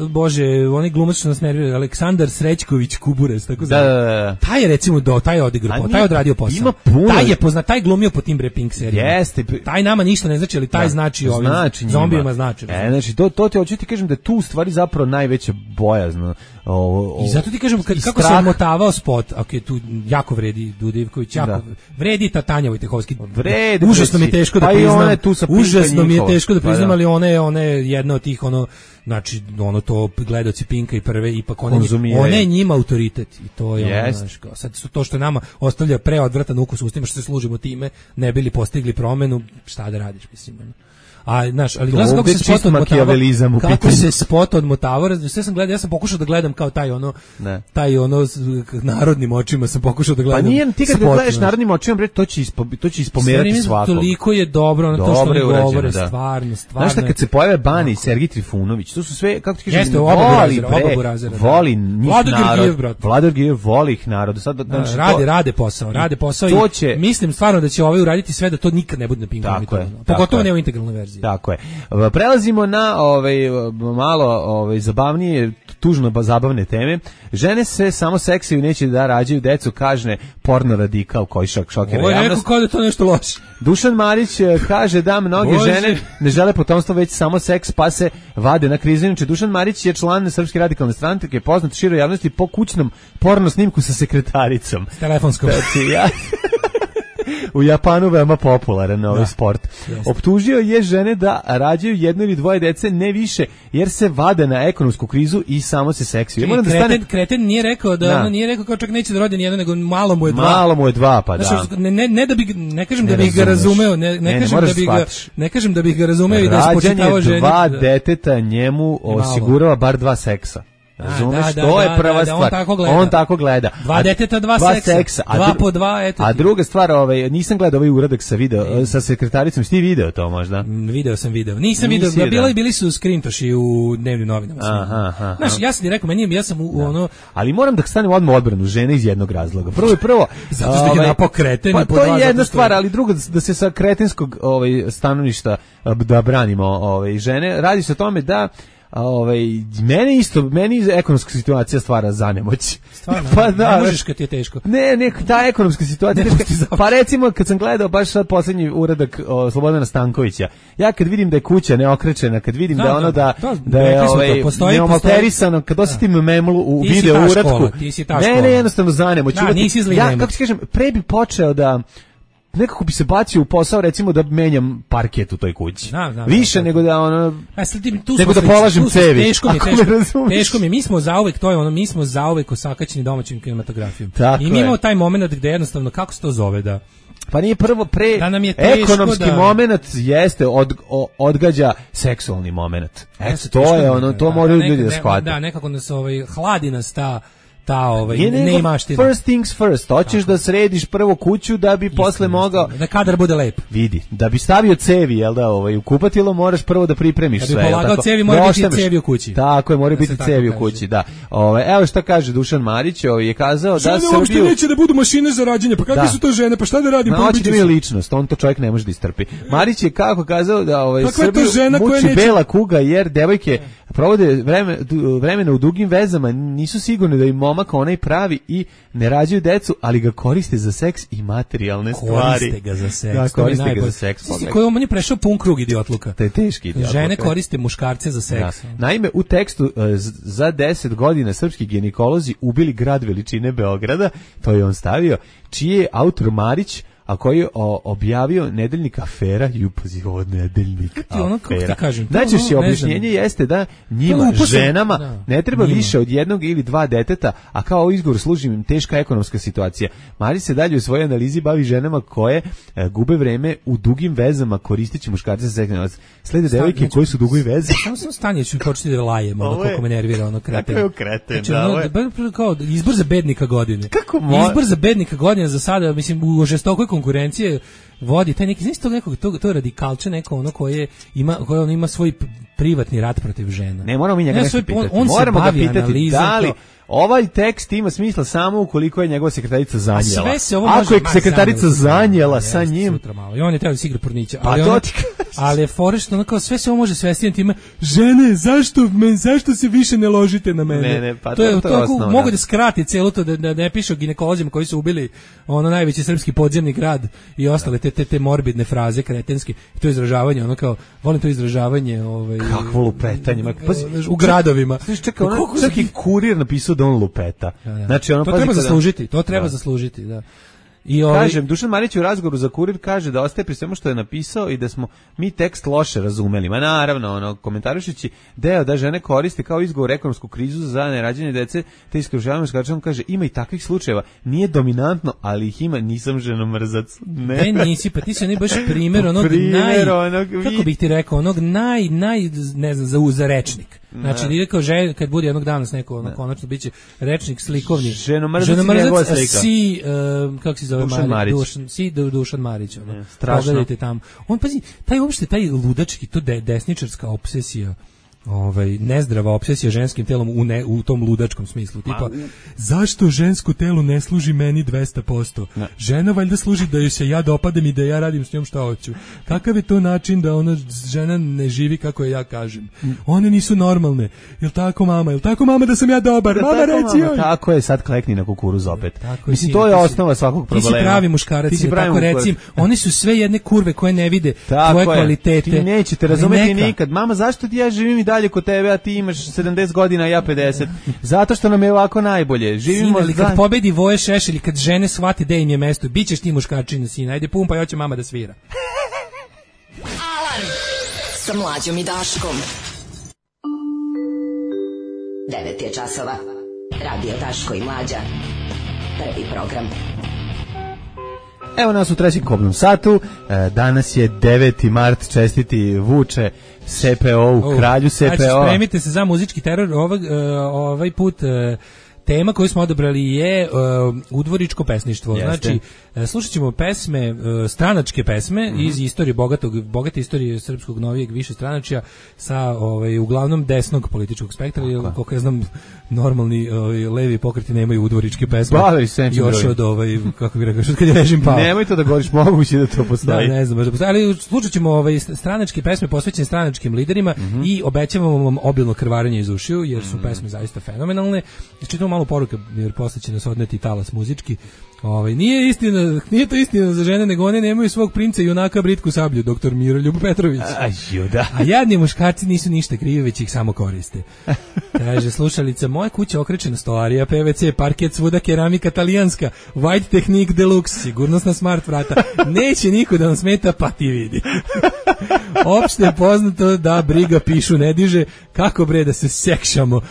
Bože, onaj glumac što nas nervira, Aleksandar Srećković Kuburez, tako da, da, da. Taj je recimo do, taj je odigrao, taj je odradio posao. Ima puno. Taj je poznat, taj glumio po tim Bre Pink serijama. Jeste. Taj nama ništa ne znači, ali taj da, znači ovim znači zombijima znači. E, znači, to, to ti hoću ti kažem da tu u stvari zapravo najveća bojazno. O, o, I zato ti kažem, kad, kako strah. se odmotavao spot, ok, tu jako vredi Dudivković, jako da. vredi Tatanja Vojtehovski. Vredi. Užasno mi je teško da priznam. Pa užasno mi je teško da priznam, ali ona je, ona je jedna od tih, ono, znači, ono to gledaoci Pinka i prve, ipak ona, ona je njima autoritet. I to je ono, znaš, kao, sad su to što nama ostavlja preodvratan ukus u ustima, što se služimo time, ne bili postigli promenu, šta da radiš, mislim, ono. A znaš, ali gledam kako se spot odmotavao, kako se spot odmotavao, sve sam gledao, ja sam pokušao da gledam kao taj ono, ne. taj ono narodnim očima sam pokušao da gledam. Pa nije, ti kad spot, gledaš narodnim očima, bre, to će ispo, to će ispomerati svakog. Toliko je dobro, ono to što oni govore, stvarno, stvarno. Znaš šta, kad se pojave Bani i Sergij Trifunović, to su sve kako ti kažeš, voli, bre, voli njih narod. Vladar Gijev voli ih narod. Sad, znači, rade, to, rade posao, rade posao i će, mislim stvarno da će ovaj uraditi sve da to nikad ne bude na Pinku. Pogotovo ne u integralnoj verziji. Tako je. Prelazimo na ovaj, malo ovaj, zabavnije, tužno zabavne teme. Žene se samo seksaju, neće da rađaju decu, kaže porno radikal koji šok šokira javnost. Ovo je rekao kao da to nešto loše. Dušan Marić kaže da mnoge Bože. žene ne žele potomstvo, već samo seks, pa se vade na krizu. Inače, Dušan Marić je član Srpske radikalne stranke, poznat široj javnosti po kućnom porno snimku sa sekretaricom. S telefonskom. Znači, ja... U Japanu veoma popularan ovaj da, sport. Jest. Optužio je žene da rađaju jedno ili dvoje dece, ne više, jer se vade na ekonomsku krizu i samo se seksiju. Kreten, da stane... kreten nije rekao da, da. Ono nije rekao kao čak neće da rodi nijedno, nego malo mu je dva. Malo mu je dva, pa znači, da. Ne, ne, ne da bi ne kažem ne da bih ga razumeo, ne, ne, ne kažem ne da bih ga ne kažem da bih ga razumeo i da spočitavao ženi. Dva deteta njemu osigurava bar dva seksa. Razumeš, da, da, to da, je prva da, da, stvar. On tako gleda. On tako gleda. Dva deteta, dva, dva seksa. seksa. A dva dru... po dva, eto. A druga stvar, ovaj, nisam gledao ovaj uradak sa video, e. sa sekretaricom, si ti video to možda? Video sam video. Nisam video, da bili, bili su skrintoši u dnevnim novinama. Aha, aha. Znaš, ja sam ti rekao, meni ja sam u da. ono... Ali moram da stanem odmah odbranu žene iz jednog razloga. Prvo i prvo... zato što je napao kreten. Pa to je jedna stvar, ali druga, da se sa kretenskog ovaj, stanovišta da branimo ovaj, žene. Radi se o tome da ovaj meni isto meni ekonomska situacija stvara zanemoć. Stvarno, pa da, ne možeš kad ti je teško. Ne, ne, ta ekonomska situacija teška. Pa recimo kad sam gledao baš sad poslednji uradak o, Slobodana Stankovića, ja kad vidim da je kuća neokrečena, kad vidim da, da ono da to, da je ovaj neomalterisano, kad osetim memlu u video uradku. Ne, ne, jednostavno zanemoć. Da, nisi zli ja kako ti kažem, pre bi počeo da nekako bi se bacio u posao, recimo da menjam parket u toj kući. Da, da, više da, nego da ono a sledim tu nego da polažem cevi. Teško mi, teško, teško mi, mi smo zauvek, to je ono, mi smo zauvek osakaćeni domaćim kinematografijom. Tako I mi imamo taj momenat gde jednostavno, kako se to zove, da pa nije prvo pre da nam je ekonomski da... momenat jeste od, o, odgađa seksualni momenat. Eto, to je ono, to da, moraju da, ljudi da ne, shvate. Da, nekako nas ovaj hladi nas ta ta ovaj je ne imaš ti first things first, hoćeš da središ prvo kuću da bi istina, posle mogao da kadar bude lep. Vidi, da bi stavio cevi, jel da, ovaj u kupatilo moraš prvo da pripremiš sve. Da bi polagao cevi, mora biti cevi u kući. Tako je, mora biti cevi u kući, da. Ovaj evo šta kaže Dušan Marić, ovaj je kazao žene da se uopšte neće da budu mašine za rađanje, pa kakve da. su to žene, pa šta da radim, pa biti ličnost, on to čovjek ne može da istrpi. Marić je kako kazao da ovaj Srbiju muči neće... bela kuga jer devojke provode vreme, vremena u dugim vezama, nisu sigurni da im momak onaj pravi i ne rađaju decu, ali ga koriste za seks i materijalne stvari. Koriste ga za seks. Da, koriste ga za seks. Koji on je prešao pun krug idiotluka. To je teški idiotluka. Žene koriste muškarce za seks. Da. Naime, u tekstu za deset godina srpski ginekolozi ubili grad veličine Beograda, to je on stavio, čiji je autor Marić, a koji je objavio nedeljnik Afera i upazi ovo nedeljnik Afera. Ono, kako ti kažem, najčešće ono, objašnjenje jeste da njima, ženama, da, ne treba njima. više od jednog ili dva deteta, a kao izgovor služi im teška ekonomska situacija. Marić se dalje u svojoj analizi bavi ženama koje e, gube vreme u dugim vezama koristeći muškarce za seksualnost. Slede devojke koji su u dugoj vezi. Samo sam stanje, ću početi da lajem, ono koliko me nervira, ono kreten. Kako je kreten, znači, da. Ono, da, kao izbor za bednika godine. Kako mo... Izbor za bednika godine za sada, mislim, u žestokoj konkurencije vodi taj neki, znači tog nekog, to, to radikalče neko ono koje ima, koje on ima svoj privatni rat protiv žena. Ne, moramo mi njega ne, nešto pitati. On, on moramo se ga pitati da li to, ovaj tekst ima smisla samo ukoliko je njegova sekretarica zanjela. Sve se ovo ako je može, sekretarica zanjela sa njim, i on je trebao da se igra pornića, pa ali to on, ti ali je forešno, kao sve se ovo može svesti time, žene, zašto men, zašto se više ne ložite na mene? Ne, ne, pa to, to je to, to, osnovno, mogu da skrati celo to da, da ne piše o ginekolozima koji su ubili ono najveći srpski podzemni grad i ostale te te, te morbidne fraze kretenske, to izražavanje, ono kao volim to izražavanje, ovaj kakvo lupetanje, pa u gradovima. Znači čekaj, ono svaki kurir napisao da on lupeta. Da, da. Znači ono to treba zaslužiti, to treba da. zaslužiti, da. I ovaj kažem, Dušan Marić u razgovoru za Kurir kaže da ostaje pri svemu što je napisao i da smo mi tekst loše razumeli. Ma naravno, ono, komentarišući deo da žene koriste kao izgovor ekonomsku krizu za nerađene dece, te iskružavanje muškarčom kaže ima i takvih slučajeva. Nije dominantno, ali ih ima, nisam ženomrzac. Ne, ne nisi, pa ti si onaj baš primjer onog primjer, naj, onog, kako bih ti rekao, onog naj, naj, ne znam, za, za rečnik. Znači, nije kao želj, kad bude jednog danas neko, ono, konačno biće rečnik slikovni. Ženomrzac, ženomrzac si, uh, kako se zove Dušan Marić. Dušan, si Dušan Marić. Ono. Ne, strašno. Pogledajte tamo. On, pazi, taj uopšte, taj ludački, to de, desničarska obsesija ovaj nezdrava opsesija ženskim telom u ne, u tom ludačkom smislu, tipa zašto žensko telo ne služi meni dvesta posto? Ne. Žena valjda služi da joj se ja dopadam i da ja radim s njom šta hoću. Kakav je to način da ona žena ne živi kako je ja kažem? One nisu normalne. Jel tako mama? Jel tako mama da sam ja dobar? Mama reci joj. Tako je, sad klekni na kukuruz opet. Tako mislim, to je osnova svakog problema. Ti si pravi muškarac, tako recim. Oni su sve jedne kurve koje ne vide tvoje kvalitete. Ti nećete razumeti nikad. Mama, zašto ti ja živim i dalje kod tebe, a ti imaš sedamdeset godina, a ja pedeset? Zato što nam je ovako najbolje. Živimo Sine, kad pobedi Voje Šešelj, kad žene shvate da im je mesto, bićeš ti muškarčina, sina. Ajde pumpa, hoće mama da svira. Alarm sa Mlađom i Daškom. devet je časova. Radio Daško i Mlađa. Prvi program. Evo nas u trećem kobnom satu. Danas je deveti mart, čestiti Vuče S P O-u, kralju S P O. Znači, spremite se za muzički teror. Ovaj, ovaj put tema koju smo odabrali je uh, udvoričko pesništvo. Jeste. Znači, uh, slušat ćemo pesme, uh, stranačke pesme mm-hmm. iz istorije bogatog, bogate istorije srpskog novijeg više stranačja sa ovaj, uglavnom desnog političkog spektra, jer koliko ja znam normalni ovaj, levi pokreti nemaju udvoričke pesme. Bavaju se još od ovaj, kako bih rekao, što kad je režim pao. Nemoj to da govoriš, moguće da to postoji. Da, ne znam, možda ali slušat ćemo ovaj, stranačke pesme posvećene stranačkim liderima mm-hmm. i obećavamo vam obilno krvarenje iz ušiju, jer su mm-hmm. pesme zaista fenomenalne. Čitamo malo poruka, jer posle će nas odneti talas muzički. Ovaj, nije istina, nije to istina za žene, nego one nemaju svog princa i junaka britku sablju, doktor Miroljub Petrović. A, juda. A jadni muškarci nisu ništa krivi, već ih samo koriste. Kaže slušalica, moja kuća okrečena stolarija, P V C, parket, svuda keramika talijanska, White Technique Deluxe, sigurnosna smart vrata. Neće niko da vam smeta, pa ti vidi. Opšte je poznato da briga pišu ne diže, kako bre da se sekšamo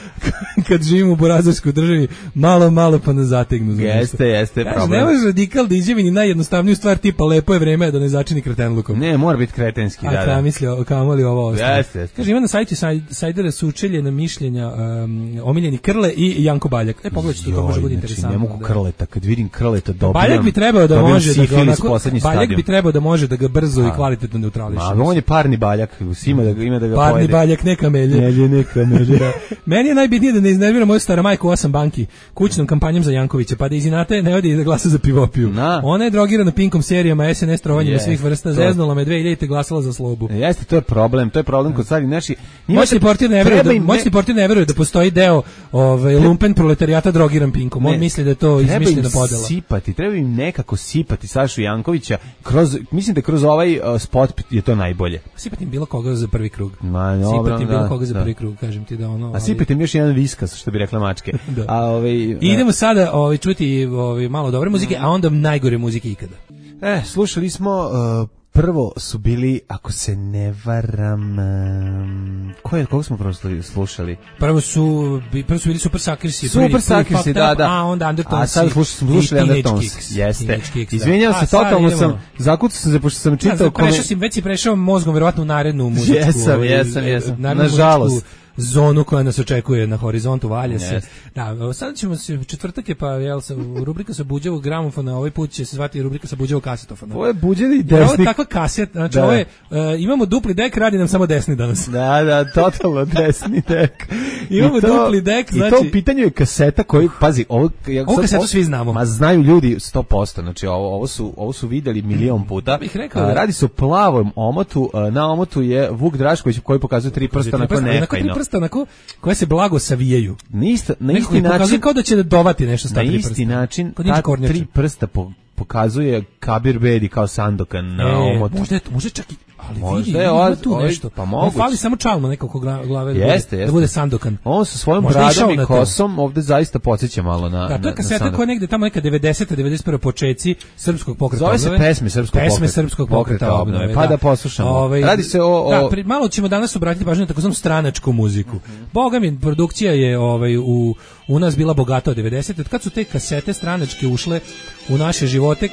kad živimo u burazarskoj državi, malo, malo pa nas zategnu. Jeste, jeste, problem. Ne može radikal da izjavi ni najjednostavniju stvar tipa lepo je vreme da ne začini kretenlukom. Ne, mora biti kretenski, a, da, da. A mislio, kamoli ovo ostalo. Jeste, jeste. Kaže, ima na sajtu Sajdera sučeljena mišljenja um, omiljeni Krle i Janko Baljak. E, pogledajte, to može biti interesantno. Ne mogu Krleta, kad vidim Krleta dobijam. Baljak bi trebao da može da ga onako, Baljak bi trebao da može da ga brzo i kvalitetno neutrališe. Ma, on je parni Baljak, ima da ga ima da ga parni pojede. Baljak, neka melje. Melje, neka melje. Da. Meni je najbitnije da ne iznervira moju stara majku osam banki kućnom kampanjom za Jankovića, pa da iz inata ne odi da glasa za Pivopiju. Na. Ona je drogirana Pinkom serijama, S N S trovanjima yes, svih vrsta, zeznula me dve hiljade glasala za Slobu. Jeste, to je problem, to je problem kod stvari naši. Moćni portir ne veruje, da, ne... moćni portir ne veruje da postoji deo ovaj lumpen proletarijata drogiran Pinkom. On ne. misli da je to izmišljena podela. Sipati, treba im nekako sipati Sašu Jankovića kroz, mislim da kroz ovaj uh, spot je to najbolje. Sipati im bilo koga za prvi krug. Ma, dobro, sipati im bilo da, koga za da. prvi krug, kažem ti da ono. A sipati im još jedan viskas, što bi rekla mačke. Da. A ovaj I idemo sada ovaj čuti ovaj malo dobre muzike, a onda najgore muzike ikada. E, slušali smo uh, prvo su bili, ako se ne varam, um, koje, koga smo prvo slušali? Prvo su, prvo su bili Super Sakrisi. Super Sakrisi, da, da. A onda Undertones. A sad slušali, slušali Undertones. Jeste. Izvinjavam se, totalno sam, zakucao sam se, pošto sam čitao... Ja, prešao si, već si prešao mozgom, verovatno u narednu muzičku. Jesam, jesam, jesam. Nažalost. Zonu koja nas očekuje na horizontu, valja se. Yes. Da, sad ćemo se, četvrtak je pa, jel, sa, rubrika sa buđavog gramofona, ovaj put će se zvati rubrika sa buđavog kasetofona. Ovo je buđeni desnik. Ovo je takva kaset, znači ovo je, uh, imamo dupli dek, radi nam samo desni danas. Da, da, totalno desni dek. Imamo to, dupli dek, i znači... I to u pitanju je kaseta koji, pazi, ovo... Ja, ovo kasetu svi znamo. Ma znaju ljudi sto posto, znači ovo, ovo, su, ovo su videli milion puta. Bih rekao, a, radi se o plavom omotu, a, na omotu je Vuk Drašković koji pokazuje tri prsta onako nefajno. Tri prsta onako koje se blago savijaju. Na, isto, na isti način... Pokazuje kao da će dovati nešto sta tri prsta. Na isti način, ta tri prsta po, pokazuje Kabir Bedi kao Sandokan na e, omotu. Možda je to, možda čak i... Ali možda vidi, je ima tu ovaj, nešto. Pa moguće. Fali samo čalma nekako glave da, jeste, bude, jeste. da bude Sandokan. On sa svojom bradom i kosom ovde zaista podsjeća malo na... Da, to je kaseta koja negde tamo neka devedeseta devedeset prva počeci srpskog pokreta obnove. Zove se pesme srpskog pesme pokreta, srpskog pokreta obnove. Da. Pa da poslušamo. Ove, Radi se o... o... Da, pri, malo ćemo danas obratiti pažnju na takozvanu stranačku muziku. Mm-hmm. Boga mi, produkcija je ovaj, u, u nas bila bogata od devedesete. Od kad su te kasete stranačke ušle u naše živote,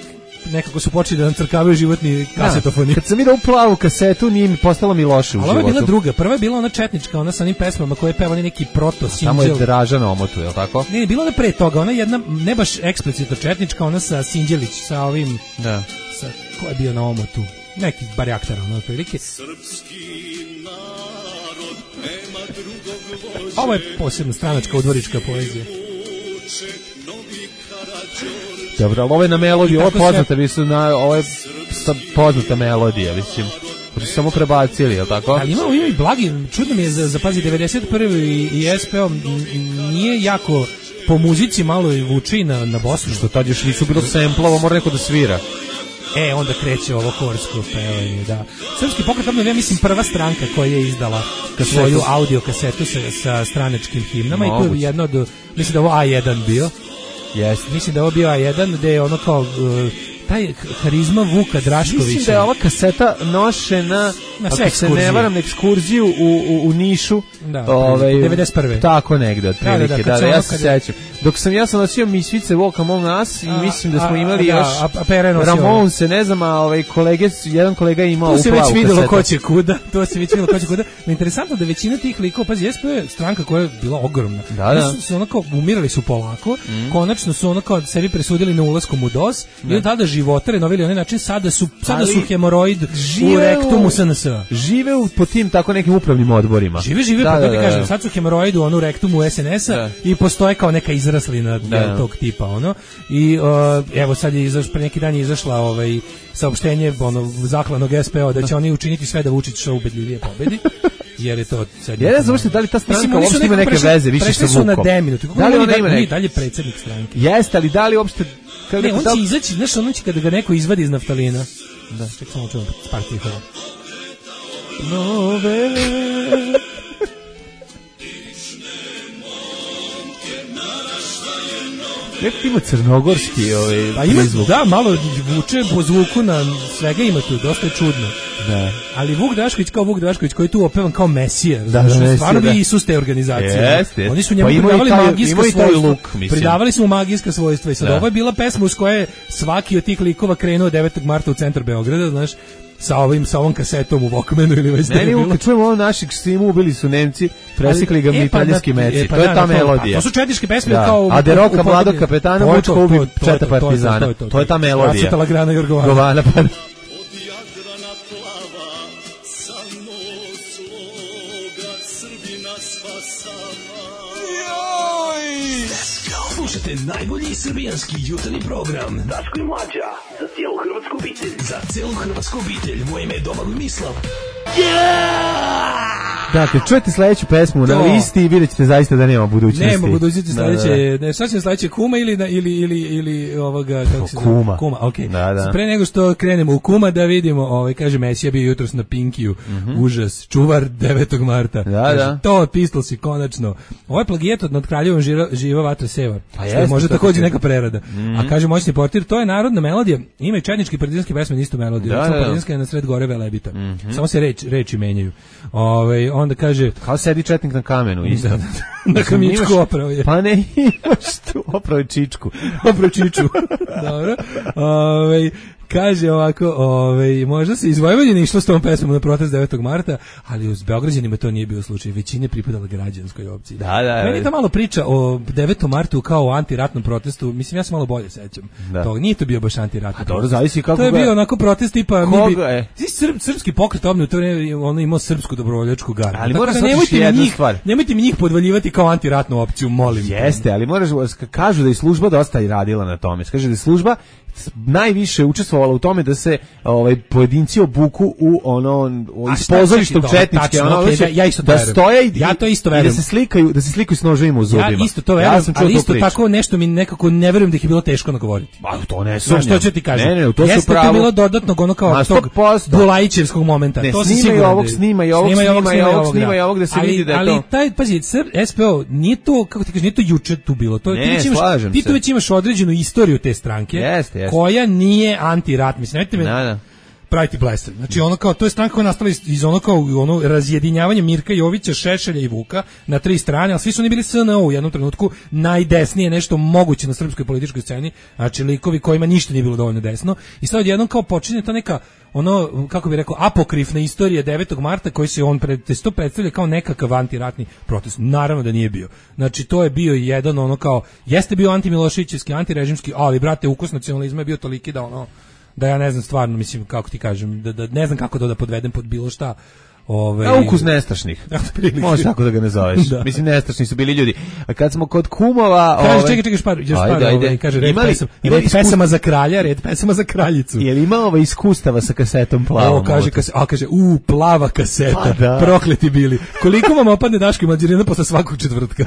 nekako su počeli da nam crkavaju životni kasetofoni. Kad sam vidio plavu kasetu, nije mi postalo mi loše u ali životu. Ali ovo je bila druga. Prva je bila ona četnička, ona sa onim pesmama koje je pevali neki proto sinđel. Tamo je Draža na omotu, je li tako? Ne, bila ona pre toga. Ona jedna, ne baš eksplicitno četnička, ona sa Sinđelić, sa ovim... Da. Sa, ko je bio na omotu? Neki barjaktar, ono, otprilike. Srpski narod nema Ovo je posebna stranačka udvorička poezija. Dobro, ali ovo je na melodiju, ovo je poznata, mislim, na, ovo je poznata melodija, mislim. Samo prebacili, je li tako? Ali imamo ima i blagi, čudno mi je za, za pazi, devedeset prvi i, i es pe o nije jako po muzici malo i vuči na, na Bosnu. Što tad još nisu bilo semplovo, mora neko da svira. E, onda kreće ovo korsko pevanje, da. Srpski pokret obnove, ja mislim, prva stranka koja je izdala kasetu, svoju audio kasetu sa, sa stranačkim himnama. No, i tu je jedno od, mislim da ovo a jedan bio. Yes. Mislim da je ovo bio a jedan, gde je ono kao... Uh, taj harizma Vuka Draškovića. Mislim da je ova kaseta nošena, na ako se ne varam, na ekskurziju u, u, u Nišu. Da, ovaj, devedeset prve. Tako negde, otprilike. Da, da, da, da, ja se sećam. Dok sam ja sam nosio Misvice Walk Among Us i a, mislim da smo imali a, još a, a Ramonse, ne znam, a ovaj kolege, jedan kolega je imao u plavu kasetu. To se već videlo ko će kuda, to se već videlo ko će kuda. No, interesantno da većina tih likova, pazi, es pe o je stranka koja je bila ogromna. Da, da. Su, su onako, umirali su polako, mm. konačno su onako sebi presudili na ulaskom u DOS i od tada životare novili onaj način, sada su, sada su hemoroid u rektumu es en es a. Žive u, po tim tako nekim upravnim odborima. Žive, žive, da, pa da, da, kažem, sad su hemoroid u onu rektumu es en es a da. I postoje kao neka izraslina da. Tog tipa, ono. I uh, evo sad je izaš, pre neki dan je izašla ovaj, saopštenje ono, zaklanog es pe o da će oni učiniti sve da Vučić što ubedljivije pobedi. Jer je to sad... Ja ne znam da li ta stranka uopšte ima neke veze više sa Vukom. Prešli su na deminut. Da li ona ima neke? Dalje predsjednik stranke. Jeste, ali da li uopšte... Ne, on će izaći, znaš, on će kada ga neko izvadi iz naftalina. Da, ček samo čuvam par tihova. Nove... Neko ima crnogorski ovaj, pa ima, da, malo vuče po zvuku na svega ima tu, dosta je čudno. Da. Ali Vuk Drašković kao Vuk Drašković koji je tu opevan kao Mesija, da, znači stvarno bi Isus te organizacije. Jeste, oni su njemu pa pridavali taj, magijska svojstva. Luk, pridavali su mu magijska svojstva i sad da. Ovo je bila pesma uz koje svaki od tih likova krenuo devetog marta u centar Beograda, znaš, sa ovim sa ovom kasetom u Walkmanu ili već ne, ne, kad čujemo ovo našeg Simu, ubili su Nemci, presikli ga mitraljski meci. E, pa to da, je ta melodija. To su četničke pesme da. kao... A Deroka, mladog kapetana, Vučko ubi četa partizana. To, to, to, to je ta melodija. Racutala grana Jorgovana. Govana, pa... Slušajte najbolji srbijanski jutarnji program Daško i Mlađa, za cijelu hrvatsku obitelj. Za cijelu hrvatsku obitelj, moje ime je Domagoj Mislav. Yeah! Dakle, čujete sledeću pesmu to. Na listi i vidjet ćete zaista da nema budućnosti. Nema budućnosti, sledeće, ne, šta će sledeće, Kuma ili, ili, ili, ili ovoga, kako se Kuma. Zna? Kuma, okej. Okay. Da, da. Pre nego što krenemo u Kuma da vidimo, ovaj, kaže Mesija bio jutros na Pinkiju, mm-hmm. užas, čuvar devetog marta. Da, kaže, da. To Pistols i konačno. Ovo je plagijat od Nad Kraljevom živa, živa vatra seva. Pa što je možda takođe neka prerada. Mm-hmm. A kaže moćni portir, to je narodna melodija, ima i četnički partizanski pesme istu melodiju. Da, da, da. Partizanska je na sred gore Velebita. Mm-hmm. Samo se reč, reči menjaju. Ovaj onda kaže kao sedi četnik na kamenu isto. Da, da, da. Na kamičku opravo je. Pa ne imaš tu opravo čičku. Opravo čiču. Dobro. Ovaj kaže ovako, ovaj možda se iz Vojvodine išlo s tom pesmom na protest devetog marta, ali uz Beograđanima to nije bio slučaj. Većina je pripadala građanskoj opciji. Da, da. Meni je ta malo priča o devetom martu kao o antiratnom protestu. Mislim ja se malo bolje sećam. Da. To nije to bio baš antiratni. Dobro, zavisi kako. To je bio onako protest tipa mi bi Srp, srpski pokret obnove, to je ono imao srpsku dobrovoljačku gardu. Ali moraš da nemojte mi njih, stvar. Nemojte mi njih podvaljivati kao antiratnu opciju, molim. Jeste, ali moraš kažu da je služba dosta i radila na tome. Kaže da je služba najviše učestvovala u tome da se ovaj pojedinci obuku u ono iz pozorišta četničke ono okay, da, ja isto da stoje i, ja to isto verujem. Da se slikaju, da se slikaju s noževima u zubima. Ja isto to verujem, ja ali isto tako nešto mi nekako ne verujem da ih je bilo teško nagovoriti. Pa to ne sumnjam. Što ću ti kažem? Ne, ne, to Jeste su pravo. Jeste bilo dodatnog ono kao tog Bulajićevskog momenta. Ne, to se snima i ovog, snima i ovog, snima i ovog, snima i ovog da se vidi da je to. Ali taj pazi, es pe o nije to kako ti kažeš, nije to juče tu bilo. To ti već imaš, ti tu već imaš određenu istoriju te stranke koja nije antirat, mislim, nemojte me da, da. praviti blesav. Znači ono kao, to je stranka koja je nastala iz, iz ono kao ono razjedinjavanje Mirka Jovića, Šešelja i Vuka na tri strane, ali svi su oni bili es en o u jednom trenutku najdesnije nešto moguće na srpskoj političkoj sceni, znači likovi kojima ništa nije bilo dovoljno desno i sad odjednom kao počinje ta neka ono, kako bih rekao, apokrifna istorija devetog marta koji se on pred, to predstavlja kao nekakav antiratni protest. Naravno da nije bio. Znači to je bio jedan ono kao, jeste bio antimiloševićevski, antirežimski, ali brate, ukus nacionalizma je bio toliki da ono, da ja ne znam stvarno, mislim, kako ti kažem, da, da ne znam kako to da podvedem pod bilo šta, Ovaj A ukus nestašnih. Može tako da ga ne zoveš. Da. Mislim nestašni su bili ljudi. A kad smo kod kumova, kaže ovaj, čekaj, čekaj, špar, još par, ovaj, kaže red, imali, pesam, imali red pesama za kralja, red pesama za kraljicu. Je li imao ovaj iskustava sa kasetom plavom? O, kaže, kase, a kaže, u, plava kaseta, pa da. Prokleti bili. Koliko vam opadne Daško i Mlađarina posle svakog četvrtka?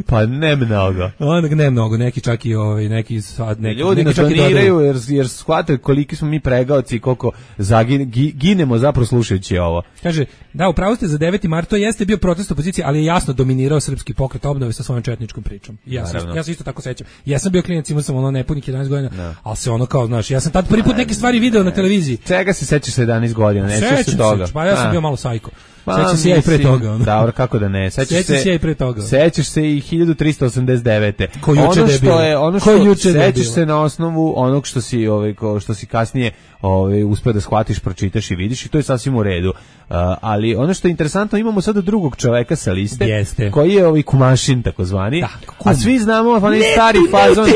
Pa ne mnogo. Onda ne mnogo, neki čak i ovaj, neki sad neki. Ljudi nas doniraju jer jer shvataju koliki smo mi pregaoci i koliko zagin, ginemo zapravo slušajući ovo. Kaže, da, upravo ste za deveti mart, to jeste bio protest opozicije, ali je jasno dominirao srpski pokret obnove sa svojom četničkom pričom. Ja se ja se isto tako sećam. Ja sam bio klinac, imao sam ono nepunih jedanaest godina, no. Ali se ono kao, znaš, ja sam tad prvi put neke stvari video na televiziji. Čega se sećaš sa jedanaest godina, ne sećaš se toga. Pa ja sam bio malo sajko. Sećaš se ja i pre toga. Ono. Dobro, kako da ne. Sećaš se, se i pre toga. Sećaš se i hiljadu trista osamdeset devete. Ko juče ono što je, ono što juče sećaš se na osnovu onog što si, ovaj, što si kasnije ovaj uspeo da shvatiš, pročitaš i vidiš i to je sasvim u redu. Uh, ali ono što je interesantno, imamo sada drugog čoveka sa liste, Jeste. koji je ovaj Kumašin takozvani. Da, a svi znamo onaj stari fazon.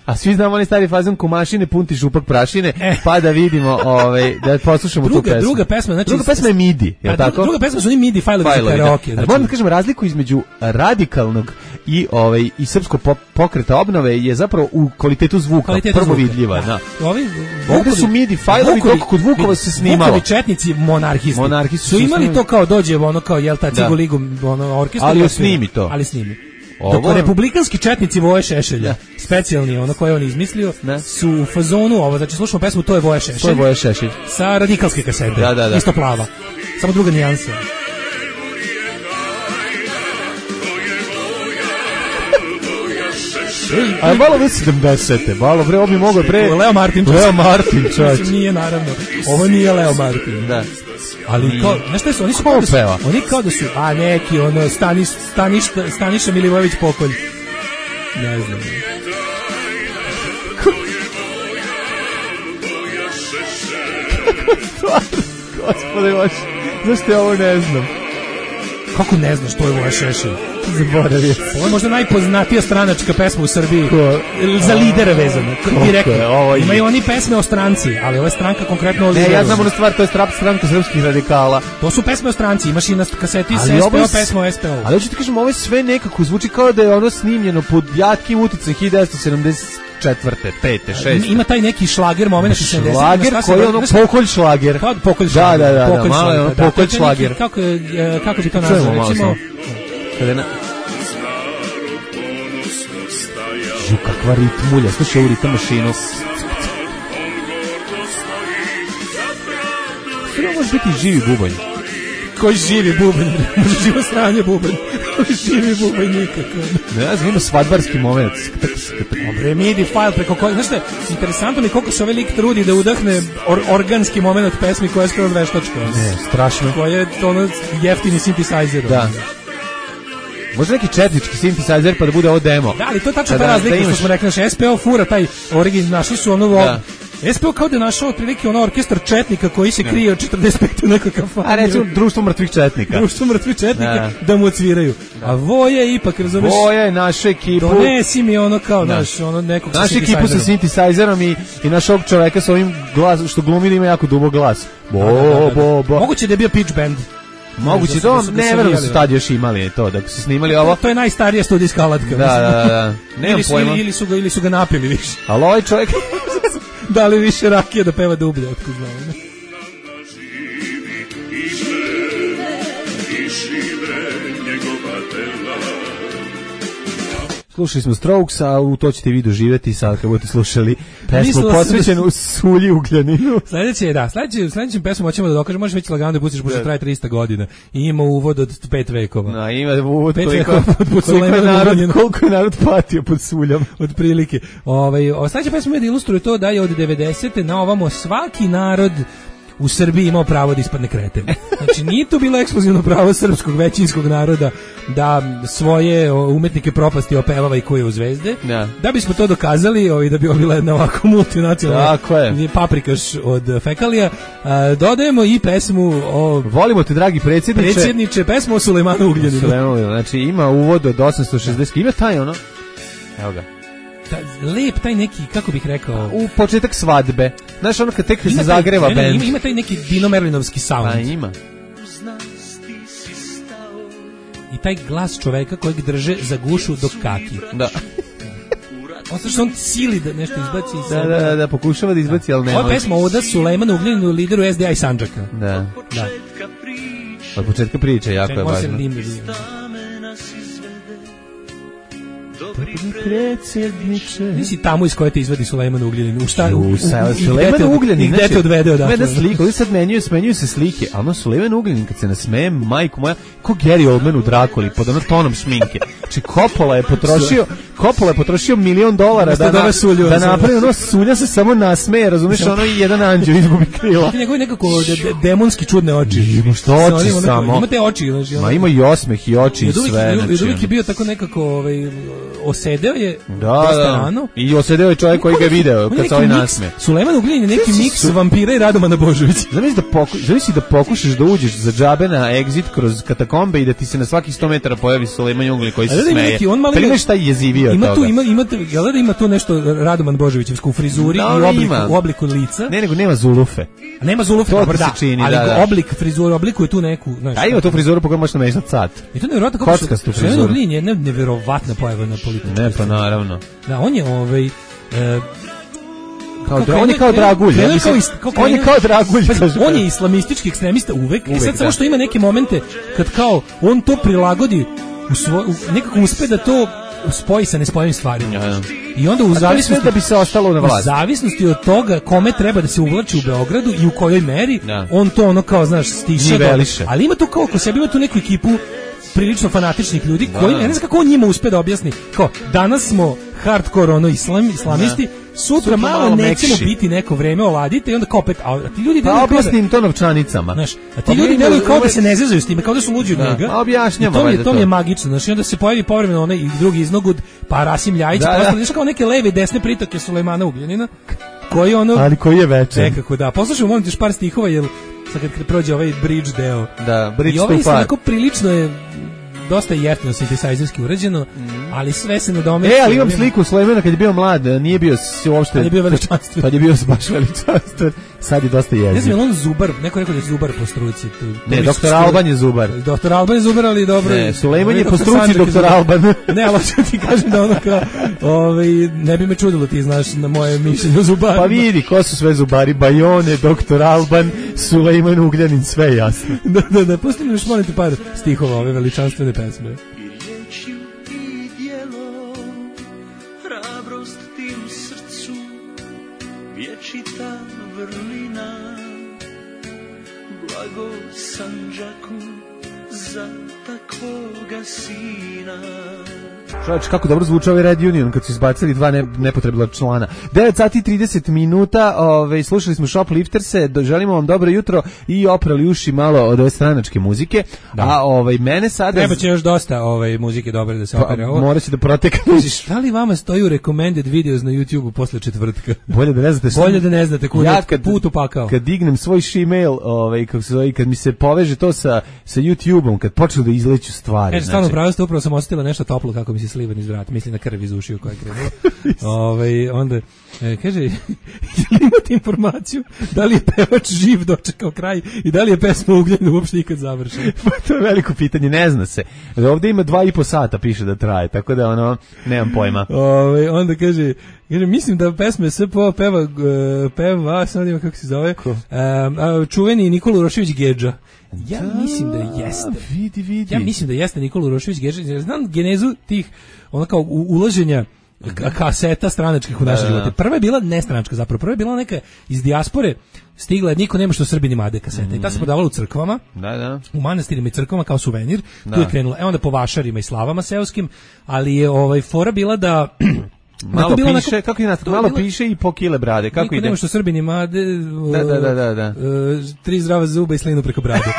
A svi znamo onaj stari fazon Kumašine punti župak prašine, eh. pa da vidimo, ovaj da poslušamo druga, tu pesmu. Druga pesma, znači druga pesma je midi, je tako? Druga, druga pesma su ni midi fajlovi za karaoke. Znači, moram da kažem razliku između radikalnog i ovaj i srpskog pop, pokreta obnove je zapravo u kvalitetu zvuka, kvalitetu prvo zvuka. vidljiva, da. Ovi ovde su midi fajlovi dok kod Vukova se snimalo. Vukovi četnici monarhisti. Monarhisti su imali to kao dođe ono kao jel ta Cigoligu ono orkestar. Ali snimi to. Ali snimi. Dok republikanski četnici Voje Šešelja, da. specijalni, ono koje on izmislio, da. su u fazonu, ovo, znači slušamo pesmu To je Voje Šešelj. To je Voje Šešelj. Sa radikalske kasete, da, da, da. isto plava. Samo druga nijansa. A malo već sedamdesete, malo bre, ovo bi mogao pre... Leo Martin. Leo Martin, čovječ. Nije, naravno. Ovo nije Leo Martin. Da. Ali kao, znaš što su, oni su kao da su, oni kao da su, a neki, ono, Staniš, Staniš, Staniša Milivojević Pokolj. Ne znam. Gospode vaš, zašto ja ovo ne znam? Kako ne znaš, to je Voja Šešelj? Zaboravio. Ovo je možda najpoznatija stranačka pesma u Srbiji. Ko? Za lidera vezano. Direktno. Imaju oni pesme o stranci, ali ova je stranka konkretno o lideru. Ne, ja znam ono stvar, to je stranka srpskih radikala. To su pesme o stranci, imaš i na kaseti s S P O pesma o S P O. Ali hoću ti kažem, ovo je sve nekako zvuči kao da je ono snimljeno pod jatkim uticajem hiljadu devetsto sedamdeset četvrte, pete, šeste. Ima taj neki šlager moment sedamdeset. Šlager koji je ono pokolj šlager. Kao pokolj šlager. Da, da, da, da, malo je ono pokolj šlager. Kako, kako bi to nazvao, recimo? Kada na... Žu, kakva ritmulja, slušaj ovu ritam mašinu. Sve može biti živi bubanj. Koji živi bubanj? Može živo sranje bubanj. Koji živi bubanj nikako. Ne znam, ima svadbarski moment. Dobre, midi file preko koji... Znaš šta, interesantno mi koliko se ovaj lik trudi da udahne or, organski moment od pesmi koja je skoro veštačka. Ne, strašno. Koja je ono jeftini synthesizer. Da. Može neki četnički synthesizer pa da bude ovo demo. Da, ali to je tačno ta razlika što smo rekli, naš S P O fura, taj origin, našli su ono da. S P O kao da je našao otprilike ono orkestar četnika koji se krije od četrdeset pete u nekoj kafani. A recimo društvo mrtvih četnika. Društvo mrtvih četnika da, da mu odsviraju. A Voja je ipak, razumeš? Voja je naša ekipu. Donesi mi ono kao da. naš, ono nekog sa našu ekipu sa synthesizerom i, i našog čoveka sa ovim glasom, što glumi da ima jako dubok glas. Bo, da, da, da, da. bo, bo. Moguće da je bio pitch band. Moguće to, ne verujem da su tad još imali to, da su snimali ovo. To je najstarija studijska alatka. Da, da, da. Nemam pojma. Ili su ga, ili su ga napili više. Ali ovaj čovjek... da li više rakije da peva dublje, otkud znamo. Slušali smo Strokes, a u to ćete vi doživjeti sad kad budete slušali pesmu posvećenu da... Sulji Ugljaninu. Sljedeće, da, sljedeće, sljedećem pesmu hoćemo da dokažemo, možeš već lagano da pustiš, pošto traje trista godina i ima uvod od pet vekova. Da, ima uvod pet koliko, vekova pod koliko, je narod, koliko je narod patio pod Suljom. Od prilike. Ovaj, sljedeća pesma je da ilustruje to da je od devedesete na ovamo svaki narod u Srbiji imao pravo da ispadne kreten. Znači, nije to bilo ekskluzivno pravo srpskog većinskog naroda da svoje umetnike propasti opevava i kuje u zvezde. Ja. Da bismo to dokazali, ovaj, da bi ovo bila jedna ovako multinacionalna paprikaš od fekalija, a, dodajemo i pesmu o... Volimo te, dragi predsjedniče. Predsjedniče, pesmu o Sulejmanu Ugljaninu. Sulejmanu, znači, ima uvod od osamsto šezdeset. Ima taj ono? Evo ga. Ta, lep taj neki, kako bih rekao, u početak svadbe. Znaš, ono kad tek se zagreva bend. Ima, ima taj neki Dino Merlinovski sound. Pa ima. i taj glas čoveka kojeg drže za gušu dok kaki. Da. Osto što on sili da nešto izbaci iz sebe. Da, da, da, pokušava da izbaci, ali nema. Ova pesma Oda Sulejmanu Ugljaninu, lideru S D A i Sandžaka. Da. Da. Od početka priče, jako je važno. Predsjedniče. Nisi tamo iz koje te izvadi Sulejman Ugljanin. U šta? U, u, Sulejman Ugljanin. Gde te odvede odatle? Gleda sliku, ovdje sad menjuju, smenjuju se slike, a ono Sulejman Ugljanin kad se nasmeje, majko moja, ko Gary Oldman u Drakuli, pod ono tonom šminke. Znači, Coppola je potrošio, Coppola je potrošio milion dolara da, da, sulju, da napravi ono sulja se samo nasmeje, razumiješ, ono i jedan anđeo izgubi krila. Njegovi nekako de, de, demonski čudne oči. Ima što oči ono, samo. Ima te oči. Znači, ono, ma ima i osmeh i oči i sve. I uvijek je bio tako nekako, ovaj, osedeo je da, dosta da. rano. I osedeo je čovjek koji ga je video kad se ovaj nasme. Sulejman Ugljanin je neki miks su... vampira i Radomana Božovića. Zamisli da, poku, zamisli da pokušaš da uđeš za džabe na exit kroz katakombe i da ti se na svakih sto metara pojavi Sulejman Ugljanin koji se da smeje. Neki, on pa ima šta je jezivio ima toga. Tu, ima, ima, jel da ima tu nešto Radoman Božovićevsku u frizuri no, i obliku, ima. u obliku lica. Ne, nego nema zulufe. A nema zulufe, to da, se čini, ali da, da. oblik frizure, oblikuje tu neku... Znaš, a ima tu frizuru po kojoj možeš namešati sat. I to je nevjerovatno kako kockastu frizuru. Sulejman Ugljanin je nevjerovatna pojava na političku. Ne, pa naravno. Da, on je ovaj... E, Kao dra, on je kao Dragulj, ja mislim, kao, kao on je kao Dragulj. Pa, on je islamistički ekstremista uvek, uvek i sad da. Samo što ima neke momente kad kao on to prilagodi u svoj, u, nekako uspe da to spoji sa nespojivim stvarima. Ja, ja. I onda u zavisnosti da bi se ostalo na vlasti. U zavisnosti od toga kome treba da se uvlači u Beogradu i u kojoj meri, ja. On to ono kao, znaš, stiša. Ali ima tu kao ko sebi, ima tu neku ekipu prilično fanatičnih ljudi koji, ja ne znam kako on njima uspe da objasni, kao, danas smo hardcore ono islam, islamisti, ja. Sutra, Sutra malo, malo nećemo mekši. Biti neko vreme, oladite i onda kao opet, a ti ljudi pa objasnim to novčanicama. Znaš, a ti ljudi deluju kao da se ne zezaju s time, kao da su luđi od da, njega. Objašnjamo. To mi je, to mi je magično, znači onda se pojavi povremeno onaj i drugi iznogud, pa Rasim Ljajić, da, pa znaš kao neke leve i desne pritoke Sulejmana Ugljanina, koji ono... Ali koji je večer. Nekako, da. Poslušajmo, molim ti još par stihova, jer sad kad prođe ovaj bridge deo. Da, bridge i ovaj onako prilično je dosta jeftino sintetizerski urađeno, mm. ali sve se nadomesti. E, ali imam sliku Sulejmana kad je bio mlad, nije bio uopšte... Kad je bio veličanstven. Kad je bio baš veličanstven, sad je dosta jeziv. Ne znam, on zubar, neko rekao da je zubar po struci. Tu, ne, doktor Alban je zubar. Doktor Alban je zubar, ali dobro. Ne, Sulejman je po struci doktor Alban. Ne, ali ću ti kažem da ono kao, ovaj, ne bi me čudilo, ti znaš na moje mišljenje o zubarima. Pa vidi, ko su sve zubari, Bajone, doktor Alban, Sulejman Ugljanin, sve jasno. da, da, da, pusti mi još molim ti par stihova ove veličanstvene pesme. Čovječ, kako dobro zvuči ovaj Red Union kad su izbacili dva ne, nepotrebna člana. devet sati i trideset minuta, ove, slušali smo Shoplifterse, želimo vam dobro jutro i oprali uši malo od ove stranačke muzike. Da. A ovaj mene sada... Treba će još dosta ovaj, muzike dobre da se opere. Pa, mora će da protekneš. Da li vama stoju recommended videos na YouTubeu posle četvrtka? Bolje da ne znate što... Bolje da ne znate kuda ja kad, put upakao. Kad dignem svoj Gmail, ovaj, kako se zove, kad mi se poveže to sa, sa YouTubeom, kad počnu da izleću stvari. E, stvarno, pravo ste, upravo sam osjetila nešto toplo kako mi se slivan iz vrata, mislim na krv iz ušiju koja je krenula. Ovaj onda e, kaže, imate informaciju da li je pevač živ dočekao kraj i da li je pesma Ugljanin uopšte ikad završena? Pa to je veliko pitanje, ne zna se. Ovdje ima dva i po sata, piše da traje, tako da ono, nemam pojma. Ovaj onda kaže, kaže, mislim da pesme S P O peva, peva, sad ima kako se zove, um, čuveni Nikola Urošević Gedža. Ja da, mislim da jeste. Vidi, vidi. Ja mislim da jeste Nikola Urošević Gedža. Znam genezu tih, ono kao ulaženja kaseta stranačkih u naše da, živote. Prva je bila nestranačka zapravo. Prva je bila neka iz dijaspore, stigla je niko nema što Srbini made kasete. Mm-hmm. I ta se prodavala u crkvama, da, da. u manastirima i crkvama kao suvenir. Da. Tu je krenula. E onda po vašarima i slavama seoskim, ali je ovaj fora bila da... Malo piše, onako, kako je nastavno, malo bila, piše i po kile brade, kako niko ide? Nema što Srbini made, da, da, da, da, da. Uh, tri zdrava zuba i slinu preko brade.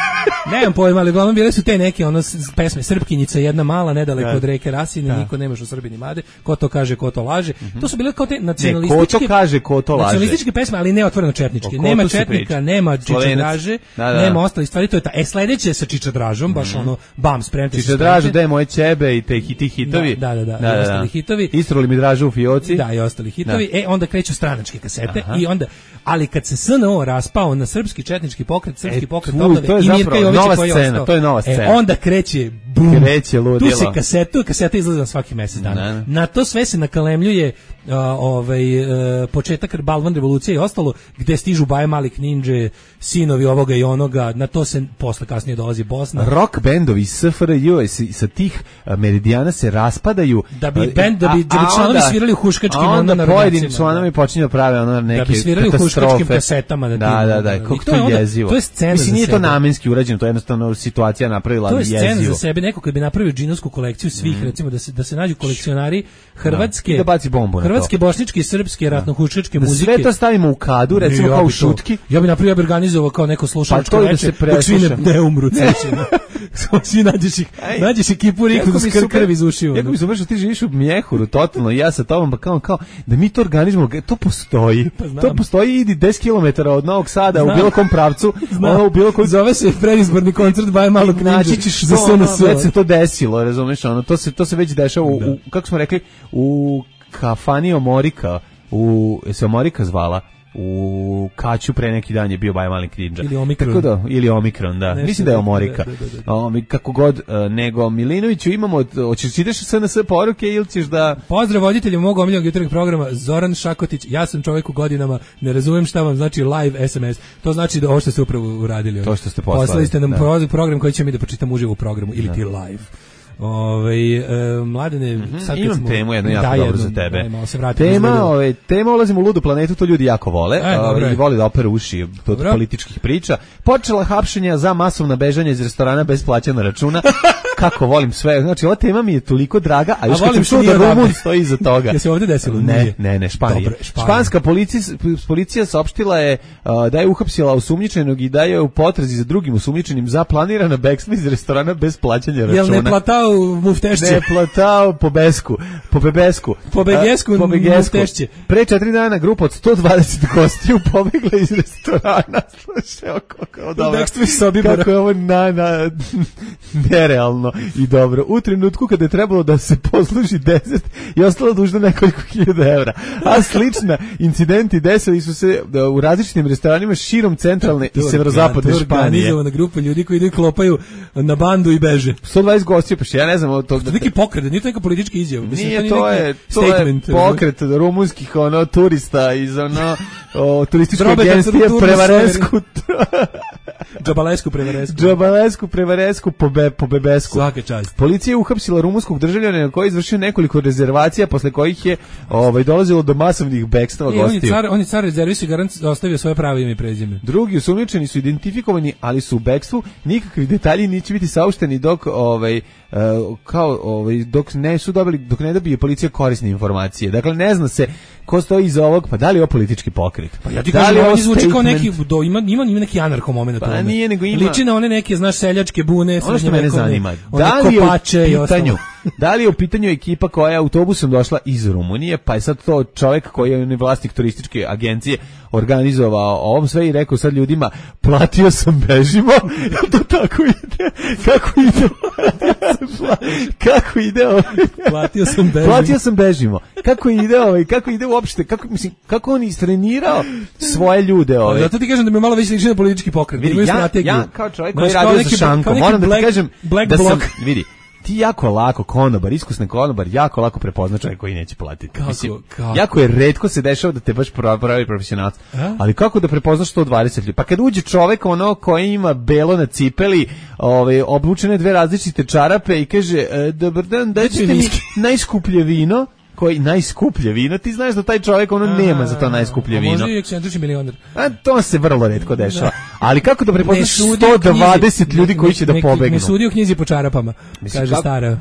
Nemam pojma, ali uglavnom bile su te neke ono pesme, Srpkinjica jedna mala, nedaleko da. Od reke Rasine, da. Niko nema što Srbini made, ko to kaže, ko to laže. Mm-hmm. To su bile kao te nacionalističke... Ne, ko to kaže, ko to laže. Nacionalističke pesme, ali ne otvoreno četničke. O, nema četnika, nema čičadraže, da, da. Nema ostali stvari, to je ta. E, sledeće sa čičadražom, baš mm-hmm. ono, bam, spremte se. Čičadražu, da je moje ćebe i te hiti hitovi. Da, da, da, da, da, ostali hitovi. Istroli mi dražu u fioci. Da, i ostali hitovi. E, onda kreću stranačke kasete. Aha. I onda, ali kad se S N O raspao na srpski četnički pokret, srpski e, pokret obnove i Mirka Jovića koji je ostao, to je nova scena. E, onda kreće kreće ludilo. Tu se kasetu, kaseta izlazi na svaki mesec dana. Ne. Na to sve se nakalemljuje uh, ovaj, uh, početak Balvan revolucije i ostalo, gde stižu Baje Malik Ninja, sinovi ovoga i onoga, na to se posle kasnije dolazi Bosna. Rock bendovi iz S F R J sa tih meridijana se raspadaju. Da bi bend, da bi, da bi članovi svirali u huškačkim onda, onda na pojedini članovi počinju da prave ono neke da bi svirali u huškačkim kasetama. Da, da, da, da, kako to je jezivo. To je scena. Mislim, nije to namenski urađeno, to je jednostavno situacija napravila jezivo. To je scena za sebe, neko kad bi napravio džinovsku kolekciju svih, mm. recimo da se da se nađu kolekcionari hrvatske, da baci bombu hrvatske, bošničke i srpske ratno-huškačke muzike. Sve to stavimo u kadu, recimo ja kao u šutki. Ja bih napravio, ja bih organizovao kao neko slušalačko pa veče, dok svi ne, ne umru. Svi nađeš ih, nađeš ekipu riku s krv iz ušiju. Jako mi se umreš, ti živiš u Mjehuru, totalno, ja sa tobom, pa kao, kao, da mi to organizujemo, to postoji. Pa to postoji, idi deset kilometara od Novog Sada, znam. U bilo kom pravcu, ono u bilo kom... Zove se predizborni koncert Baje Malog Ninja. Naći ćeš za S N S. Već se to desilo, razumeš, ono, to se, to se već dešava u, u, kako smo rekli, u kafani Omorika, u, se Omorika zvala, u Kaću pre neki dan je bio Baje Malik Ninja. Ili Omikron. Tako da, ili Omikron, da. Nešto mislim da je Omorika. Da, da, da. O, kako god, nego Milinoviću imamo, hoćeš ideš S N S poruke ili ćeš da... Pozdrav voditelju mog omiljenog jutarnjeg programa, Zoran Šakotić, ja sam čovjek u godinama, ne razumem šta vam znači live S M S. To znači da ovo što ste upravo uradili. To što ste poslali. Poslali ste nam da. program koji će mi da pročitam uživo u programu, ili da. Ti live. Ove, e, mladene, mm-hmm. sad imam smo, temu jednu jako dobro za tebe. Daj, tema, ove, tema ulazimo u ludu planetu, to ljudi jako vole. E, ove, i voli da opere uši od političkih priča. Počela hapšenja za masovna bežanja iz restorana bez plaćanja računa. Kako volim sve. Znači, ova tema mi je toliko draga, a još kad sam čuo da Rumun stoji iza toga. Je se ovdje desilo? Ne, nije. ne, ne, Španija. Dobre, Španija. Španska policija, policija saopštila je uh, da je uhapsila osumnjičenog i da je u potrazi za drugim osumnjičenim za planirana bekstva iz restorana bez plaćanja računa. Jel ne platao muftešće? Ne platao po besku, po bebesku. Po begesku, po begesku. Muftešće. Pre četiri dana grupa od sto dvadeset gostiju pobegla iz restorana. Slušaj, kako dobro. Kako je ovo na, na, nerealno i dobro. U trenutku kada je trebalo da se posluži deset i ostalo dužno nekoliko hiljada evra. A slična incidenti desili su se u različitim restoranima širom centralne i severozapadne Španije. Organizovana grupa ljudi koji idu i klopaju na bandu i beže. sto dvadeset gostiju, pa ja ne znam. To, to je neki pokret, nije to neka politička izjava. Nije, to je, to je pokret rumunskih ono, turista iz ono, o, turističke agencije Prevaresku. Džabalesku Prevaresku. Džabalesku Prevaresku po, be, po bebesku. Svaka čast. Policija je uhapsila rumunskog državljana koji je izvršio nekoliko rezervacija posle kojih je ovaj, dolazilo do masovnih bekstava gostiju. On je car, on je car rezervisi garant ostavio svoje pravo ime i prezime. Drugi osumnjičeni su identifikovani, ali su u bekstvu. Nikakvi detalji neće biti saopšteni dok ovaj Uh, kao ovaj dok ne su dobili dok ne dobije policija korisne informacije. Dakle ne zna se ko stoji iza ovog, pa da li je ovo politički pokret. Pa ja ti kažem, da ovo zvuči kao neki do, ima ima ima neki anarho momenat. Pa nije, nego ima. Liči na one neke, znaš, seljačke bune, ono što mene zanima. Da li je u pitanju da li je u pitanju ekipa koja je autobusom došla iz Rumunije, pa je sad to čovjek koji je vlasnik turističke agencije organizovao ovom sve i rekao sad ljudima platio sam bežimo. To tako ide. Kako ide? Kako ide ovaj? Platio sam bežimo. Platio sam bežimo. Kako ide ovaj? Kako ide uopšte? Kako mislim kako on istrenirao svoje ljude ovaj? Zato ti kažem da mi malo više liči na politički pokret. Vidi, ja, ja kao čovjek koji radi za šankom, moram da ti kažem da sam, vidi, ti jako lako konobar, iskusni konobar, jako lako prepozna čovjek koji neće platiti. Kako, mislim, kako? Jako je retko se dešava da te baš pravi profesionalac. Ali kako da prepoznaš sto dvadeset ljudi? Pa kad uđe čovjek ono koji ima belo na cipeli, ovaj obučene dve različite čarape i kaže e, dobar dan, dajte mi najskuplje vino. Koji najskuplje vino, ti znaš da taj čovjek ono nema za to najskuplje vino. Možda i ekscentrični milioner. A to se vrlo retko dešava. Ali kako da prepoznaš sto dvadeset ljudi koji će da pobegnu? Ne sudi u knjizi po čarapama, mislim, kaže kako? Stara.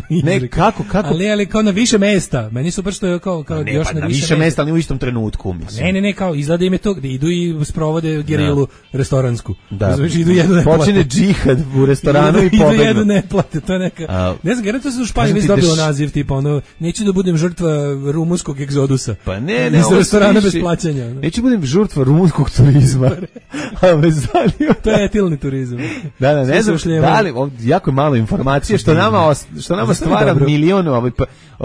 Ne, kako, kako? Ali, ali kao na više mesta. Meni super što je kao, kao ne, još pa na, na više, više mesta, ali u istom trenutku, mislim. Ne, ne, ne, kao izgleda im je to, gde idu i sprovode gerilu da. Restoransku. Da. Znači, idu jedno ne počine džihad u restoranu idu, i pobegnu. Idu jedno ne plate, to je neka... A, ne znam, gledam, to se u Španiji već dobilo naziv, tipa, ono, neću da budem žrtva rumunskog egzodusa. Pa ne, ne, iz restorana bez plaćanja. No. Neću budem žrtva rumunskog turizma. A me zanima. To je etilni turizam. Da, da, ne znam, da li, jako je malo informacije, što nama, što nama stvara milion ovaj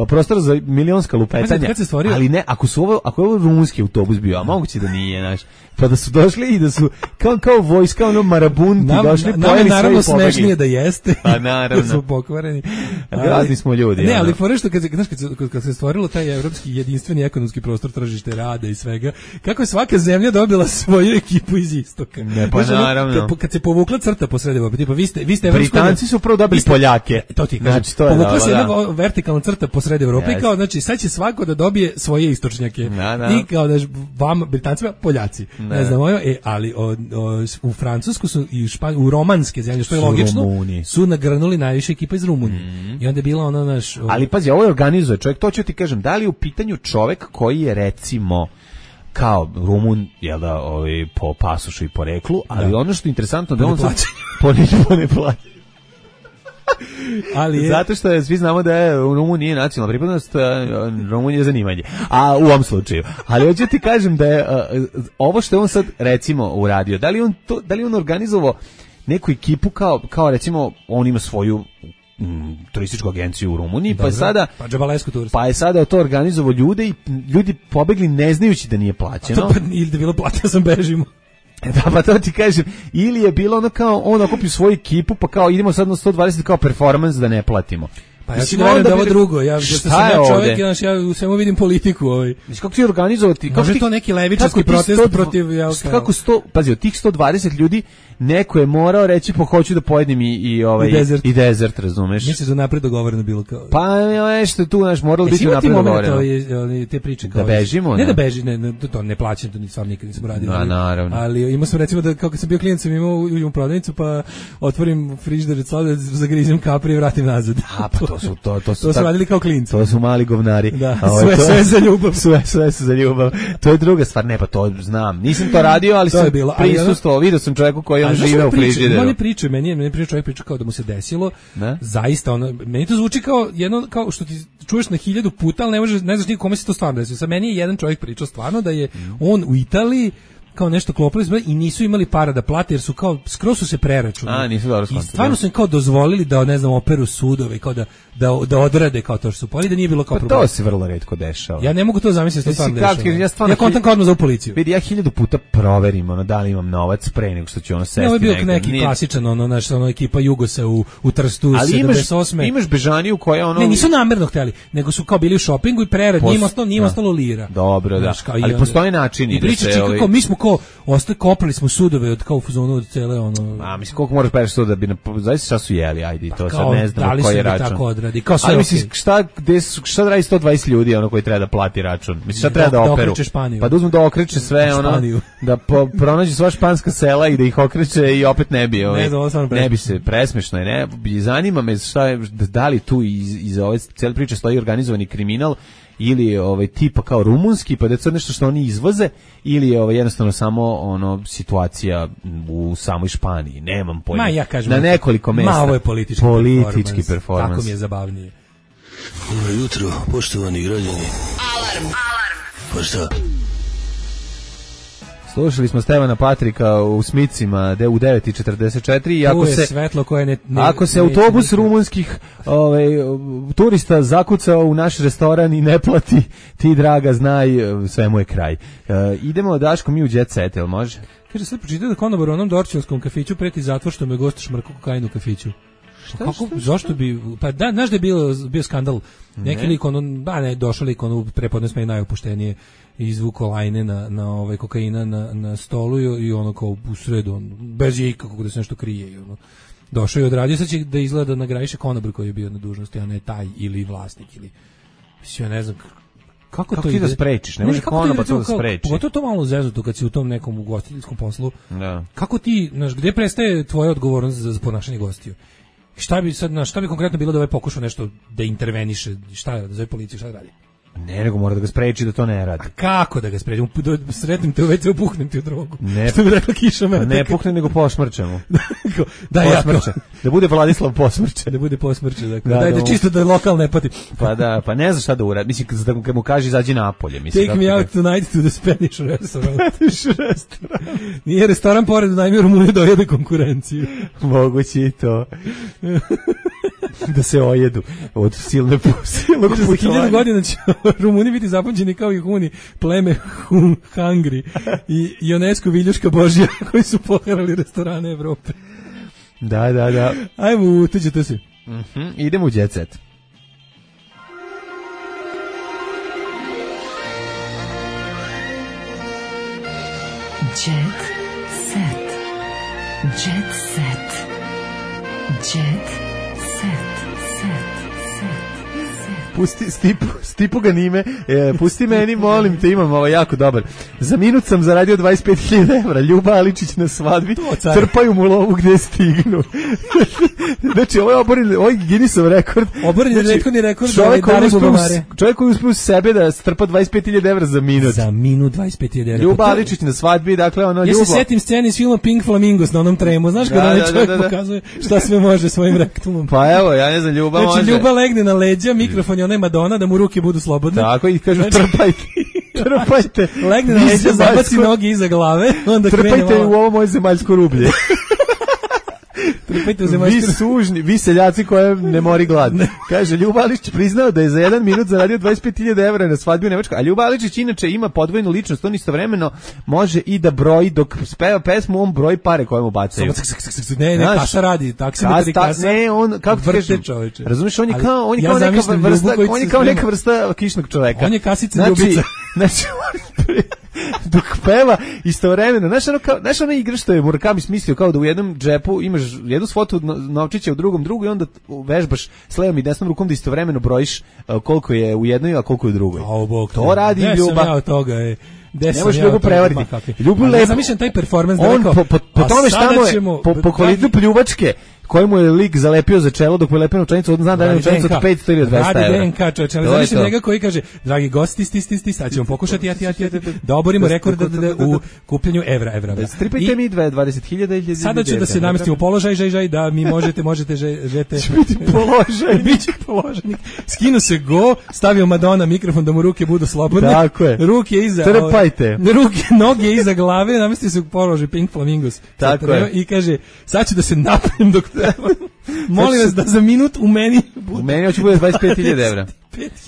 prostor za milionska lupetanja. Ali ne, ako su ovo ako je ovo rumunski autobus bio, a moguće da nije, znaš. Pa da su došli i da su kao kao vojska ono marabunti nam, došli nam, pojeli sve i pobegli. Naravno smešnije da jeste. Pa naravno. Da su pokvareni. Grazni smo ljudi. Ne, ali fore što kad se znaš, kad, kad se stvorilo taj evropski jedinstveni ekonomski prostor, tržište rada i svega, kako je svaka zemlja dobila svoju ekipu iz istoka. Ne, pa znači, naravno. Kad, kad se povukla crta posred Evrope, tipa vi ste vi ste Britanci su prvo dobili Poljake. To ti kažem. Znači, to povukla se jedna vertikalna crta posred Evrope yes. Kao znači sad će svako da dobije svoje istočnjake. Na, na. I kao da vam Britancima Poljaci. Ne, ne znam, e, ali o, o, u Francusku su i Špan, u romanske zemlje, što je logično, Rumuni. Su nagrnuli najviše ekipa iz Rumunije. Mm. I onda je bila ona naš... O... Ali pazi, ovo je organizuje čovjek, to ću ti kažem, da li je u pitanju čovjek koji je recimo kao Rumun, jel da, ovaj, po pasušu i po reklu, ali da. Ono što je interesantno da on sad po ne plaća. Ali je... Zato što je, svi znamo da je u Rumuniji nacionalna pripadnost, Rumunija je zanimanje. A u ovom slučaju. Ali hoću ti kažem da je uh, ovo što je on sad recimo uradio, da li on to, da li on organizovao neku ekipu kao kao recimo on ima svoju mm, turističku agenciju u Rumuniji, dobro, pa je sada pa džabalesku turist. Pa je sada to organizovao ljude i ljudi pobegli ne znajući da nije plaćeno. To pa ili da bilo plaćeno sam bežimo. Da, pa to ti kažem, ili je bilo ono kao, on okupi svoju ekipu, pa kao idemo sad na sto dvadeset kao performans da ne platimo. Pa ja ću da verujem da ovo drugo, ja što sam ja čovjek, ja, ja u svemu vidim politiku. Ovaj. Mislim, kako ti organizovati? Može ti, to neki levičarski protest sto, protiv... Ja, kako sto, pazi, od tih sto dvadeset ljudi, neko je morao reći, pa hoću da pojedem i, i, ovaj, I, desert. i desert, razumeš? Misliš da napred dogovoreno bilo kao... Pa nešto je tu, znaš, moralo biti napred dogovoreno. Je, te priče kao... Da bežimo, ne? Ne da beži, ne, ne, to ne plaćam, to stvarno nikad nisam radio. No, naravno. Ali imao sam recimo da, kao kad sam bio klijent, sam imao u prodavnicu, pa otvorim frižider, zagrizim kapri i vratim nazad. A, pa to su, to, to su... To su radili kao klinci. To su mali govnari. Da, sve, to, sve za ljubav. Sve, sve su za ljubav. To je druga stvar, ne, pa to znam. Nisam to radio, ali to sam prisustvovao, vidio sam čovjeku koji on žive u frižideru. Oni pričaju, meni je, meni priča čovjek priča kao da mu se desilo. Ne? Zaista, ono, meni to zvuči kao jedno, kao što ti čuješ na hiljadu puta, ali ne možeš, ne znaš nikome se to stvarno desilo. Sa meni je jedan čovjek pričao stvarno da je mm. on u Italiji kao nešto klopili i nisu imali para da plate jer su kao skroz su se preračunali. A, nisu dobro I stvarno su im kao dozvolili da ne znam operu sudove kao da da da odrade kao to što su poli da nije bilo kao pa problem. To se vrlo retko dešava. Ja ne mogu to zamisliti što stvarno dešava. Ja stvarno ja kontam kao odmah za policiju. Vidi ja hiljadu puta proverim ono da li imam novac pre nego što ću ono sesti. Ne, ovo je bio neki nije... klasičan ono naš ono ekipa Jugosa u u Trstu sedamdeset osme. Ali imaš, imaš Bežaniju koja ono ne nisu namerno hteli, nego su kao bili u šopingu i prerad Pos... njima ostalo njima ostalo lira. Dobro, da. Ali postoje načini da se kako mi smo kao ostali koprali smo sudove od kao fazonu od cele ono. A mislim koliko moraš pereš da bi na zaista šta su jeli, ajde to sad ne znam koji je račun. Tako odradi. Kao sve. Ali mislim šta gde šta radi sto dvadeset ljudi ono koji treba da plati račun. Mislim šta treba da, da operu. Pa da uzmu da okreće sve ono da po, pronađe sva španska sela i da ih okreće i opet ne bi ovaj. Ne, ne bi se presmešno je, ne. Zanima me šta je da li tu iz iz ove cele priče stoji organizovani kriminal ili ovaj tipa kao rumunski pa da je to nešto što oni izvoze ili je ovaj jednostavno samo ono situacija u samoj Španiji nemam pojma. Ma ja kažem na nekoliko mesta. Ma ovo je politički, politički performans. Tako mi je zabavnije. Dobro jutro, poštovani građani. Alarm. Alarm. Pa šta? Slušali smo Stevana Patrika u Smicima u devet i četrdeset četiri i ako se svetlo koje ne, ne ako se autobus ne, rumunskih ovaj turista zakucao u naš restoran i ne plati, ti draga znaj sve mu je kraj. Uh, idemo Daško mi u Jet Set, jel može? Kaže sad pročitaj da konobar u onom dorčanskom kafiću preti zatvor što me gost šmrko kokainu u kafiću. Šta, kako, šta, šta? Zašto bi, pa da, znaš da je bio, bio skandal, neki ne. lik ono, ba ne, došao lik ono, prepodne sme najopuštenije, izvuko lajne na, na ovaj kokaina na, na stolu i, i ono kao u sredu, on, bez je ikakog da se nešto krije i ono, došao i odradio, sad će da izgleda da nagrajiše konobar koji je bio na dužnosti, a ne taj ili vlasnik ili, mislim, ja ne znam, kako, kako to ti ide? Da sprečiš, ne, ne može konobar to da spreči. Pogotovo to malo zeznuto kad si u tom nekom ugostiteljskom poslu, da. Kako ti, znaš, gde prestaje tvoja odgovornost za, za ponašanje gostiju? Šta bi sad, na šta bi konkretno bilo da ovaj pokušao nešto da interveniše, šta da zove policiju, šta da radi? Ne, nego mora da ga spreči da to ne radi. A kako da ga spreči? Sretnim te u ve ce, puhnem ti u drogu. Ne, što bi rekla Kiša Meta. Ne puhnem, nego posmrčemo. da, posmrče. Da bude Vladislav posmrče. Da bude posmrče, dakle. Da, Daj da, da čisto da lokal ne pati. Pa da, pa ne zna šta da uradi. Mislim, kad mu kaže izađi napolje. Mislim, Take me out tonight to the Spanish restaurant. Nije restoran pored, najmi u Rumuniju dojede konkurenciju. Moguće i to. da se ojedu od silne silnog putovanja. Za hiljadu godina će Rumuni biti zapamćeni kao i Huni, pleme Hun, Hungry i UNESCO viljuška Božja koji su poharali restorane Evrope. Da, da, da. Ajmo, utuđete se. Mm-hmm. Idemo u Jet Set. Jet Set. Jet Set. Jet Set. Set. Pusti, stipu, stipu ga nime, e, pusti meni, molim te, imam ovo jako dobar. Za minut sam zaradio dvadeset pet hiljada evra, Ljuba Aličić na svadbi, trpaju mu lovu gde stignu. Znači, ovo je oboren, ovo je Guinnessov rekord. Oboren je znači, rekordni rekord čovjek koji uspio, čovjek koji uspio sebe da strpa dvadeset pet hiljada evra za minut. Za minut dvadeset pet hiljada evra. Ljuba Aličić na svadbi, dakle, ono, ja Ljubo. Ja se setim scene iz filma Pink Flamingos na onom tremu, znaš kada da, da, čovjek da, da, da. pokazuje šta sve može svojim rektumom. Pa evo, ja ne znam, Ljuba znači, može. Znači, Ljuba legne na leđa, mikrofon je onaj Madonna, da mu ruke budu slobodne. Tako, i kažu, znači, trpajte. Trpajte. Legne na leđa, zabaci nogi iza glave, onda krene malo. Trpajte u ovo moje zemaljsko rublje. Trpajte u zemaljsko rublje. Vi sužni, vi seljaci koje ne mori glad. Kaže, Ljuba Aličić priznao da je za jedan minut zaradio dvadeset pet hiljada evra na svadbi u Nemačkoj, a Ljuba Aličić inače ima podvojnu ličnost, on istovremeno može i da broji, dok speva pesmu, on broji pare koje mu bacaju. Ne, ne, kasa radi, taksimetri kasa. Ne, on, kako ti kažem, razumiješ, on je kao, on je kao neka vrsta, on je kao neka vrsta kišnog čoveka. On je kasica ljubica. Znači, dok peva istovremeno, znaš ono, kao, znaš ono igra što je Murakami smislio, kao da u jednom džepu imaš jednu svotu novčića, u drugom drugu i onda vežbaš s levom i desnom rukom da istovremeno brojiš uh, koliko je u jednoj, a koliko je u drugoj. O, Bog, to radi ne Ljuba. Sam ja od toga, je. Ne možeš Ljubu prevariti. Ljubu lepo. Ja zamišljam taj performans da on rekao, po, po, po tome šta mu je, po, po kvalitu pljuvačke, koji mu je lik zalepio za čelo dok mu je lepio novčanicu, on zna da je novčanica od petsto ili dvesta evra. Radi D N K, čovječe, ali zamišljam njega koji kaže, dragi gosti, sti, sti, sti, sad ćemo pokušati, jati, jati, jati, da oborimo rekord u kupljenju evra, evra. Stripajte mi dvadeset hiljada ili sada ću da se namestim u položaj, žaj, žaj, da mi možete, možete, žete. Biti položaj. Biće položajnik. Skinu se go, stavio Madonna mikrofon da mu ruke budu slobodne. Tako je. Ruke iza. Trpajte. Ruke, noge iza glave, namestio se u položaj Pink Flamingos. Tako je. I kaže, sad ću da se napijem dok treba. Molim vas da za minut u meni bude. U meni hoće bude dvadeset pet hiljada evra.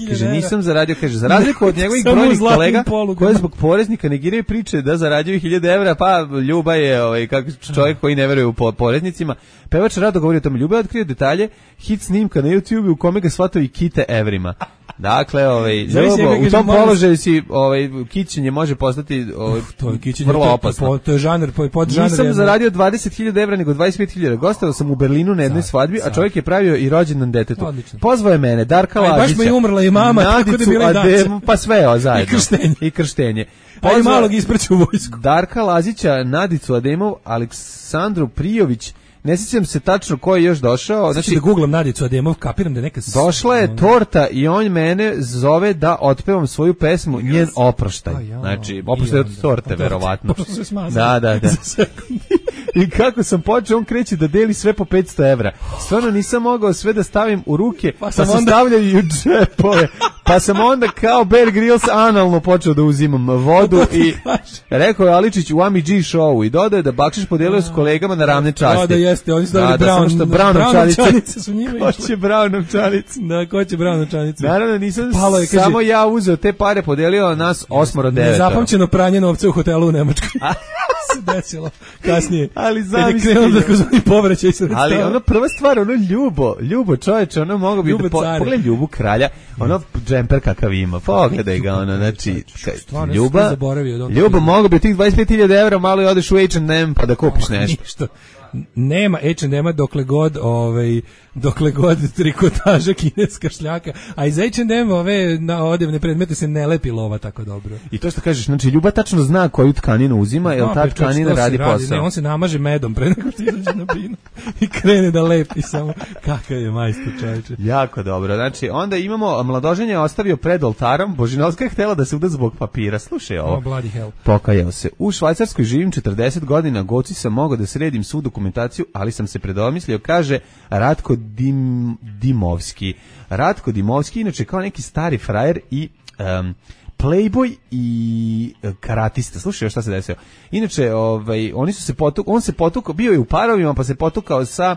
Kaže, nisam zaradio, kaže, za razliku od njegovih brojnih kolega koji zbog poreznika negiraju priče da zarađuju hiljade evra, pa Ljuba je ovaj, kako čovjek koji ne veruje u poreznicima. Pevač rado govori o tome. Ljuba je otkrio detalje hit snimka na YouTube u kome ga shvatao i kite evrima. Dakle, ovaj, Ljubo, u tom položaju si, ovaj, kićenje može postati ovaj, Uf, to je kićenje, vrlo opasno. To je žanr, pod žanr. Nisam zaradio dvadeset hiljada evra, nego dvadeset pet hiljada. Gostao sam u Berlinu na jednoj svadbi, a čovjek je pravio i rođendan detetu. Odlično. Pozvao je mene, Darka Lazića. Baš mi je umrla i mama, tako da bila i daca. Pa sve o zajedno. I krštenje. I krštenje. Pa i malog isprću u vojsku. Darka Lazića, Nadicu Ademov, Aleksandru Prijović, ne sjećam se tačno ko je još došao. Znači da googlam Nadicu Ademov, kapiram da neka... Došla je torta i on mene zove da otpevam svoju pesmu, njen oproštaj. Znači, oproštaj od torte, verovatno. Da, da, da. I kako sam počeo, on kreće da deli sve po petsto evra. Stvarno nisam mogao sve da stavim u ruke, pa, pa sam onda... stavljao i u džepove. Pa sam onda kao Bear Grylls analno počeo da uzimam vodu i rekao je Aličić u Ami G showu i dodaje da bakšiš podelio s kolegama na ravne časti. Da, da jeste, oni su dali brown, brown, brown novčanice su njima išle. Ko će brown novčanice? Da, ko će brown novčanice? Naravno, nisam Palo je, kaže, samo ja uzeo te pare, podelio nas osmoro devetoro. Nezapamćeno pranje novca u hotelu u Nemačkoj. Se desilo kasnije. Ali zamisli. Da kozvani povraćaj sredstava. Ali ono prva stvar, ono Ljubo, Ljubo čoveče, ono mogo bi da po, pogledaj Ljubu kralja, ono džemper kakav ima. Pogledaj ga, ono, znači Ljuba. Ljubo mogo bi od tih dvadeset pet hiljada evra malo i odeš u H and M pa da kupiš nešto. Nema H and M dokle god ovaj dokle god trikotaža kineska šljaka, a iz H and M ove na odevne predmete se ne lepi lova tako dobro. I to što kažeš, znači Ljuba tačno zna koju tkaninu uzima, jer no, ta tkanina radi, radi posao. Ne, on se namaže medom pre nego što izađe na binu i krene da lepi samo. Kakav je majstor, čoveče. Jako dobro. Znači onda imamo mladoženje je ostavio pred oltarom, Božinovska je htela da se uda zbog papira. Slušaj ovo. Oh, bloody hell. Pokajao se. U Švajcarskoj živim četrdeset godina, goci sam mogao da sredim svu dokumentaciju, ali sam se predomislio, kaže Ratko Dim, Dimovski. Ratko Dimovski, inače kao neki stari frajer i um, playboy i karatista. Slušaj, šta se desilo. Inače, ovaj, oni su se potuk, on se potukao, bio je u parovima, pa se potukao sa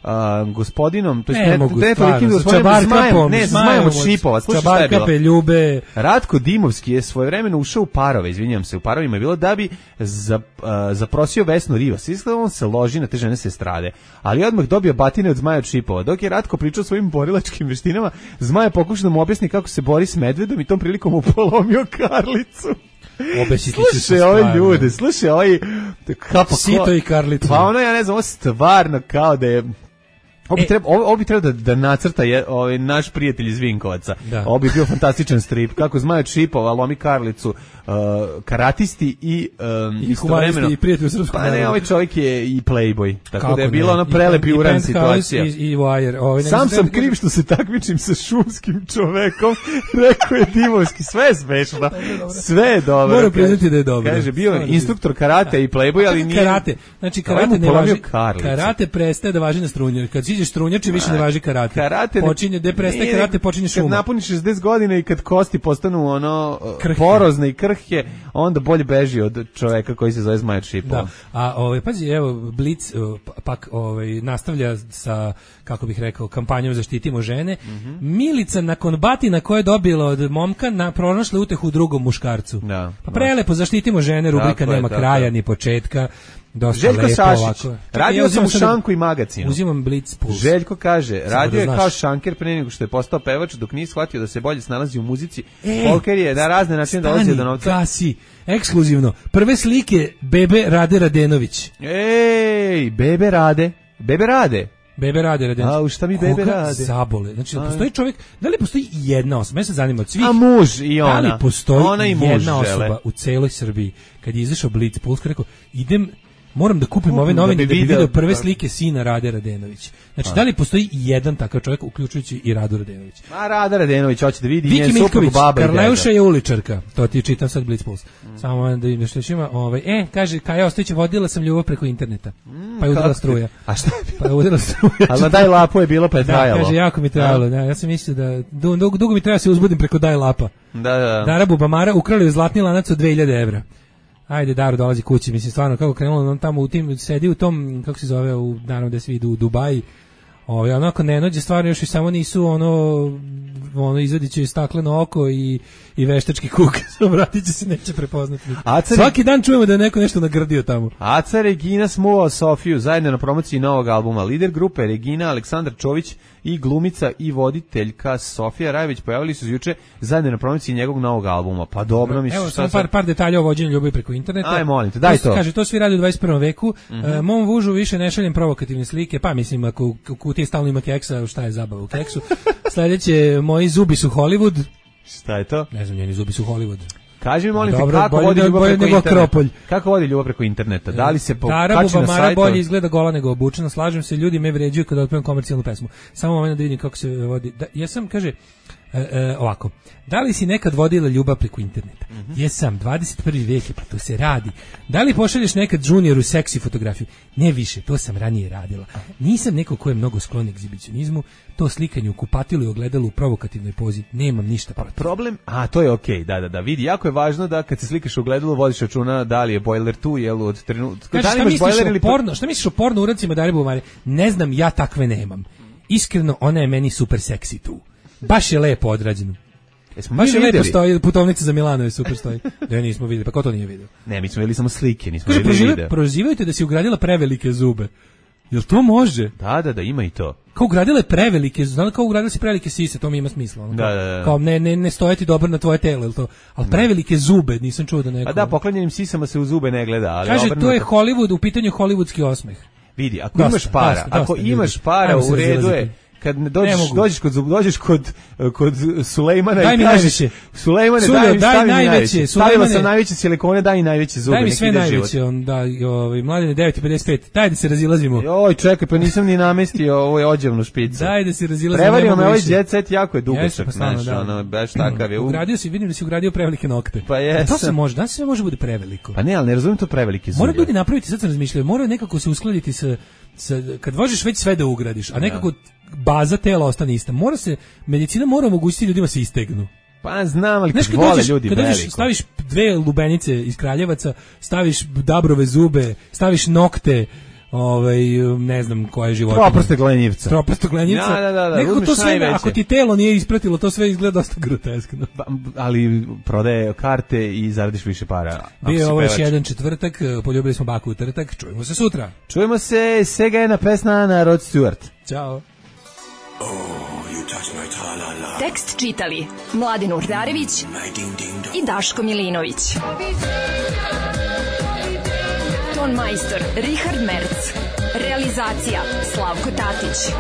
Uh, gospodinom, to je ne, ne, mogu, ne, stvarno, gospodinom, zmajem, ne, zmajem od šipova, slušaj šta je bilo. Ljube. Ratko Dimovski je svojevremeno ušao u parove, izvinjam se, u parovima je bilo da bi za, uh, zaprosio Vesnu Rivas. Iskreno on se loži na te žene se strade, ali odmah dobio batine od zmaja od šipova. Dok je Ratko pričao svojim borilačkim veštinama, zmaj je pokušao da mu objasni kako se bori s medvedom i tom prilikom mu polomio karlicu. Slušaj ove ljude, slušaj ovaj Sito i Karlicu. Pa ono, ja ne znam, ovo stvarno kao da je Ovo bi, e, treba, ovo, ovo bi treba da, da nacrta je, ovaj, naš prijatelj iz Vinkovaca. Da. Ovo bi bio fantastičan strip. Kako Zmaj od šipova lomi Karlicu, uh, karatisti i um, I istovremeno i prijatelj u srpskom. Pa ne, ovaj čovjek je i playboy. Tako kako da je bila ona prelepi uran situacija. I, i Wire. Ovaj, Sam sam kriv što se takmičim sa šumskim čovekom. Rekao je Dimovski. Sve je smešno. Sve je dobro. Moram priznati da je dobro. Kaže, bio je instruktor karate i playboy, ali nije... Karate. Znači, karate ne važi. Karate prestaje da važi na strunju. Kad strunjači više ne važi karate. Karate počinje da prestaje karate, počinje šuma. Kad napuniš šezdeset godina i kad kosti postanu ono krhke, porozne i krhke, onda bolje beži od čoveka koji se zove Zmaj od šipova. Da. A ovaj pazi, evo Blic pak ovaj nastavlja sa, kako bih rekao, kampanjom Zaštitimo žene. Mm-hmm. Milica nakon batina koje je dobila od momka na pronašla utehu u drugom muškarcu. Da, pa prelepo Zaštitimo žene, rubrika dakle, nema dakle. kraja ni početka. Dosta Željko lepo, Sašić, ovako. radio ja sam u Šanku i magazinu. Uzimam Blitz Puls. Željko kaže, radio je kao šanker pre nego što je postao pevač, dok nije shvatio da se bolje snalazi u muzici. E, Folker je na razne načine dolazi do novca. Gasi, ekskluzivno. Prve slike Bebe Rade Radenović. Ej, Bebe Rade, Bebe Rade. Bebe Rade Radenović. A, u šta mi Bebe Koga rade? Zabole. Znači, da postoji čovjek, da li postoji jedna osoba, mene se zanima od svih. A muž i ona. Da li postoji ona i muž jedna žele. osoba u celoj Srbiji, kad je izašao Blitz Puls, rekao, idem, moram da kupim ove novine da bi video prve slike sina Rade Radenović. Znači, a. da li postoji jedan takav čovjek, uključujući i Radu Radenović? A Rada Radenović hoće da vidi Viki Miljković, Karleuša je uličarka. To ti čitam sad Blitz Puls. Mm. Samo da im nešto ima. Ovaj, e, kaže, Kaja Ostojić, vodila sam ljubav preko interneta. Mm, pa je udrila struja. A šta je bilo? Pa je udrila struja. Ali daj lapo je bilo, pa je trajalo. Da, kaže, jako mi trajalo. Da, ja sam mislio da dugo, dugo mi treba se uzbudim preko daj lapa. Da, da. Dara Bubamara ukrali u zlatni lanac od dve hiljade evra. Ajde, Daro dolazi kući, mislim, stvarno, kako krenulo, on tamo u tim, sedi u tom, kako se zove, u, naravno da svi idu u Dubaji, ovaj, onako ne nođe, stvarno još i samo nisu, ono, ono, izvadit će stakleno oko i, i veštački kuk, vratit će se, neće prepoznati. Aca Svaki dan čujemo da je neko nešto nagrdio tamo. Aca Regina smuvao Sofiju, zajedno na promociji novog albuma. Lider grupe Regina, Aleksandar Čović i glumica i voditeljka Sofija Rajević pojavili su se juče zajedno na promociji njegovog novog albuma. Pa dobro, mislim. Evo, samo par, par detalja o vođenju ljubavi preko interneta. Aj, molim te, daj to. Kaže, to svi radi u dvadeset prvom veku. Mm-hmm. E, mom vužu više ne šaljem provokativne slike, pa mislim, ako u kutiji stalno ima keksa, šta je zabava u keksu. Sledeće, moji zubi su Hollywood. Šta je to? Ne znam, njeni zubi su Hollywood. Kaži mi, molim te, kako vodi ljubav preko interneta? Kako vodi ljubav preko interneta? Da li se pokači na sajtu? Bolje izgleda gola nego obučena, slažem se, ljudi me vređuju kada otpevam komercijalnu pesmu. Samo moment da vidim kako se vodi. Da, ja sam, kaže, e, e, ovako, da li si nekad vodila ljubav preko interneta? Mm-hmm. Jesam, dvadeset prvi vek je, pa to se radi. Da li pošalješ nekad junioru seksi fotografiju? Ne više, to sam ranije radila. Nisam neko ko je mnogo sklon egzibicionizmu, to slikanje u kupatilu i ogledalu u provokativnoj pozi, nemam ništa protiv. Problem, a to je okej, okay, da, da, da, vidi, jako je važno da kad se slikaš u ogledalu vodiš računa da li je bojler tu, jel od trenutka. Da li imaš bojler ili porno, šta misliš o porno uradcima Dare Bubamare? Ne znam, ja takve nemam. Iskreno, ona je meni super seksi tu. Baš je lepo odrađeno. Jesmo baš je lepo stoji, putovnica za Milano je super stoji. Da nismo videli, pa ko to nije vidio? Ne, mi smo videli samo slike, nismo videli video. Kaže, prozivajte da si ugradila prevelike zube. Jel to može? Da, da, da, ima i to. Kao ugradila je prevelike, znam kao ugradila si prevelike sise, to mi ima smisla. Ono, da, da, da. Kao ne, ne, ne stojati dobro na tvoje telo, jel to? Ali prevelike zube, nisam čuo da neko... A da, poklanjenim sisama se u zube ne gleda. Ali kaže, obrnuto... to je Hollywood, u pitanju hollywoodski osmeh. Vidi, ako dosta, imaš para, dosta, ako dosta, imaš para, u redu je... Kad dođeš, dođeš kod dođeš kod kod Sulejmana daj i mi kažeš Sulejmane Sulej, daj mi daj stavi najveće, najveće. Stavila sam najveće silikone, daj i najveće zube, daj mi sve najveće, on da, ovaj Mladene devet pedeset pet. Daj da se razilazimo. Joj, čekaj, pa nisam ni namestio ovo je odjevnu špicu. Daj da se razilazimo. Prevario me ovaj jet set, jako je dugačak, znaš, ono baš takav je. Ugradio si, vidim da si ugradio prevelike nokte. Pa jesam. To se može, da se može bude preveliko. Pa ne, al ne razumem to prevelike zube. Mora ljudi napraviti, sad sam razmišljao, mora nekako se uskladiti sa kad možeš već sve da ugradiš, a nekako baza tela ostane ista. Mora se, medicina mora omogućiti ljudima se istegnu. Pa znam, ali kad, kad vole dođeš, ljudi kad veliko. Dođeš, staviš dve lubenice iz Kraljevaca, staviš dabrove zube, staviš nokte, ovaj ne znam koje životinje. Proprste glenjivca. Proprste glenjivca. Da, da, da, da. Nekako to sve, ako ti telo nije ispratilo, to sve izgleda dosta groteskno. Ba, ali prodaje karte i zaradiš više para. Bio ovo još jedan četvrtak, poljubili smo baku u trtak, čujemo se sutra. Čujemo se, Sega jedna pesma na Rod Stewart. Ćao. Oh, tekst čitali Mladin Urdarević i Daško Milinović. Ton majstor Richard Merc. Realizacija Slavko Tatić.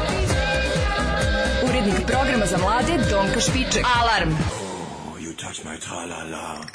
Urednik programa za mlade Donka Špiček. Alarm! Oh, you touch my tra-la-la.